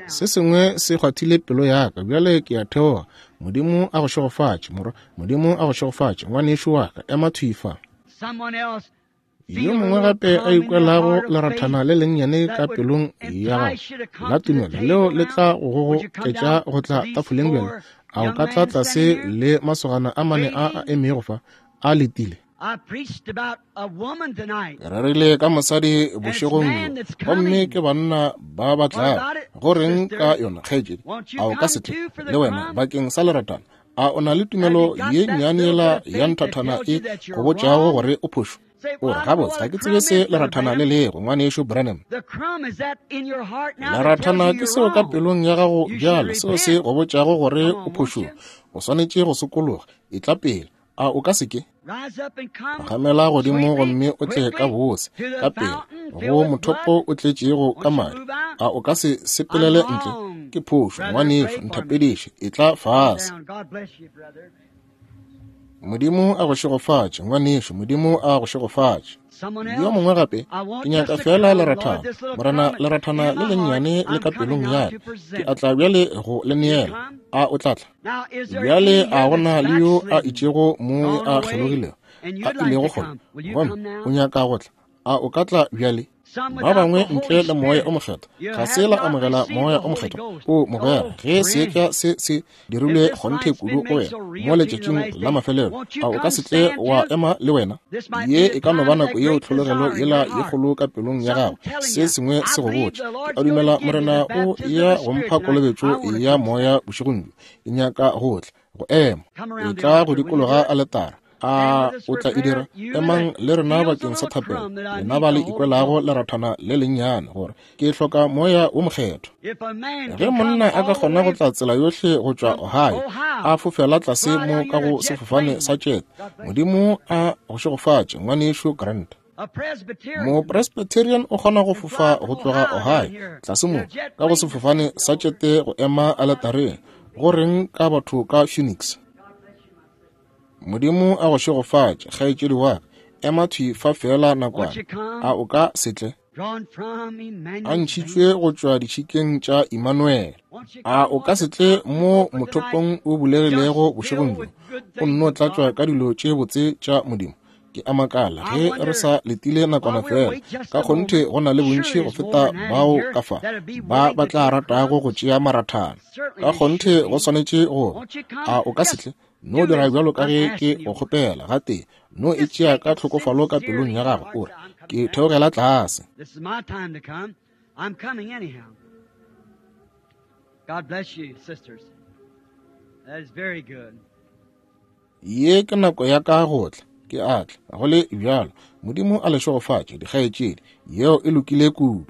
Se sengwe se kgwathile pelo ya ka, bjale ke a theoga. Modimo a go šegofatše, morwa. Modimo a go šegofatše, ngwanešu wa ka. Ema thwi fa. Yo mongwe gape a ikwelago lerathana le lennyane ka pelong ya gago la tumelo, leo le tla go gogoketša go tla tafoleng bjale, a o ka tla tlase le masogana a mane a a emego fa a letile? Ke rerile ka mosadi bošegong bjo, gomme ke banna ba ba tlago. Go reng ka yona, kgaetšedi? A o ka se tle le wena bakeng sa leratana? A o na le tumelo ye nnyane ya nthathana e go botšago gore o phošo? O re, gabotse, ga ke tsebe se lerathana le lego, ngwanešu Branham. Lerathana ke seo ka pelong ya gago bjale, seo se go botšago gore o phošong. O swanetše go sokologa. E tla pele. A o ka se ke? Phagamela godimo gomme o tle ka bose, ka pele, go mothopo o tletšego ka madi. A o ka se sepelele ntle? Ke phošo, ngwanešu, nthapediše. E tla fase. Modimo a go šegofatše, ngwanešu. Modimo a go šegofatše. Yo mongwe gape, ke nyaka fela lerathana, Morena, lerathana le lennyane le ka pelong ya ka. Ke a tla bjale go le neela. A o tla tla? Bjale a gona le yo a itšego mo a kgelogilego, a ilego kgole, gomme o nyaka go tla? A o ka tla bjale? Ba bangwe ntle le moya o mokgethwa ga se la amogela moya o mokgethwa. O mogwera, ge seetša se se dirilwe kgonthe kudu go wena mo letšatšing la mafelelo, a o ka se tle wa ema le wena? Ye e ka no ba nako yeo tlhologelo yela ye kgolo ka pelong ya gago, se sengwe se go botša, ke a dumela Morena o ya go mpha kolobetšo ya moya bošegong bjo. Ke nyaka go tla go ema. E tla go dikologa aletara. A o tla e dira? Emang le rena bakeng sa thapelo, lena ba le ikwelago lerathana le lennyane, gore ke hloka moya wo mokgethwa. Ge monna a ka kgona go tla tsela yohle go tšwa Ohio, a fofela tlase mo ka go sefofane sa jet, Modimo a go šegofatše, ngwanešu Grant. Mopresbyterian o kgona go fofa go tloga Ohio tlase mo ka go sefofane sa tšete go ema aletareng. Go reng ka batho ka Phoenix? Modimo a go šegofatše, kgaetšedi wa ka. Ema thwi fa fela nakwana. A o ka se tle? A ntšhitšwe go tšwa ditšhikeng tša Emmanuel. A o ka se tle mo mothopong o bulegilego bošegong bjo, o nno tlatšwa ka dilo tše botse tša Modimo? Ke a makala ge re sa letile nakwana fela. Ka kgonthe go na le bontši go feta bao ka fa ba ba tla ratago go tšea marathana. Ka kgonthe go swanetše go. A o ka se tle? No dira bjalo ka ge ke go kgopela gatee. No e tšea ka tlhokofalo ka pelong ya gago, o re, ke theogela tlase. Ye ke nako ya ka go tla. Ke a tla go le bjalo. Modimo a le šegofatše, dikgaetšedi. Yeo e lokile kudu.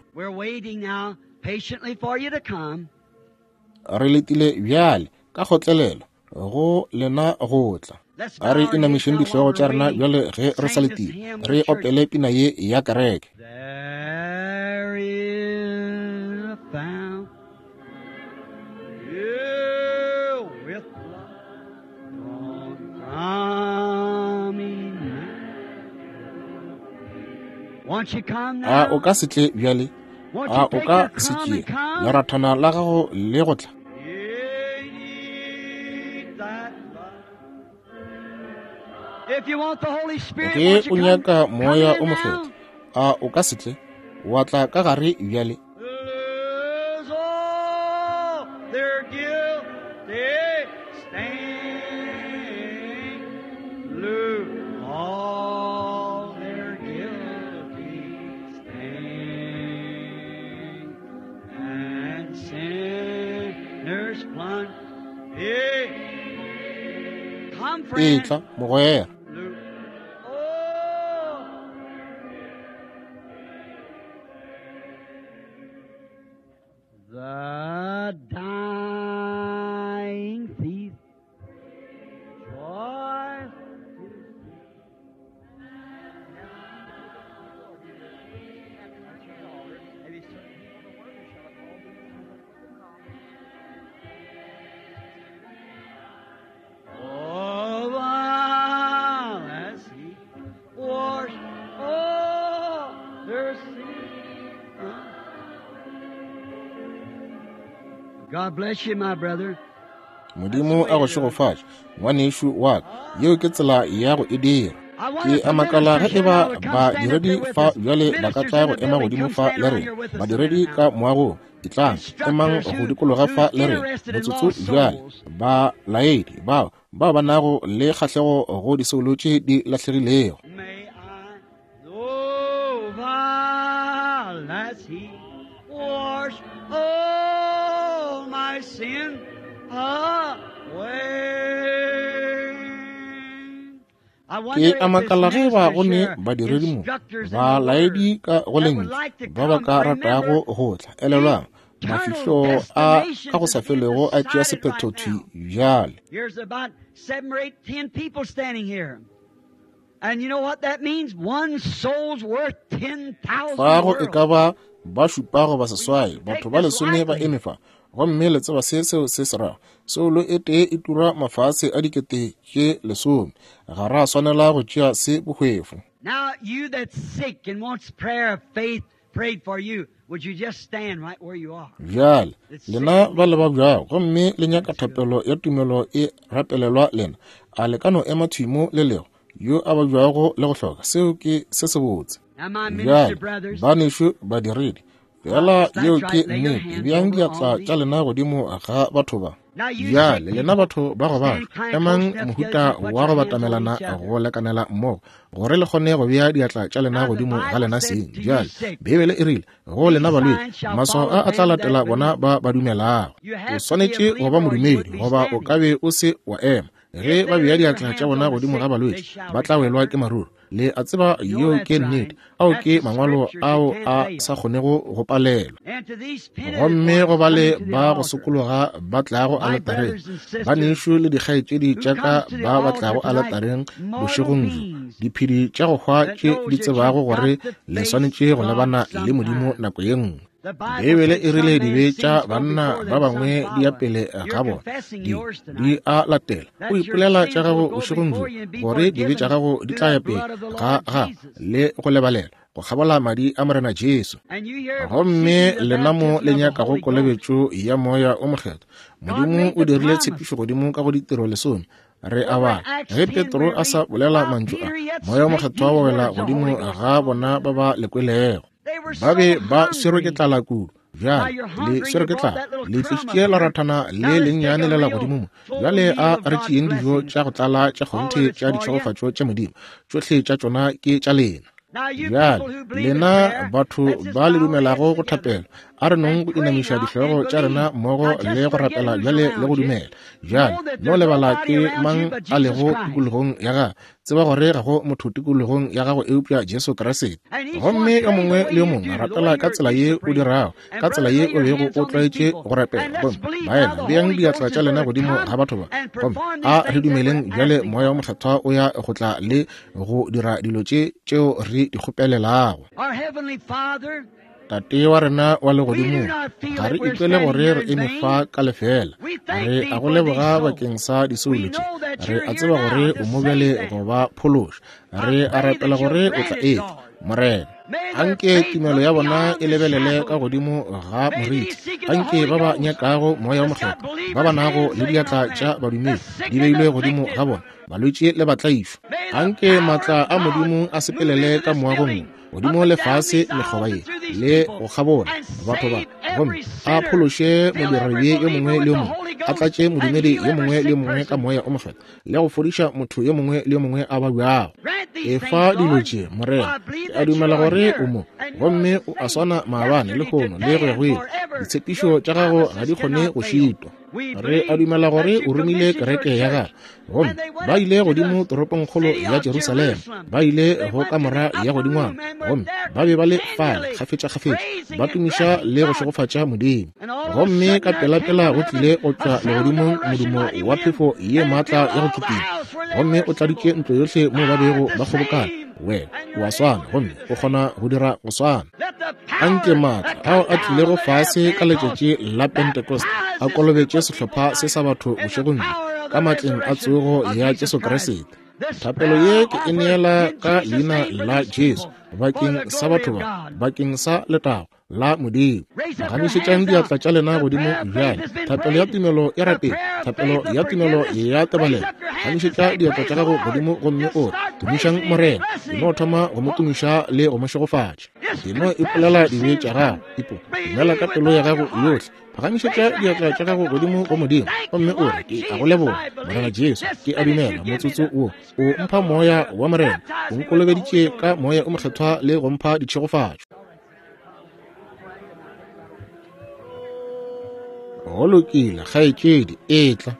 Re letile bjale ka kgotlelelo go lena go tla. A re inamišeng dihlogo tša rena bjale ge re sa letile, re opele pina ye ya kereke. There is a fountain with blood drawn from Emmanuel. Won't you come A now? o ka se tle bjale? A o ka se tšee lerathana la gago le go tla? Ge o nyaka Moya o Mokgethwa, a o ka se tle wa tla ka gare bjale? Etla, mogwera. The dying thief. Joy. Oh, as he washed all their sin. God bless you, my brother. Modimo a go šegofatše, ngwanešu wa ka. Yeo ke tsela ya go e dira. Ke a makala ge eba badiredi fa bjale ba ka tla go ema godimo fa le rena. Badiredi ka moagong, etlang, emang go dikologa fa le rena motsotso bjale. Balaedi bao bao ba nago le kgahlego go disoulo tše di lahlegilego. May I know while as he washed all my sin away. I Ke wonder a if this makala ge eba minister go ne here, badiredi mo, instructors in the balaedi word, ka go that would lentšu like to ba ba come, ka ratago remember go tla. Elelwang, eternal mafihlo a ka go destinations sa is being felego a tšea decided sephetho right thwi now. bjale. Here's about seven or eight, ten people standing here. And you know what that means? One soul's worth ten thousand Fa go e ka worlds. ba ba šupa goba We seswai, mustn't batho take ba this lesome ba lightly. eme fa. Gomme le tseba se seo se se rago. Soulo e tee e tura mafase a dikete tše lesome. Ga ra swanela go tšea se bohwefo. Now, you that's sick and wants prayer of faith prayed for you, would you just stand right where you are? Bjale, That's sick lena and ba le needs. ba bjago gomme le nyaka That's good. thapelo ya tumelo e rapelelwa lena, a le ka no ema thwi mo le lego yo a ba bjago le go hloka. Seo ke se sebotse. Now, my minister Bjale, brothers, banešu badiredi, fela that's yeo right, ke lay your nnete. hands Beang over diatla on tša these. lena godimo ga batho ba. Now, you sick Bjale, lena people, batho ba go stand babja, kind close emang enough together mohuta to put wa go your hands on batamelana each other. go lekanela mmogo, gore le kgone go bea diatla tša lena Now, the godimo ga Bible lena said seng. to you Bjale, sick, Beibele e rile go these lena balwetši, signs shall maswao follow a a tla them that latela bona believe. ba ba dumelago. You O have to be a swanetše go ba believer or you modumedi wouldn't be goba o ka standing. be o se wa ema. Ge If ba they bea lay their diatla tša hands bona on the godimo ga sick, they balwetši, shall ba tla welwa recover. ke maruru. Le a tseba You know yeo that's ke right. nnete. Ao That's ke the mangwalo scriptures. It ao can't a fail. sa kgonego go palelwa. And to these penitent Gomme ones go ba le coming to the ba go altar, sokologa ba tlago my aletareng, brothers and sisters banešu le dikgaetšedi who tša ka comes to the ba ba altar tlago tonight, aletareng mortal bošegong bjo, beings diphedi tša go hwa that tše knows di that tsebago you've gore got to le face swanetše go God lebana le Modimo sometime. nako ye nngwe. The Bible Beibele said e some rile man's dibe tša sins go banna before ba them, some bangwe di ya follow. pele You're ga bona, confessing di yours di tonight. a latela. O That your ipolela tša sins will gago go bošegong bjo before you and be gore dibe tša forgiven gago di through tla the ya pele blood of the ga Lord gago Jesus. le go lebalela go kgabola madi a Morena Jesu. And you here Gomme seeking the lena mo baptism le of the nyakago Holy Ghost. kolobetšo ya Moya o Mokgethwa. God Modimo made o the dirile promise. tshepišo godimo ka go ditiro lesome. Re a Over in bala Acts ge ten Petro we a sa read, bolela while mantšu a, Peter yet Moya o spake Mokgethwa these wa wela words, the godimo Holy Ghost ga bona ba ba le kwelego. They were Ba be so ba swerwe ke hungry. tlala kudu. Now Bjale you're le hungry, swerwe you ke brought tlala, that little le crumb up tlišitše here. lerathana Now le let's take lennyane a le la real godimo mo. full Bjale meal a of re God's tšeeng dijo blessings. tša go tlala tša All kgonthe of it's tša for you. ditšhegofatšo tša Modimo. Tšohle tša tšona ke tša lena. Now you Bjale people who believe in lena prayer, batho let's just ba bow le our heads dumelago go together thapelo, a re nong and go pray inamiša now dihlogo and tša rena believe. mmogo Now le just go forget rapela who's bjale le go around you. dumela. Bjale Know that no there's lebala nobody ke around you mang but a Jesus lego Christ. tikologong ya gago. Tseba gore ga go motho tikologong ya gago eupša Jesu Kriste. And each one Gomme yo pray the mongwe way le yo you mongwe do, the rapela way ka you're tsela used ye to o praying. dirago, And ka tsela brothers, ye lay o your bego hands o on these tlwaetše people. go rapela. And let's Gomme believe now baena, the beang Holy diatla Ghost tša is lena going to godimo come ga batho ba. and Gomme perform a these re things that dumeleng we're bjale asking Moya o for. Mokgethwa o ya go tla le go dira dilo tše tšeo re di kgopelelago. Our Heavenly Father, Tate wa rena wa we do legodimong, not feel ga that re we're ikwele standing gore here re in eme vain. fa ka lefela. We thank Re thee a go for these leboga souls. bakeng sa We disoulo tše. know that Re you're a here tseba now gore to o mo save bjale them. go ba phološa. I Re a pray rapela that you'll gore o grant tla it, etla Lord. Morena. Anke tumelo ya bona e lebelele ka godimo ga moriti. Anke ba ba nyakago Moya wo Mokgethwa, ba ba nago le diatla tša badumedi di beilwe godimo ga bona, balwetši le batlaišwa. Anke maatla a Modimo a sepelele ka moagong godimo le fase mekgoba ye le go kgabola batho ba, gomme a phološe modiradibe yo mongwe le yo mongwe, a tlatše modumedi yo mongwe le yo mongwe ka Moya o Mokgethwa, le go fodiša motho yo mongwe le yo mongwe a babjago. Efa dilo tše, Morena. Ke a dumela gore o mo, gomme o a swana maabane, lehono le go ya go ile. Ditshepišo tša gago ga di kgone go šitwa. Re a dumela gore o romile kereke ya gago, gomme ba ile godimo toropongkgolo ya Jerusalema, ba ile go kamora ya godingwana, gomme ba be ba le fale kgafetšakgafetša ba tumiša le go šegofatša Modimo. Gomme ka pelapela go tlile go tšwa legodimong modumo wa phefo ye maatla ya go kitima, gomme o tladitše ntlo yohle mo ba bego ba kgobokana. Wena o a swana, gomme o kgona go dira go swana. Anke maatla ao a tlilego fase ka letšatši la Pentecost a kolobetše sehlopha se sa batho bošegong bjo ka matleng a tsogo ya Jesu Kriste. Thapelo ye ke e neela ka leina la Jesu bakeng sa batho ba, bakeng sa letago la Modimo. Phagamišetšang diatla tša lena godimo bjale. Thapelo ya tumelo ya rapela, thapelo ya tumelo ya tebalelo. Phagamišetša diatla tša gago godimo gomme o re, tumišang Morena. E no thoma go mo tumiša le go mo šegofatša. E no ipolela dibe tša gago, ipo dumela ka pelo ya gago yohle. Phagamišetša diatla tša gago godimo go Modimo gomme o re, ke a go leboga Morena Jesu, ke a dumela motsotso wo o mpha Moya wa Morena, o nkolobeditše ka Moya o Mokgethwa le go mpha ditšhegofatšo. Go lokile, kgaetšedi, etla.